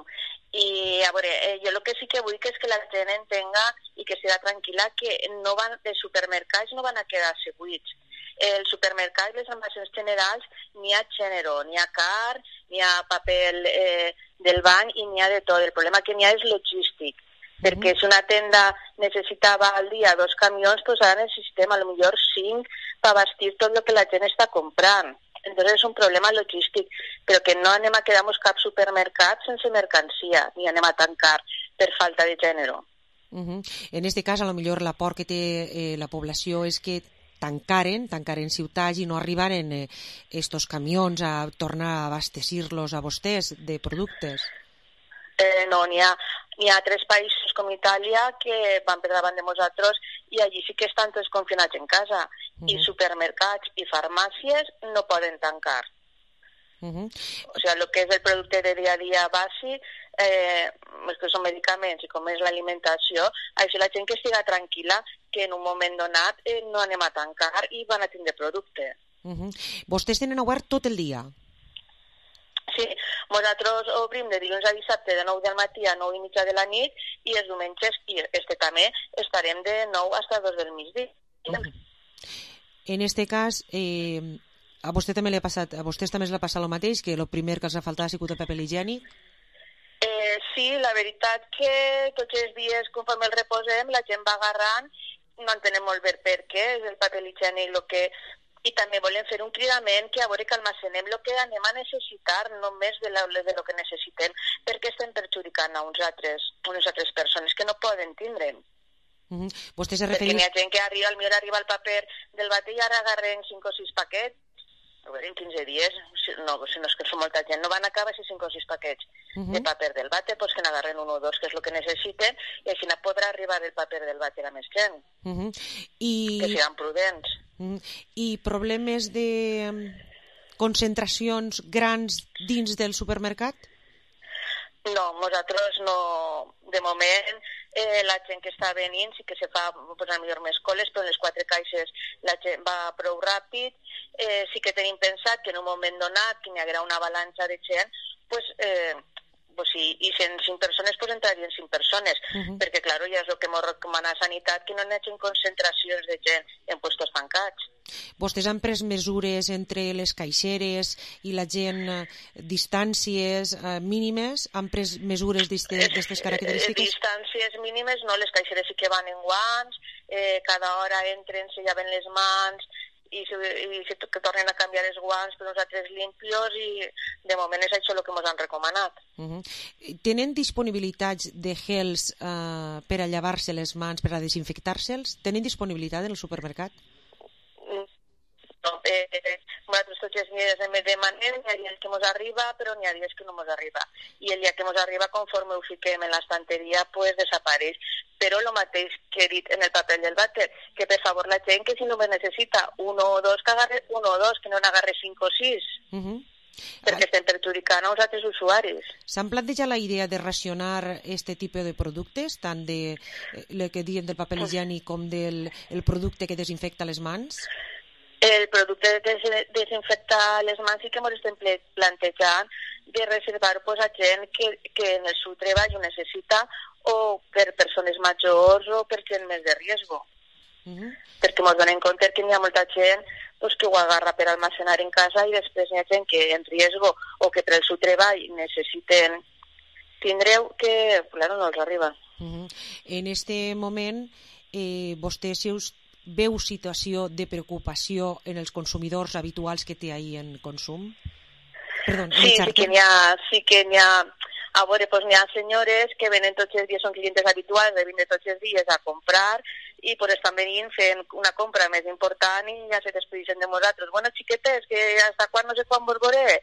Speaker 11: i a veure, jo el que sí que vull que és que la gent entenga i que siga tranquil·la que no van, els supermercats no van a quedar-se buits. Els supermercats, les almacenes generals, n'hi ha gènere, n'hi ha car, n'hi ha paper del bany i n'hi ha de tot. El problema que n'hi ha és logístic, perquè si una tenda necessitava al dia 2 camions, doncs ara necessitem a lo millor 5 per abastir tot el que la gent està comprant. Entonces és un problema logístic, però que no anem a quedar-nos cap supermercat sense mercancia, ni anem a tancar per falta de gènere.
Speaker 5: En este cas, a lo millor la por que té la població és que tancaren ciutats i no arribaren estos camions a tornar a abastecir-los a vostès de productes.
Speaker 11: No, n'hi ha 3 països com Itàlia que van per davant de nosaltres i allí sí que estan tots confinats en casa i supermercats i farmàcies no poden tancar. O sigui, el que és el producte de dia a dia bàsic, els que són medicaments i com és l'alimentació, així la gent que estiga tranquil·la que en un moment donat no anem a tancar i van a tindre producte.
Speaker 5: Vostès tenen obert tot el dia?
Speaker 11: Sí, nosaltres obrim de dilluns a dissabte de 9 del matí a 9 i mitja de la nit i els diumenges, i també, estarem de 9 a 2 del migdia.
Speaker 5: En este cas, a vostès també l'ha passat el mateix, que el primer que els ha faltat ha sigut el paper higiènic?
Speaker 11: Sí, la veritat que tots els dies, conforme el reposem, la gent va agarrant, no entenem molt bé per què, és el paper higiènic el que... I també volem fer un cridament que a veure que almacenem el que anem a necessitar, només de lo que necessitem, perquè estem perjudicant a unes altres persones que no poden tindre.
Speaker 5: Vostè se
Speaker 11: Perquè
Speaker 5: refereix...
Speaker 11: n'hi ha gent que arriba el paper del bate i ara agarren 5 o 6 paquets, a veure, en 15 dies, si no és que són molta gent, no van acabar 5 o 6 paquets de paper del bate, doncs que n'agarren 1 o 2, que és el que necessiten, i així no podrà arribar el paper del bate a més gent. Que siguin prudents.
Speaker 5: I problemes de concentracions grans dins del supermercat?
Speaker 11: No, nosaltres no. De moment, la gent que està venint sí que se fa, pues, a millor més coles, però en les 4 caixes la gent va prou ràpid. Sí que tenim pensat que en un moment donat, que n'hi haurà una avalanxa de gent, pues, pues, i 105 persones pues, entrarien 5 persones, perquè, clar, ja és el que ens recomana Sanitat, que no hi hagi concentracions de gent en puestos tancats.
Speaker 5: Vostès han pres mesures entre les caixeres i la gent, distàncies mínimes? Han pres mesures d'aquestes característiques?
Speaker 11: Distàncies mínimes, no, les caixeres sí que van en guants, cada hora entren, se llaven les mans, i que tornen a canviar els guants per uns altres limpios, i de moment és això el que ens han recomanat.
Speaker 5: Tenen disponibilitats de gels per a llevar-se les mans, per a desinfectar-se'ls? Tenen disponibilitat en el supermercat?
Speaker 11: No, nosaltres tots els dies hem demanem, hi ha dies que ens arriba, però n'hi ha dies que no ens arriba. I el dia que ens arriba, conforme ho fiquem en l'estanteria, pues desapareix. Però el mateix que he dit en el paper del vàter, que per favor la gent que si no me necessita uno o dos, que agarre uno o dos, que no n'agarre 5 o 6. Perquè estem perjudicant a uns altres usuaris.
Speaker 5: S'han plantejat la idea de racionar este tipus de productes, tant de el que diem del paper higiènic com del producte que desinfecta les mans?
Speaker 11: El producte de desinfectar les mans sí que ens estem plantejant de reservar pues, a gent que en el seu treball ho necessita, o per persones majors o per gent més de riesgo. Perquè ens donem compte que hi ha molta gent pues, que ho agarra per almacenar en casa, i després hi ha gent que en riesgo o que per el seu treball necessiten tindreu que, claro, no els arriba.
Speaker 5: En este moment, vostè si us veu situació de preocupació en els consumidors habituals que té ahir en consum? Perdó,
Speaker 11: sí que n'hi ha. A veure, pues n'hi ha senyores que venen tots els dies, són clientes habituals de vindre tots els dies a comprar, i pues estan venint fent una compra més important i ja se despedixen de nosaltres. Bueno, xiquetes, que hasta quan no sé quan vos veuré.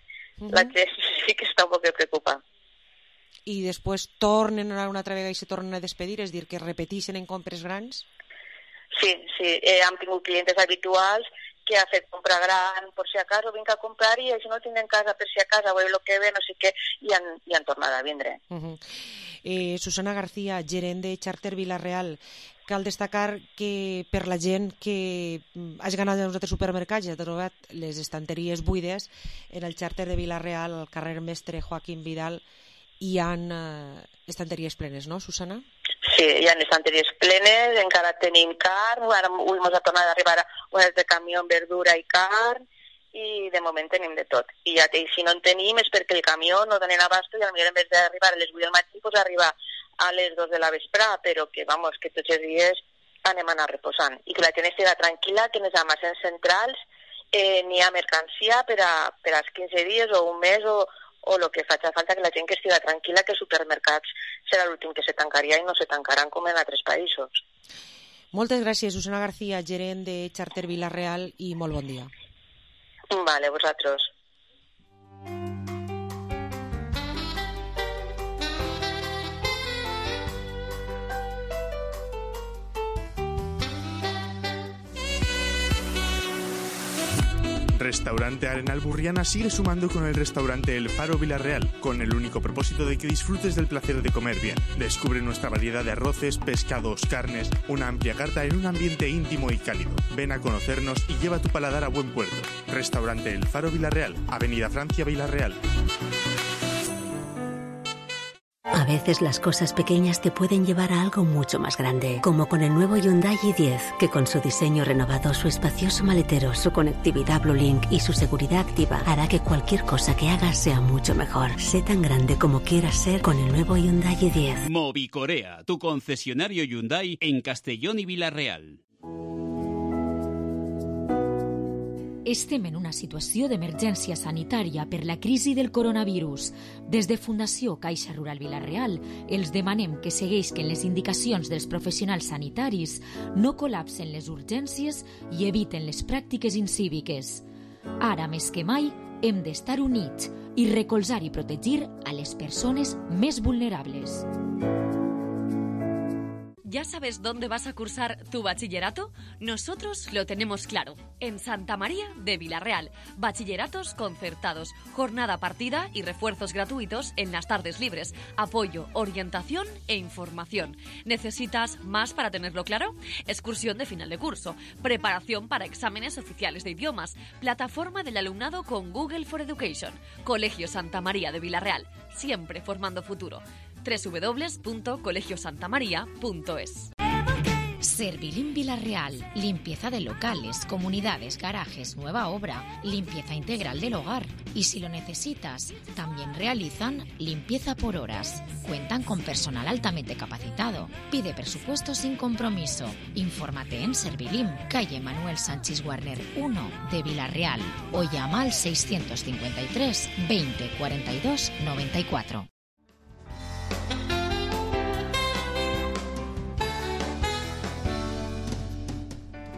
Speaker 11: La gent sí que està un poc preocupada.
Speaker 5: I després tornen una altra vegada i se tornen a despedir, és dir, que repeteixen en compres grans?
Speaker 11: Sí, hem tingut clientes habituals que ha fet compra gran per si acaso, vinc a comprar i si no tinc en casa per si acaso, a veure el que ve, no sé què, i han tornat a vindre.
Speaker 5: Susana García, gerent de Charter Vila-real, cal destacar que per la gent que hagi anat als altres supermercats i ha trobat les estanteries buides, en el Charter de Vila-real, al carrer Mestre Joaquim Vidal, hi ha estanteries plenes, no, Susana?
Speaker 11: Sí, hi ha estanteries plenes, encara tenim carn, ara avui ens ha tornat a arribar un altre camió amb verdura i carn, i de moment tenim de tot. I si no en tenim és perquè el camió no donen abasto, i potser en vez d'arribar a les 8 del matí, pues arriba a les 2 de la vesprà, però que, vamos, que tots els dies anem a anar reposant. I que la gent estigui tranquil·la, que en els almacens centrals n'hi ha mercancia per als 15 dies o un mes o el que faci falta, que la gent que estigui tranquil·la, que els supermercats serà l'últim que se tancaria i no se tancaran com en altres països.
Speaker 5: Moltes gràcies, Susana García, gerent de Charter Vila-real, i molt bon dia.
Speaker 11: Vale, vosaltres.
Speaker 7: Restaurante Arenal Burriana sigue sumando con el restaurante El Faro Vila-real, con el único propósito de que disfrutes del placer de comer bien. Descubre nuestra variedad de arroces, pescados, carnes, una amplia carta en un ambiente íntimo y cálido. Ven a conocernos y lleva tu paladar a buen puerto. Restaurante El Faro Vila-real, Avenida Francia Vila-real.
Speaker 18: A veces las cosas pequeñas te pueden llevar a algo mucho más grande, como con el nuevo Hyundai i10, que con su diseño renovado, su espacioso maletero, su conectividad Blue Link y su seguridad activa hará que cualquier cosa que hagas sea mucho mejor. Sé tan grande como quieras ser con el nuevo Hyundai i10.
Speaker 19: Movicorea, tu concesionario Hyundai en Castellón i Vila-real.
Speaker 13: Estem en una situació d'emergència sanitària per la crisi del coronavirus. Des de Fundació Caixa Rural Vila-real els demanem que segueixin les indicacions dels professionals sanitaris, no col·lapsen les urgències i eviten les pràctiques incíviques. Ara més que mai hem d'estar units i recolzar i protegir a les persones més vulnerables.
Speaker 9: ¿Ya sabes dónde vas a cursar tu bachillerato? Nosotros lo tenemos claro. En Santa María de Vilarreal. Bachilleratos concertados, jornada partida y refuerzos gratuitos en las tardes libres. Apoyo, orientación e información. ¿Necesitas más para tenerlo claro? Excursión de final de curso, preparación para exámenes oficiales de idiomas, plataforma del alumnado con Google for Education. Colegio Santa María de Vilarreal, siempre formando futuro. www.colegiosantamaria.es.
Speaker 13: Servilín Vilarreal, limpieza de locales, comunidades, garajes, nueva obra, limpieza integral del hogar. Y si lo necesitas, también realizan limpieza por horas. Cuentan con personal altamente capacitado. Pide presupuesto sin compromiso. Infórmate en Servilín, calle Manuel Sánchez Warner 1 de Vilarreal o llama al 653 20 42 94.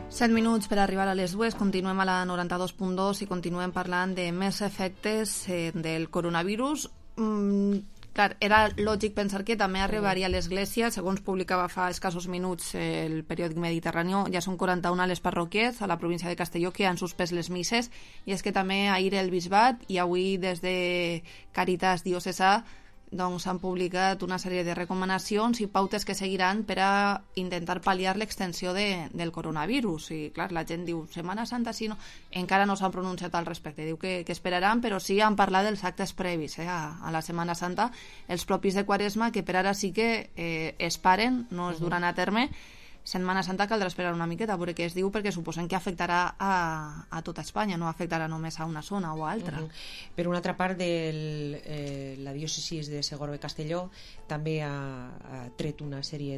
Speaker 4: 7 minuts per arribar a les 2, continuem a la 92.2 i continuem parlant de més efectes del coronavirus. Clar, era lògic pensar que també arribaria a l'Església. Segons publicava fa escassos minuts el periòdic Mediterrani, ja són 41 a les parròquies a la província de Castelló que han suspès les misses, i és que també ahir el Bisbat i avui des de Càritas Diocesà han publicat una sèrie de recomanacions i pautes que seguiran per a intentar pal·liar l'extensió del coronavirus. I clar, la gent diu, Setmana Santa, si no... Encara no s'han pronunciat al respecte, diu que esperaran, però sí han parlat dels actes previs a la Setmana Santa, els propis de Quaresma, que per ara sí que es paren, no es duran a terme. Setmana Santa caldrà esperar una miqueta a veure què es diu, perquè suposen que afectarà a tota Espanya, no afectarà només a una zona o a altra.
Speaker 5: Per una altra part, la diòcesi de Segorbe-Castelló també ha tret una sèrie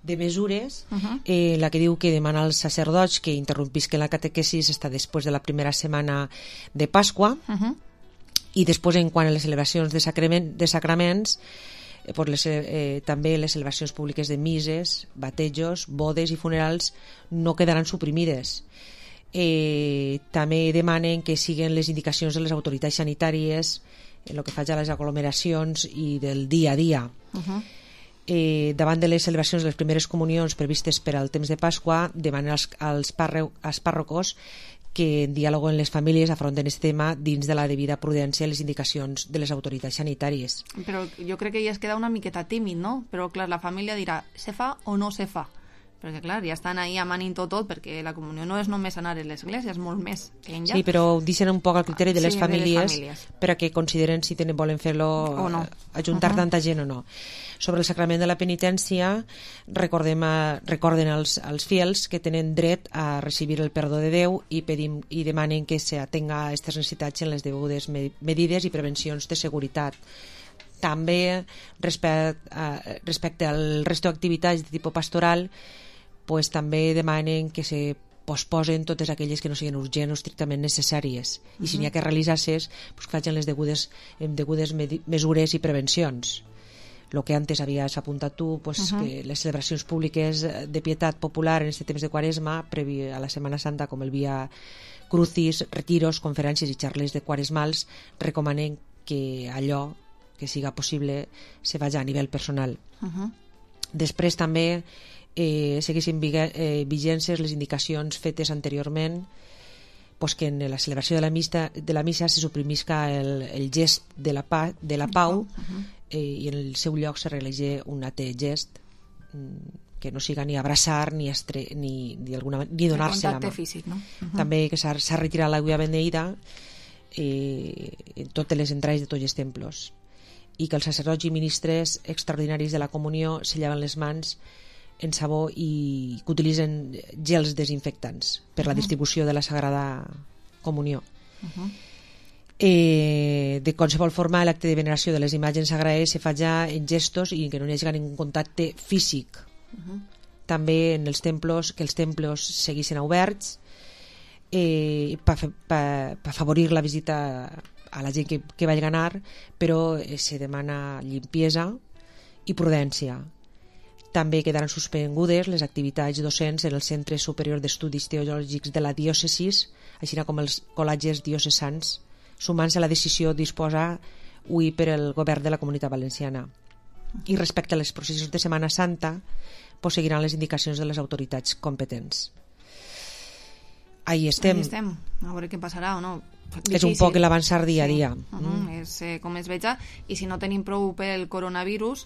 Speaker 5: de mesures, la que diu que demana als sacerdots que interrompisquen la catequesis hasta després de la primera setmana de Pasqua, i després, en quant a les celebracions de sacraments, també les celebracions públiques de misses, batejos, bodes i funerals no quedaran suprimides. També demanen que siguen les indicacions de les autoritats sanitàries en el que fa a les aglomeracions i del dia a dia. Davant de les celebracions de les primeres comunions previstes per al temps de Pasqua, demanen als pàrrocos que en diàleg amb les famílies afronten aquest tema dins de la devida prudència i les indicacions de les autoritats sanitàries.
Speaker 4: Però jo crec que ja es queda una miqueta tímid, no? Però clar, la família dirà, se fa o no se fa? Perquè clar, ja estan ahí amanint tot, perquè la comunió no és només anar a l'església, és molt més que enllà.
Speaker 5: Sí, però deixen un poc al criteri de les famílies per a que consideren si volen fer-lo o no, ajuntar tanta gent o no. Sobre el sacrament de la penitència, recorden als fiels que tenen dret a recibir el perdó de Déu i demanen que s'atenga a aquestes necessitats en les degudes medides i prevencions de seguretat. També, respecte al resto d'activitats de tipus pastoral, també demanen que se posposen totes aquelles que no siguin urgents o estrictament necessàries, i si n'hi ha que realitzar-ses, que facin les degudes mesures i prevencions. El que antes havies apuntat tu, que les celebracions públiques de pietat popular en aquest temps de Quaresma, previ a la Setmana Santa, com el Via Crucis, retiros, conferències i xarles de quaresmals, recomanen que allò que siga possible se vagi a nivell personal. Després també segueixin vigències les indicacions fetes anteriorment, que en la celebració de la missa se suprimisca el gest de la pau, i en el seu lloc se realitza un altre gest que no siga ni abraçar ni donar-se la mà.
Speaker 4: Físic, no?
Speaker 5: També que s'ha retirat l'aigua beneïda en totes les entrades de tots els templos, i que els sacerdots i ministres extraordinaris de la comunió se llaven les mans en sabó i que utilitzen gels desinfectants per la distribució de la Sagrada Comunió. De qualsevol forma, l'acte de veneració de les imatges sagrades se fa ja en gestos i que no hi hagi ningú contacte físic. També en els templos, que els templos seguissin oberts per afavorir la visita a la gent que vagi a anar, però se demana limpiesa i prudència. També quedaran suspengudes les activitats docents en el Centre Superior d'Estudis Teològics de la Diòcesis, així com els col·legis diocesans, sumant-se a la decisió disposada avui per el govern de la Comunitat Valenciana. I respecte a les processions de Setmana Santa, pues seguiran les indicacions de les autoritats competents. Ahí estem.
Speaker 4: A veure què passarà o no.
Speaker 5: És un poc l'avançar dia a dia.
Speaker 4: És com es veja, i si no tenim prou pel coronavirus,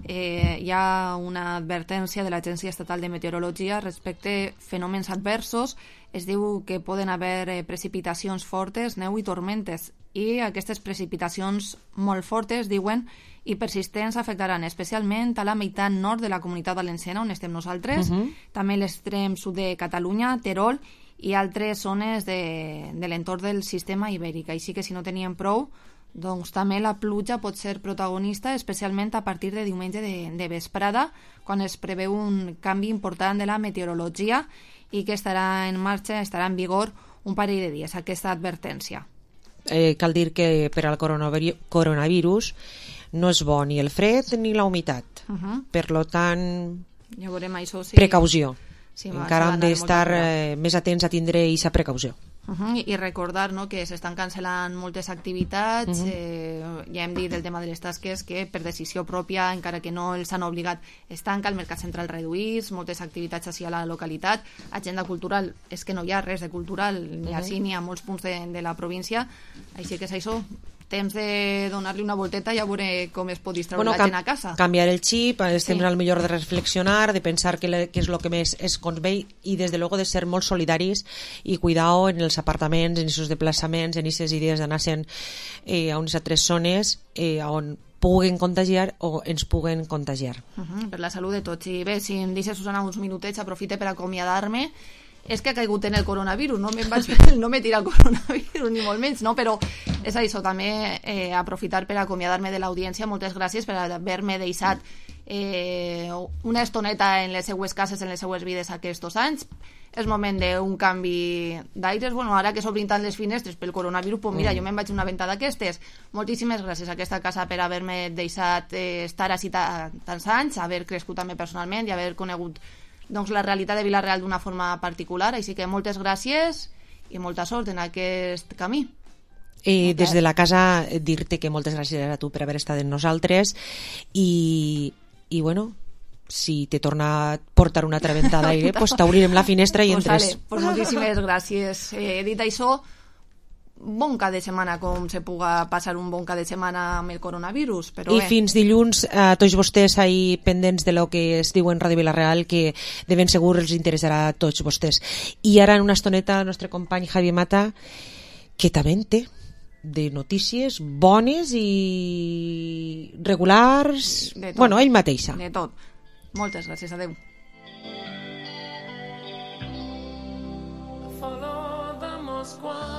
Speaker 4: hi ha una advertència de l'Agència Estatal de Meteorologia respecte a fenòmens adversos. Es diu que poden haver precipitacions fortes, neu i tormentes, i aquestes precipitacions molt fortes, diuen, i persistents afectaran especialment a la meitat nord de la Comunitat Valenciana, on estem nosaltres, també l'extrem sud de Catalunya, Terol, i altres zones de l'entorn del sistema ibèric. Així que si no teníem prou, doncs també la pluja pot ser protagonista, especialment a partir de diumenge de vesprada, quan es preveu un canvi important de la meteorologia i que estarà en marxa, estarà en vigor un parell de dies, aquesta advertència.
Speaker 5: Cal dir que per al coronavirus no és bo ni el fred ni la humitat. Per lo tant,
Speaker 4: ja veurem això, sí.
Speaker 5: Precaució. Sí, encara hem d'estar més atents a tindre aquesta precaució.
Speaker 4: I recordar, no, que s'estan cancel·lant moltes activitats, ja hem dit el tema de les tasques que per decisió pròpia, encara que no els han obligat, es tanca, el mercat central reduïts, moltes activitats així a la localitat, agenda cultural, és que no hi ha res de cultural ni així ni a molts punts de la província, així que és això, temps de donar-li una volteta i a veure com es pot distreure la gent a casa.
Speaker 5: Canviar el xip, és temps al millor de reflexionar, de pensar què és el que més es convé i des de luego de ser molt solidaris i cuidar en els apartaments, en aquests desplaçaments, en aquestes idees d'anar-se'n a unes altres zones on puguen contagiar o ens puguen contagiar.
Speaker 4: Per la salut de tots. I bé, si em deixes, Susana, uns minutets, aprofite per acomiadar-me. És que ha caigut en el coronavirus, no me tira el coronavirus, ni molt menys, no? Però és això, també aprofitar per acomiadar-me de l'audiència. Moltes gràcies per haver-me deixat una estoneta en les seues cases, en les seues vides aquests anys. És moment d'un canvi d'aires. Bueno, ara que s'obrin tant les finestres pel coronavirus, pues mira, jo me'n vaig una venta d'aquestes. Moltíssimes gràcies a aquesta casa per haver-me deixat estar així tants anys, haver crescut també personalment i haver conegut doncs la realitat de Vila-real d'una forma particular, així que moltes gràcies i molta sort en aquest camí.
Speaker 5: Des de la casa dir-te que moltes gràcies a tu per haver estat amb nosaltres i bueno, si te torna a portar una altra venta d'aire, pues t'obrirem la finestra i entres.
Speaker 4: Pues moltíssimes gràcies. Dit això, bon cap de setmana, com se puga passar un bon cap de setmana amb el coronavirus, però
Speaker 5: i fins dilluns a tots vostès ahí pendents de lo que es diu en Ràdio Vila-real, que de ben segur els interessarà a tots vostès. I ara en una estoneta el nostre company Javi Mata, que també en té de notícies bones i regulars, bueno, ell mateixa.
Speaker 4: De tot. Moltes gràcies, adeu.
Speaker 2: Follow the Moscow.